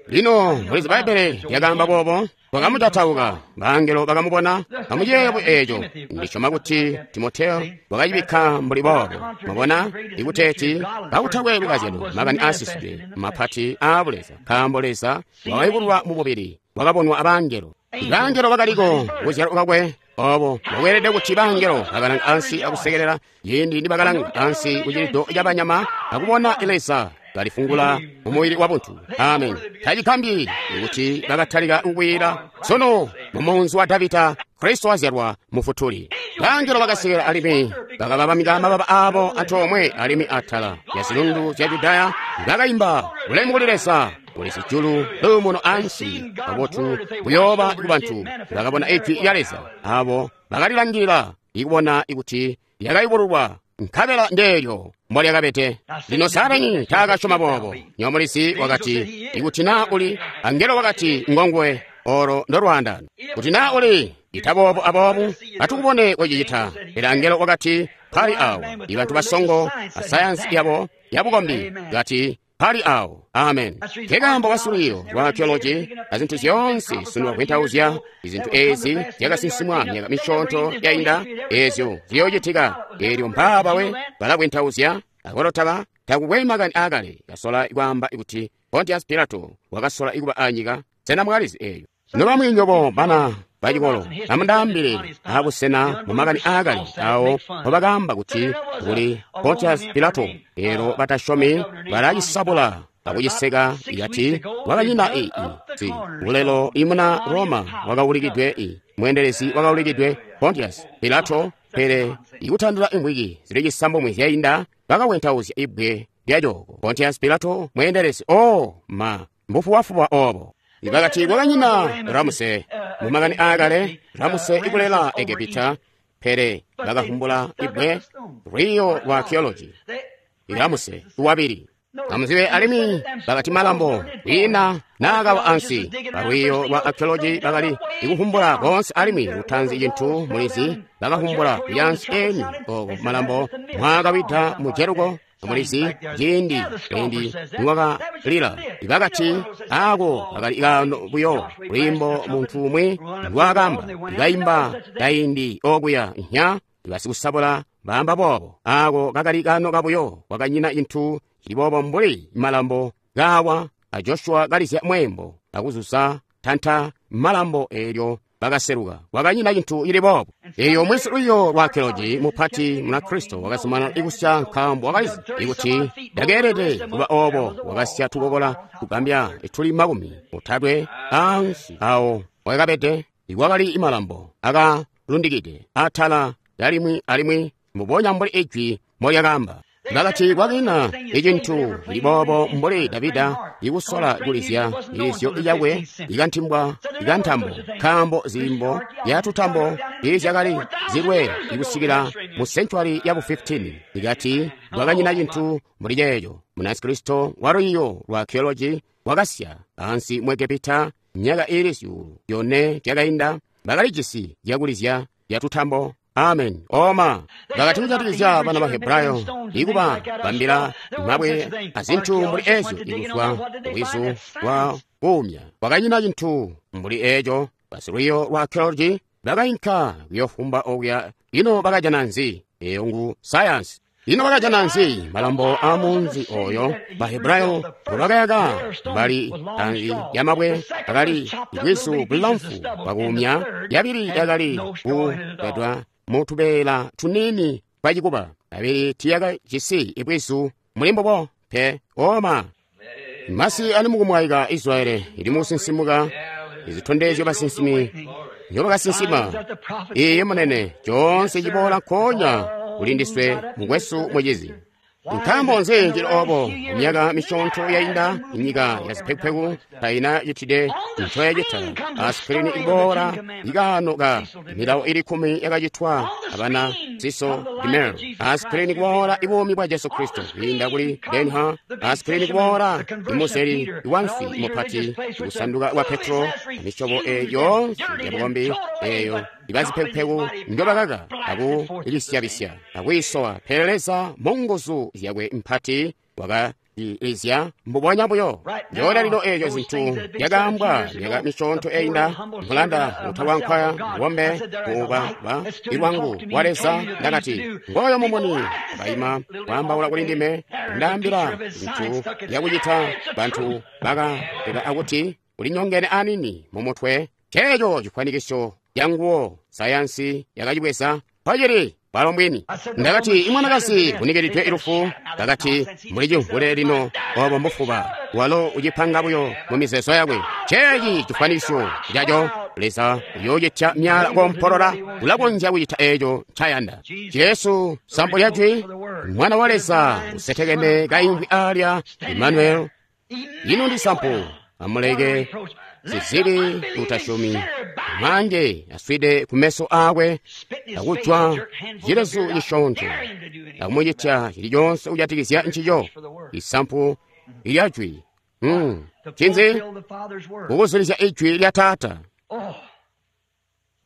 Lino mulizi Bbaibbele lyakaamba boobo, bakamutatauka bangelo bakamubona. Amuyeeye eeco. Ndisyoma kuti Timoteyo wakacibikka mbuli boobo. Mwabona, ikuteeti kakutakwe lukazyano makani aasisidwe mapati aabuleza, nkaambo Leza wakayubululwa mu mubili, wakabonwa abangelo. Bangelo bakaliko kuzyalwa kwakwe. Obo mbokweelede kuti bangelo bakalanga ansi akusekelela ciindi nibakalanga ansi kucilido cabanyama akubona Leza kalifungula mu mubili wabuntu. Amen. Tacigambyi kuti bakatalika kukwiila sono mu munzi wa Davida, Kristo wazyalwa mufutuli. Bangelo bakasekela alimwi bakababamika mababa abo antoomwe alimwi atala ya zilundu zya Judaya bakayimba ulemu kuli Leza kuli zijulu luumuno ansi kabotu buyooba ku bantu. Bakabona ijwi lya Leza abo bakalilangilila ikubona ikuti lyakayubululwa nkabela ndeelyo mbolyakabede. Lino Saatani taakasyoma boobo. Nyomulizi wakati ikuti naa uli angelo wakati ngonguwe olo ndolwaandano. Kuti naa uli ita boobo aboobu atukubone kocicita. Pele angelo wakati pali awo ibantu basongo asayansi yabo yabukombi kati pali awo. Amen. Nkekaambo basilwiiyo lwa archaeology azintu zyoonse sunu bakwentauzya izintu ezi zyakasinsimwa myaka misyoonto yainda ezyo ziyoocitika. Eelyo mpaabawe balakwentauzya akolotaba takukwe makani aakale kasola kwaamba kuti Pontius Pilato wakasola ikuba anyika. Sena mwalizi eeyo? Nobamwi nyobo bana bacikolo amundaambile abusena mu makani aakale awo mpobakaamba kuti kuli Pontius Pilato. Elo batasyomi balacisabula akuciseka ikati wakanyina ii si bulelo imuna Roma wakaulikidwe i mweendelezi wakaulikidwe Pontius Pilato. Pele ikutandila imvwiki zili cisambomwe zyainda bakawentauzya ibbwe lyacooko Pontius Pilato mweendelezi. O ma mbufubafuba obo. Bakati kwakanyina Ramuse mu makani aakale Ramuse ikulela Egepita. Pele bakavumbula ibbwe lwiiyo lwa archaeology Ramuse wabili amuzibe alimwi bakati malambo kwiina naakawa ansi. Balwiiyo lwa archaeology bakali ikuvumbula konse alimwi lutanzi cintu mulizi bakavumbula kuyansi eni oko malambo mwakawida mu Jeriko mulizi ciindi endi niwakalila. Bakati ako kakali kano buyo lwiimbo muntu umwi ndwakamba ikaimba kaindi okuya nya basikusabula baamba boobo. Ako kakali kano kabuyo kwakanyina cintu cili boobo mbuli malambo kawa a Joshua kalizya mwembo akuzuza tanta malambo eelyo bakaseluka. Kwakanyina cintu cili boobo. Eyo mwisi lwiiyo lwa archaeology mupati muna Kristo wakazumana ikusya nkaambo wakalizi ikuti ndakeelede kuba obo. Wakasya tukokola tugambya tuli makumi otatwe ansi awo wakabede ikwakali imalambo akalundikide atala yalimwi alimwi mbubonya mbuli ijwi molyakaamba. Bakati kwakina icintu cili boobo mbuli Davida ikusola kulizya ilizyo lyakwe ikantimbwa ikantambo nkaambo ziimbo yatutambo izyakali zilwe ikusikila mu senchwari yabu fifteen. Ikati kwakanyina cintu mbuli ceeco. Munakristo wa lwiiyo lwa archaeology wakasya ansi mu Egepita myaka iili zyuulu yone yakainda bakalijisi zyakulizya yatutambo. Amen. Oma bakati kujatikizya bana ba Hebrayo ikuba bambila mabwe azintu mbuli ezyo ikuzwa bwizu bwa kuumya. Kwakanyina cintu mbuli eco. Basilwiiyo lwa archaeology bakainka kuyofumba okuya. Ino bakajana nzi? Eyo ngu sayansi. Ino bakajana nzi? Malambo a munzi oyo Bahebrayo ngobakayaka mbali anzi yamabwe akali bwizu bulamfu bwakuumya yabili yakali kupedwa mutubeela tunini twacikuba abili tiyakajisi ibwizu muli mbubo pe. Oma masi ali mukumwaika Israeli ili mukusinsimuka izitondezyo basinsimi nzyobakasinsima. Iye munene coonse ciboola nkoonya kuli ndiswe mukwesu mucizi. Nkaambo nzi cili obo? Myaka misyoonto yainda inyika ya zipekupeku taina citide ncoyacita asikirini ikuboola ikano ka milawo ili kkumi yakacitwa abana Cecil DeMille. Asikirini kuboola ibuumi bwa Jesu Kristo kwiinda kuli Ben-Hur. Asikirini kuboola imuzeli iwamfi mupati kusanduka kwa Petro misyobo eyo yoonse yabukombi eyo ibazipekupeku ndobakaka akulisyabisya akuisowa. Pele Leza munguzu zyakwe mpati wakalizya mbubonya buyo. Ndyoonya lino eeyo zintu zyakaambwa myaka misyoonto yainda nkulanda utalwankwaya ngombe kuuba ilwangu wa Leza. Ndakati ngoyo mumuni wakaima kwaambaula kuli ndime ndaambila zintu zyakucita. Bantu bakateka akuti ulinyongene anini mumutwe. Ceeco cifwanikiso yanguwo sayansi yakacibweza pacili Bwalo mbwini. Ndakati, imwanakazi vunikiridwe ilufu, bakati, muli cimvule lino, obo mbufuba. Walo ucipanga buyo mu mizeezo yakwe. Ceeci cifwanisyo caco, Leza uyoocitya myala kompolola, ulakonzya kucita eeco ncayanda. Jesu, sampu lya jwi, Mwana wa Leza, usetekene kaimvwi alya, Emmanuel. Ino ndi sampu, amuleke zizili utasyomi, mange aswide kumeso akwe, akujwa cilezu cisyoonto, akumucitya ciliconse kujatikizya ncico, isampu ilya jwi. Mm. Cinzi? Kukuzulizya ijwi lya Taata.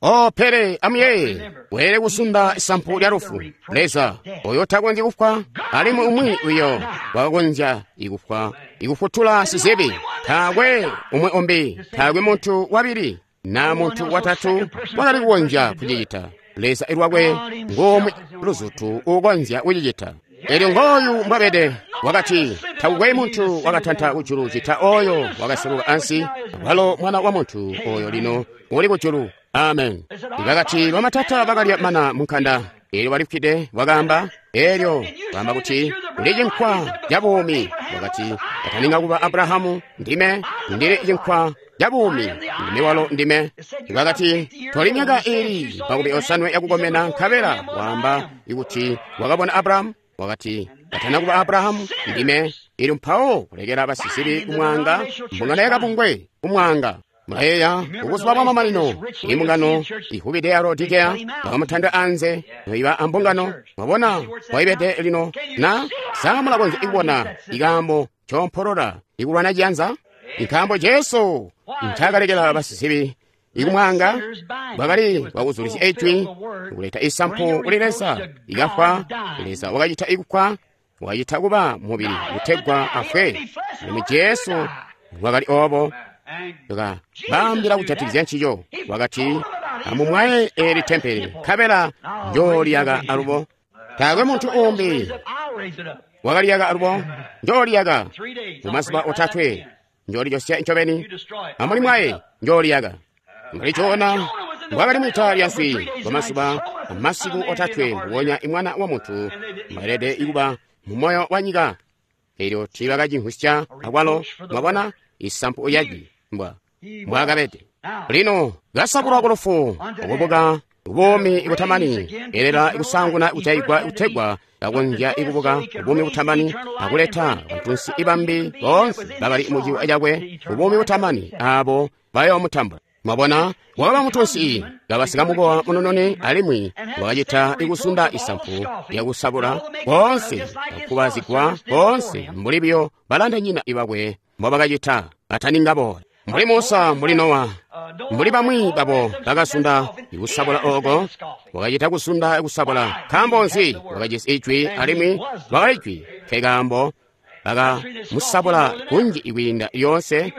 Oh, pele amuyeeye, weelede kusunda isampu lya lufu. Leza oyo takonzyi kufwa, alimwi umwi uyo wakakonzya ikufwa, ikufutula sizibi. Taakwe umwe umbi, taakwe muntu wabili na muntu watatu wakali kukonzya kucicita. Leza ilwakwe ngomwe luzutu ukonzya kucicita. Elyo ngooyu mbwabede, wakati, takukwe muntu wakatanta kujulu cita oyo wakaseluka ansi, walo Mwana wa Muntu oyo lino uli kujulu. Amen. Bakati bamatata bakalya mana munkanda, elyo balifwide, wakaamba, elyo wakaamba kuti uli cinkwa ca buumi. Wakati kataninga kuba Abrahamu, ndime ndili cinkwa ca buumi, ndime walo ndime. Bakati toli myaka ili makumi osanwe yakukomena, nkabela waamba ikuti wakabona Abrahamu. Wakati katana kuba Abrahamu, ndime. Elyo mpawo kulekela basisibi kumwanga, mbungano yakabungwe kumwanga. Mulayeeya kubuzuba bwa mamanino, imbungano ihubide ya Laodikea bakamutanda anze, noiba ambungano. Mwabona waibede lino na sa mulakonzya ikubona ikaambo compolola ikulwana ciyanza? Nkaambo Jesu ncakalekela basisibi ikumwanga bwakali bwakuzulizya ijwi, kuleta isampu kuli Leza. Ikafwa, Leza wakacita ikufwa, wakacita kuba mubili kutegwa afwe. Alimwi Jesu wakali obo. Baambila kujatikizya ncico, wakati, amumwaye eli tempele, nkabela njooliyaka alubo. Taakwe muntu umbi wakaliyaka alubo, njooliyaka mumazuba otatwe, njoolijosya ncobeni. Amulimwaye, njooliyaka. Mbuli Jona mbwakali mwita lya nswi kwamazuba amasiku otatwe, mbubonya imwana wa muntu mbwalede ikuba mu moyo wa nyika. Elyo tiibakacimvwisya akwalo, mwabona isampu yajwi mbwa mbwakabede. Lino kasabulwa ku lufu, okubuka buumi butamani, elela ikusanguna kujaigwa kutegwa kakonzya ikubuka buumi butamani akuleta bantunsi ibambi boonse bakali muciwa cakwe buumi butamani abo bayoomutambula. Mwabona, wakaba mutunsi kaba sikamukowa munonone, alimwi wakacita ikusunda isampu lyakusabula boonse akubazigwa boonse mbuli biyo balandanyina ibakwe mbobakacita bataninga boola. Mbuli Musa, mbuli Nowa, mbuli bamwi babo bakasunda ikusabula oko, wakacita kusunda ikusabula. Nkaambo nzi? Wakajisi ijwi, alimwi wakali jwi. Nkekaambo bakamusabula kunji ikwiinda yoonse,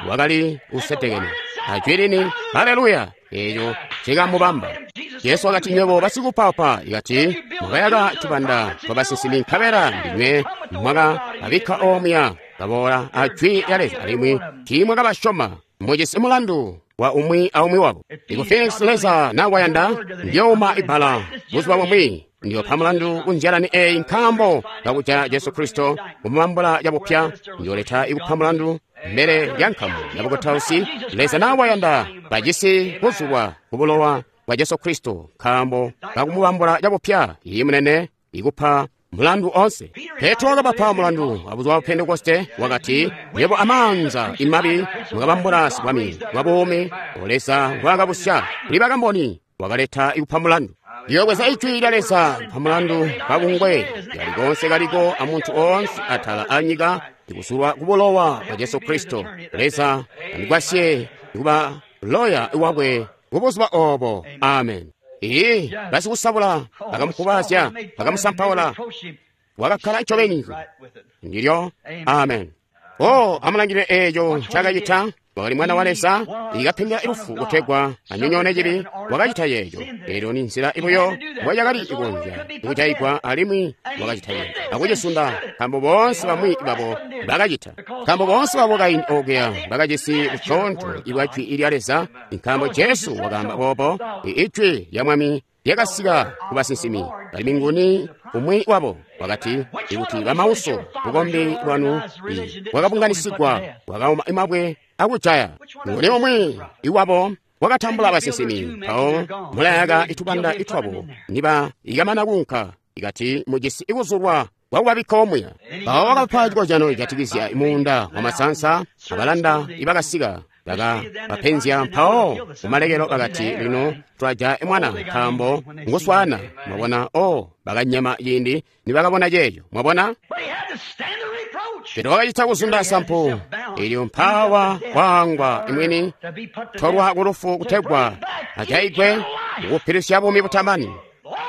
wakali usetekene ajwi lini. Haleluya! Eeco cikamubamba. Jesu wakati, nywebo basikupapa, ikati mwakayaka tubanda twabasinsimi, nkabela ndinywe mwakababikka omuya baboola ajwi lya Leza, alimwi tiimwakabasyoma. Mujisi mulandu wa umwi aumwi wabo. Iku Phoenix Leza nawayanda, ndiyouma ibbala buzuba bumwi, ndiyopa mulandu kunzyalani eyi nkaambo kakujaya Jesu Kristo kumubambula cabupya. Ndiyoleta ikupa mulandu mbele lya nkamu ya bukutausi. Leza nawayanda bajisi kuzulwa kubulowa bwa Jesu Kristo nkaambo kakumubambula cabupya. Iyi munene ikupa mulandu onse. Petro wakabapa mulandu abuzuba bwa Pentekoste, wakati, nywebo amaanza imabi mwakabambula sibwami bwa buumi Leza mbwaakabusya kuli bakamboni, wakaleta ikupa mulandu. Ndiyobweza ijwi lya Leza kupa mulandu kabungwe kali konse kaliko amuntu onse atala anyika ndikusulwa kubulowa bwa Jesu Kristo. Leza andigwasye kuba loya wakwe kubuzuba obo. Amen. Iyi basikusabula bakamukubazya, bakamusampaula, wakakkala ncobeni ndilyo. Amen. Oh, amulangilile eeco ncakacita. Wakali Mwana wa Leza ikapengela ilufu kutegwa anyonyoone cibi. Wakacita yeeco. Eelyo ni nzila ibuyo mbwacakali ikonzya ikujaigwa, alimwi wakacita yeeco akucisunda, nkaambo boonse bamwi babo bakacita, nkaambo boonse babo kaindi okuya bakajisi bucoonto ibwa jwi lya Leza, nkaambo Jesu wakaamba boobo, ijwi lya Mwami lyakasika ku basinsimi, alimwi nguni umwi wabo? Wakati, ikuti bamauso bukombi bwanu bwakabunganisigwa bwakauma mabwe akujaya. Nguni umwi iwabo wakatambula basinsimi, mpawo mulayaka itubanda itwabo niba ikamana kuunka, ikati mujisi ikuzulwa kwakubabikka omuya. Mpawo wakapa cikozyano cijatikizya muunda wamasansa, abalanda ibakasika bakabapenzya, mpawo kumalekelo bakati, lino twajaya mwana nkaambo nguswana. Mwabona, o bakanyema ciindi nibakabona ceeco. Mwabona, pele wakacita kuzunda sampu elyo mpawa waangwa imwini tolwa kulufu kutegwa ajaigwe kukupilusya buumi butamani.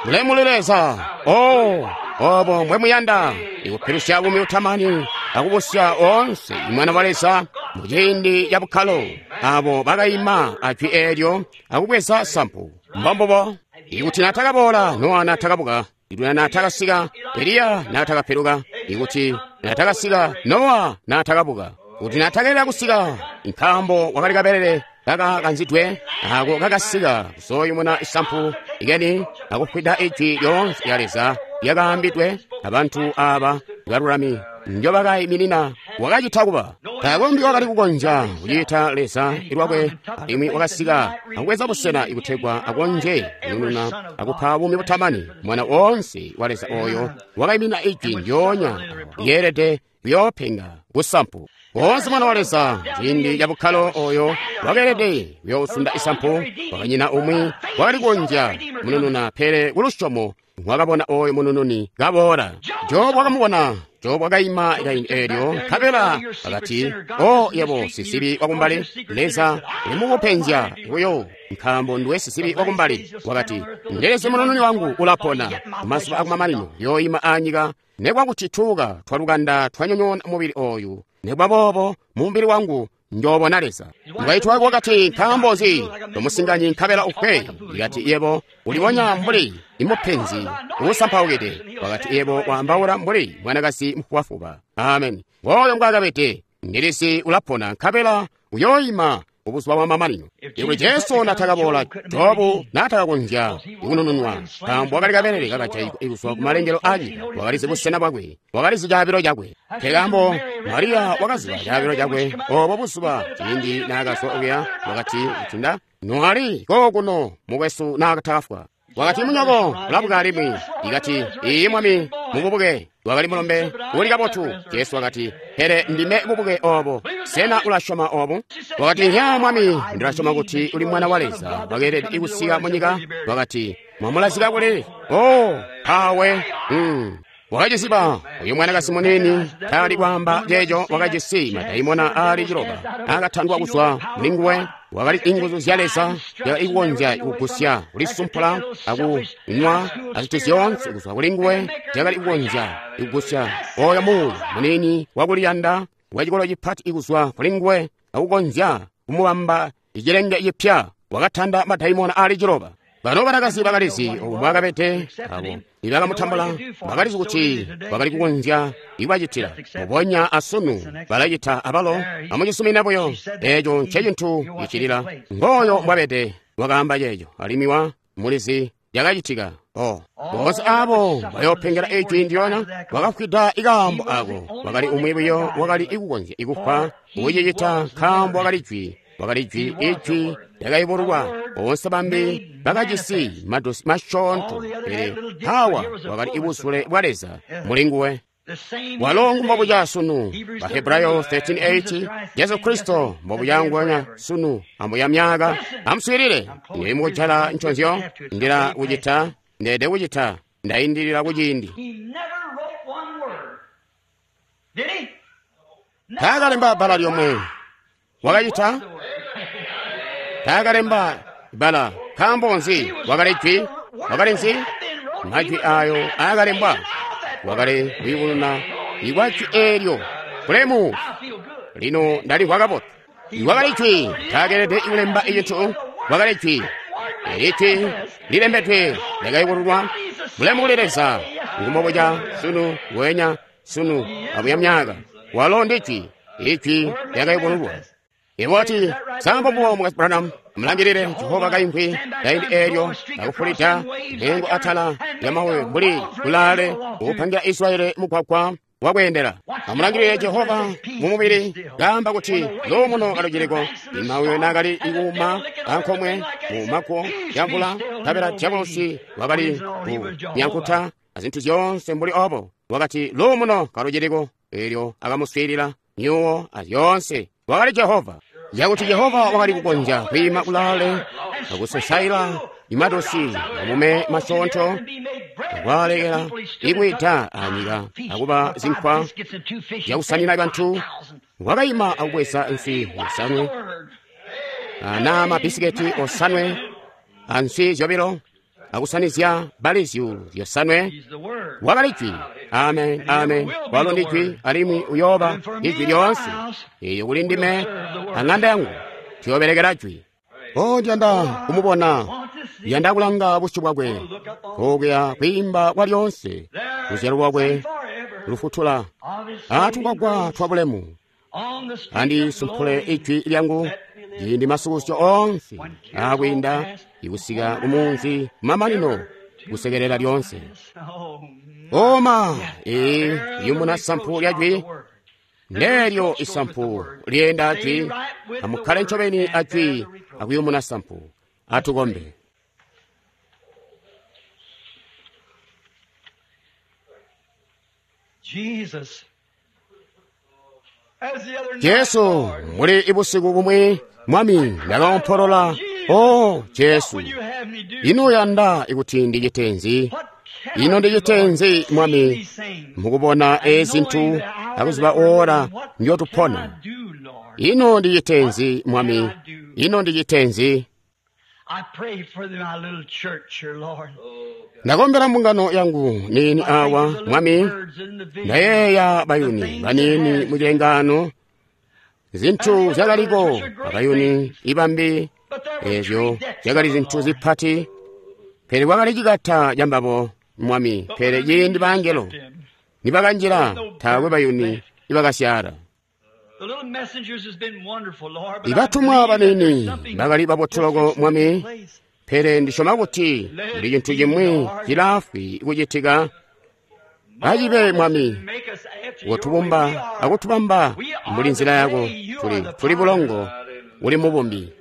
Mulemuli Leza, o obo mbwemuyanda ikupilusya buumi butamani akubusya oonse imwana wa Leza muciindi ca bukkalo, abo bakaima ajwi eelyo akubweza sampu. Mbombubo. Ikuti natakaboola, Nowa natakabuka. Ikuti natakasika, Eliya natakapiluka. Ikuti natakasika, Nowa natakabuka. Kuti natakelela kusika, nkaambo wakali kabelele kakakanzidwe ako kakasika kuzoyumuna isampu ikeni akufwida ijwi lyoonse lya Leza lyakaambidwe abantu aba balulami njobakayiminina. Wakacita kuba takombi wakali kukonzya kucita Leza lwakwe, alimwi wakasika akubweza busena ikutegwa akonzye kunununa akupa buumi butamani mwana woonse wa Leza oyo wakayiminina ijwi ndyoonya lyeelede kuyoopenga kusampu. Woonse mwana wa Leza ciindi ca bukkalo oyo wakeelede kuyoosunda isampu. Wakanyina umwi wakali kukonzya munununa, pele kulusyomo wakabona oyo munununi kaboola. Jobu wakamubona. Jobu wakaima kaindi eelyo, nkabela akati, o yebo sisibi wakumbali, Leza ulimukupenzya buyo nkaambo nduwe sisibi wakumbali. Wakati, ndelezi munununi wangu ulapona mazuba akumamanino yooyima anyika, nekwakuti tuuka twalukanda twanyonyoona mubili oyu, nekwa boobo mumubili wangu njoobona Leza. Mukaintu wakwe wakati, nkaambo nzi tomusinganyi nkabela ufwe? Ikati, yebo ulibonya mbuli imupenzi uusampaukide. Wakati, yebo waambaula mbuli mwanakazi mufubafuba. Amen. Ngooyo mbwaakabede. Ndilisi ulapona nkabela uyooyima kubuzuba bwa mamanino. Ikuti Jesu natakaboola, Jobu natakakonzya kunununwa, nkaambo wakali kabelele kakajaigwa kuzwa kumalengelo aanyika. Wakalizi busena bwakwe, wakalizi caabilo cakwe. Nkaambo Mariya wakaziba caabilo cakwe obo buzuba ciindi naakazwa okuya, wakati, kuti noali kookuno mukwesu naakatafwa. Wakati, munyoko ulabuka alimwi. Ikati, iiyi mwami, mububuke. Wakali mulombe uli kabotu. Jesu wakati, pele ndime bubuke obo. Sena ulasyoma obu? Wakati, ya mwami, ndilasyoma kuti uli mwana wa Leza wakeelede kusika munyika. Wakati, mwamulazika kuli? Oh, pawe. Mm. Wakacisiba uyu mwanakazi munini tali kwaamba ceeco. Wakajisi madaimona aali ciloba akatandwa kuzwa mulinguwe. Wakali inguzu zya Leza ikukonzya kugusya kulisumpula akunywa azintu zyoonse kuzwa kulinguwe, zyakali kukonzya kugusya oyo muuya munini wakuliyanda wacikolo cipati kuzwa kulinguwe akukonzya kumubamba icilenge cipya. Wakatanda madaimona aali ciloba. Bano banakazi bakalizi obu mbwakabede, abo nibakamutambula bakalizi kuti bakali kukonzya ikubacitila mubonya asunu balacita abalo. Amucisumina buyo, eeco ncecintu cicilila. Ngooyo mbwabede, wakaamba ceeco, alimwi wa mulizi yakacitika. Oh, boonse abo bayoopengela ijwi ndyoona wakafwida ikaambo ako. Wakali umwi buyo wakali ikukonzya ikufwa kucicita, nkaambo wakali jwi. Wakali jwi, ijwi lyakayubululwa. Boonse bambi bakajisi madosi masyoonto, pele Hawa wakali ibuzule bwa Leza mulinguwe. Walo mbobuca sunu. Bahebrayo thirteen eight, Jesu Kristo mbobuca nguwenya sunu amuya myaka. Amuswiilile, ndili mukujala nconzyo, ndila kucita, ndeede kucita, ndaindilila kuciindi. Taakalemba bbala lyomwe. Wakacita? Taakalemba bbala. Nkaambo nzi? Wakali jwi. Wakali nzi? Majwi ayo aakalembwa. Wakali kuyubununa ikwa jwi eelyo. Bulemu! Lino ndalimvwa kabotu. Wakali jwi. Taakeelede kulemba icintu. Wakali jwi. Eli jwi lilembedwe lyakayubululwa. Bulemu kuli Leza. Ngumbobuca sunu wenya sunu abuya myaka. Walo ndi jwi. Ijwi lyakayubululwa. Iwati, sambo buwo Mukwesu Branham, Amulangilile Jehova kaimvwi kaindi eelyo akufulida mpengo atala lyamawe mbuli kulaale ukupangira Israeli mugwagwa wakweendela. Amulangilile Jehova mumubili kaamba kuti luumuno kaluciliko. Imawe naakali ikuuma ankomwe mu makuwo ya mvula, nkabela dyabulosi wakali kunyankuta azintu zyoonse mbuli obo. Wakati luumuno kaluciliko, eelyo akamuswiilila myuwo azyoonse. Wakali Jehova. Yakuti Jehova wakali kukonzya kwiima kulaale akusosaila imadosi amume masyoonto akwaalekela ikwida anyika akuba zinkwa zyakusanina bantu. Wakayima akubweza nswi yosanwe na mabisiketi osanwe answi zyobilo akusanizya bali zyuulu zyosanwe. Wakali jwi. Amen, amen. Walo ndi jwi, alimwi uyooba ijwi lyoonse. Eyo kuli ndime ang'anda yangu tuyobelekela jwi. O ndiyanda kumubona, ndiyanda kulanga busyu bwakwe, kokuya kwiimba kwa lyoonse, luzyalo lwakwe lufutula atugwagwa twa bulemu. Andisumpule ijwi lyangu ciindi masukusyo onse akwiinda ikusika kumunzi mamanino kusekelela lyonse. Oma ee yumuna sampu lya jwi nelyo isampu lyenda ajwi. Amukkale ncobeni ajwi akuyumuna sampu. Atukombe. Jesus. As the other night, Jesu Lord, muli ibusiku bumwi mwami ndakaompolola o Jesu, what would you have me do? ino uyanda ikuti ndichite nzi? What can Ino I do, ndichite Lord? nzi See mwami these things. mukubona ezintu akuziba ora ndiyotupona? What can I do, Lord? Ino ndichite nzi mwami? Ino ndichite nzi? I pray for my little church here, Lord. Ndakombera mbungano yangu nini I think awa of the little mwami. birds in the vision. Ndayeeya bayuni banini mucilengano, zinthu zyakaliko abayuni ibambi But there were ezyo three decks zyakali of them, zinthu Lord. zipati, pele kwakali cikata cambabo mwami. Pele ciindi bangelo nibakanjila taakwe bayuni ibakasyala. The little messengers has been wonderful, Lord, but I Ibatumwa believe that there's banini something bakali babotoloko just mwami, place. pele ndisyoma kuti kuli cinthu cimwi cilafwi kucitika. Acibe mwami, Make us after your way. wotubumba We are akutubamba mbuli nzila yako. Tuli tuli bulongo uli mubumbi.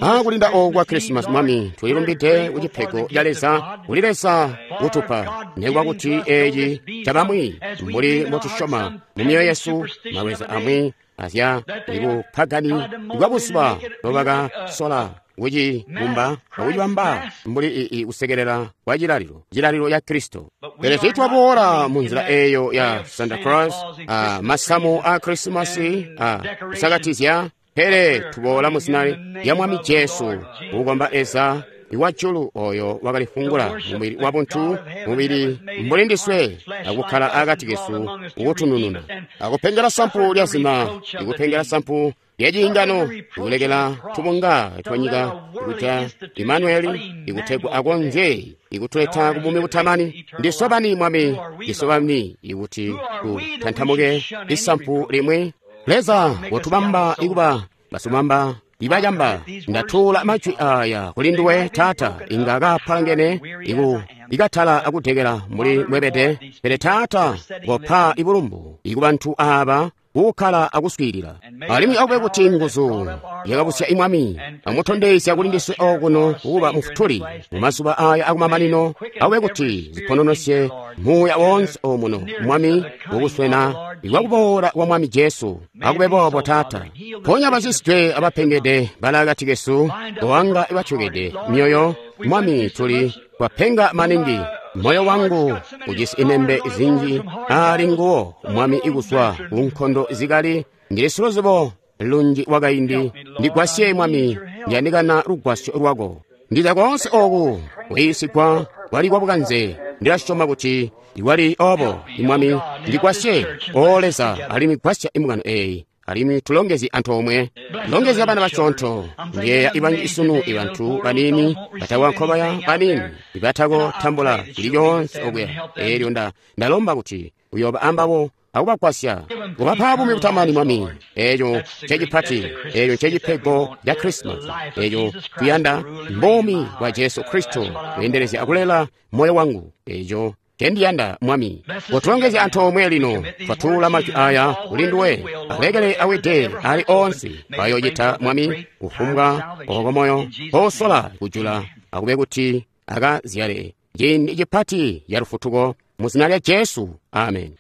Akulinda oku kwa Krisimasi mwami, tulilumbide ku cipego ca Leza kuli Leza kutupa nekuba kuti eci cabamwi mbuli mbotusyoma mu myoyo yesu malweza amwi azya ibupagani bwa buzuba nobakasola kucibumba akucibamba mbuli ii kusekelela kwa cilalilo cilalilo ya Kristo. Pele tiitwaboola mu nzila eyo ya Santa Claus, a masamu a Krisimasi a kusakatizya, pele tuboola mu zina lya Mwami Jesu kukomba Leza iwajulu oyo wakalifungula mubili wa buntu, mubili mbuli ndiswe, akukkala akati kesu ukutunununa, akupengela sampu lya zina, ikupengela sampu lya ciingano, ikulekela tubunga twa nyika ikuta Imanueli, ikutegwa akonzye ikutuleta kubumi butamani. Ndisobani mwami, ndisobani ikuti tutantamuke isampu limwi. Leza wotubamba ikuba basumamba ibacamba. Ndatuula majwi aya kuli nduwe Taata, inga kapalangene iku ikatala akutekela mbuli mwebede. Pele Taata kopa ibulumbu ikubantu aba kukkala akuswiilila, alimwi akube kuti nguzu yakabusya imwami amutondezya kuli ndiswe okuno kuba mufutuli mu mazuba aya akumamanino. Akube kuti zipononosye muuya wonse omuno mwami mukuswena ikwakuboola kwa Mwami Jesu. Akube boobo Taata. Ponya baciswe abapengede bali akati kesu, kowanga ibatyokede myoyo mwami. Tuli twapenga maningi. Moyo wangu ujisi inembe zinji ali nguwo mwami ikuswa ku nkondo zikali. Ndili siluzibo lunji wakaindi. Ndigwasye mwami, ndiyandikana lugwasyo lwako. Ndiza konse oku kuyiisigwa kwali kwa bukanze. Ndilasyoma kuti iwali obo imwami. Ndigwasye o Leza, alimwi gwasya imbungano eyi, alimwi tulongezye antoomwe. Longezya bana basyoonto. Njeeya ibanji isunu ibantu banini batakwa nkobaya banini ibatako tambula cili coonse okuya. Eelyo nda ndalomba kuti uyooba ambabo akubagwasya kubapa buumi butamani, Mwami. Eeco ncecipati, eeco ncecipego ca Krisimasi. Eeco tuyanda mbuumi bwa Jesu Kristo kweendelezya akulela moyo wangu. Eeco ncendiyanda, Mwami. Kotulongezya antoomwe lino, twatuula majwi aya kuli nduwe. Alekele awide ali onse bayocita, Mwami, kufumbwa oko moyo kosola kujula, akube kuti akazyale ciindi cipati ya lufutuko mu zina lya Jesu. Amen.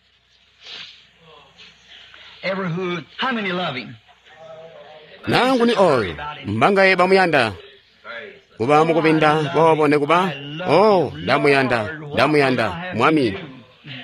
Ever who, how many love him? Nanguni oyo mbangaye bamuyanda kuba mukubinda boobo nekuba? Oh, ndamuyanda, ndamuyanda Mwami.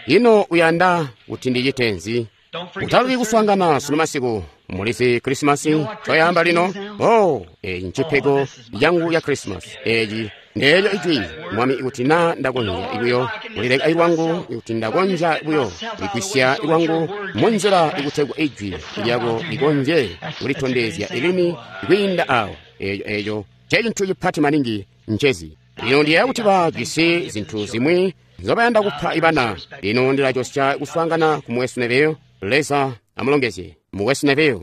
Ino uyanda kuti ndichite nzi? Don't forget Utalubi the kuswaangana sunu masiku. Mulizi Krisimasi coyamba lino. Oh, eyi ncipego yangu ya Krisimasi. Eyi ndeeyo ijwi, Mwami, ikuti na ndakonzya buyo kulileka ilwangu, ikuti ndakonzya buyo kuligwisya ilwangu munzila ikutegwa ijwi lyako likonzye kulitondezya ilini kwiinda awo. Eeyo eeyo ncecintu cipati maningi ncezi. Lino ndiyeeya kuti bajisi zinthu zimwi nzobayanda kupha ibana. Lino ndilacosya kuswaangana ku Mukwesu Neville. Leza amulongezye Mukwesu Neville.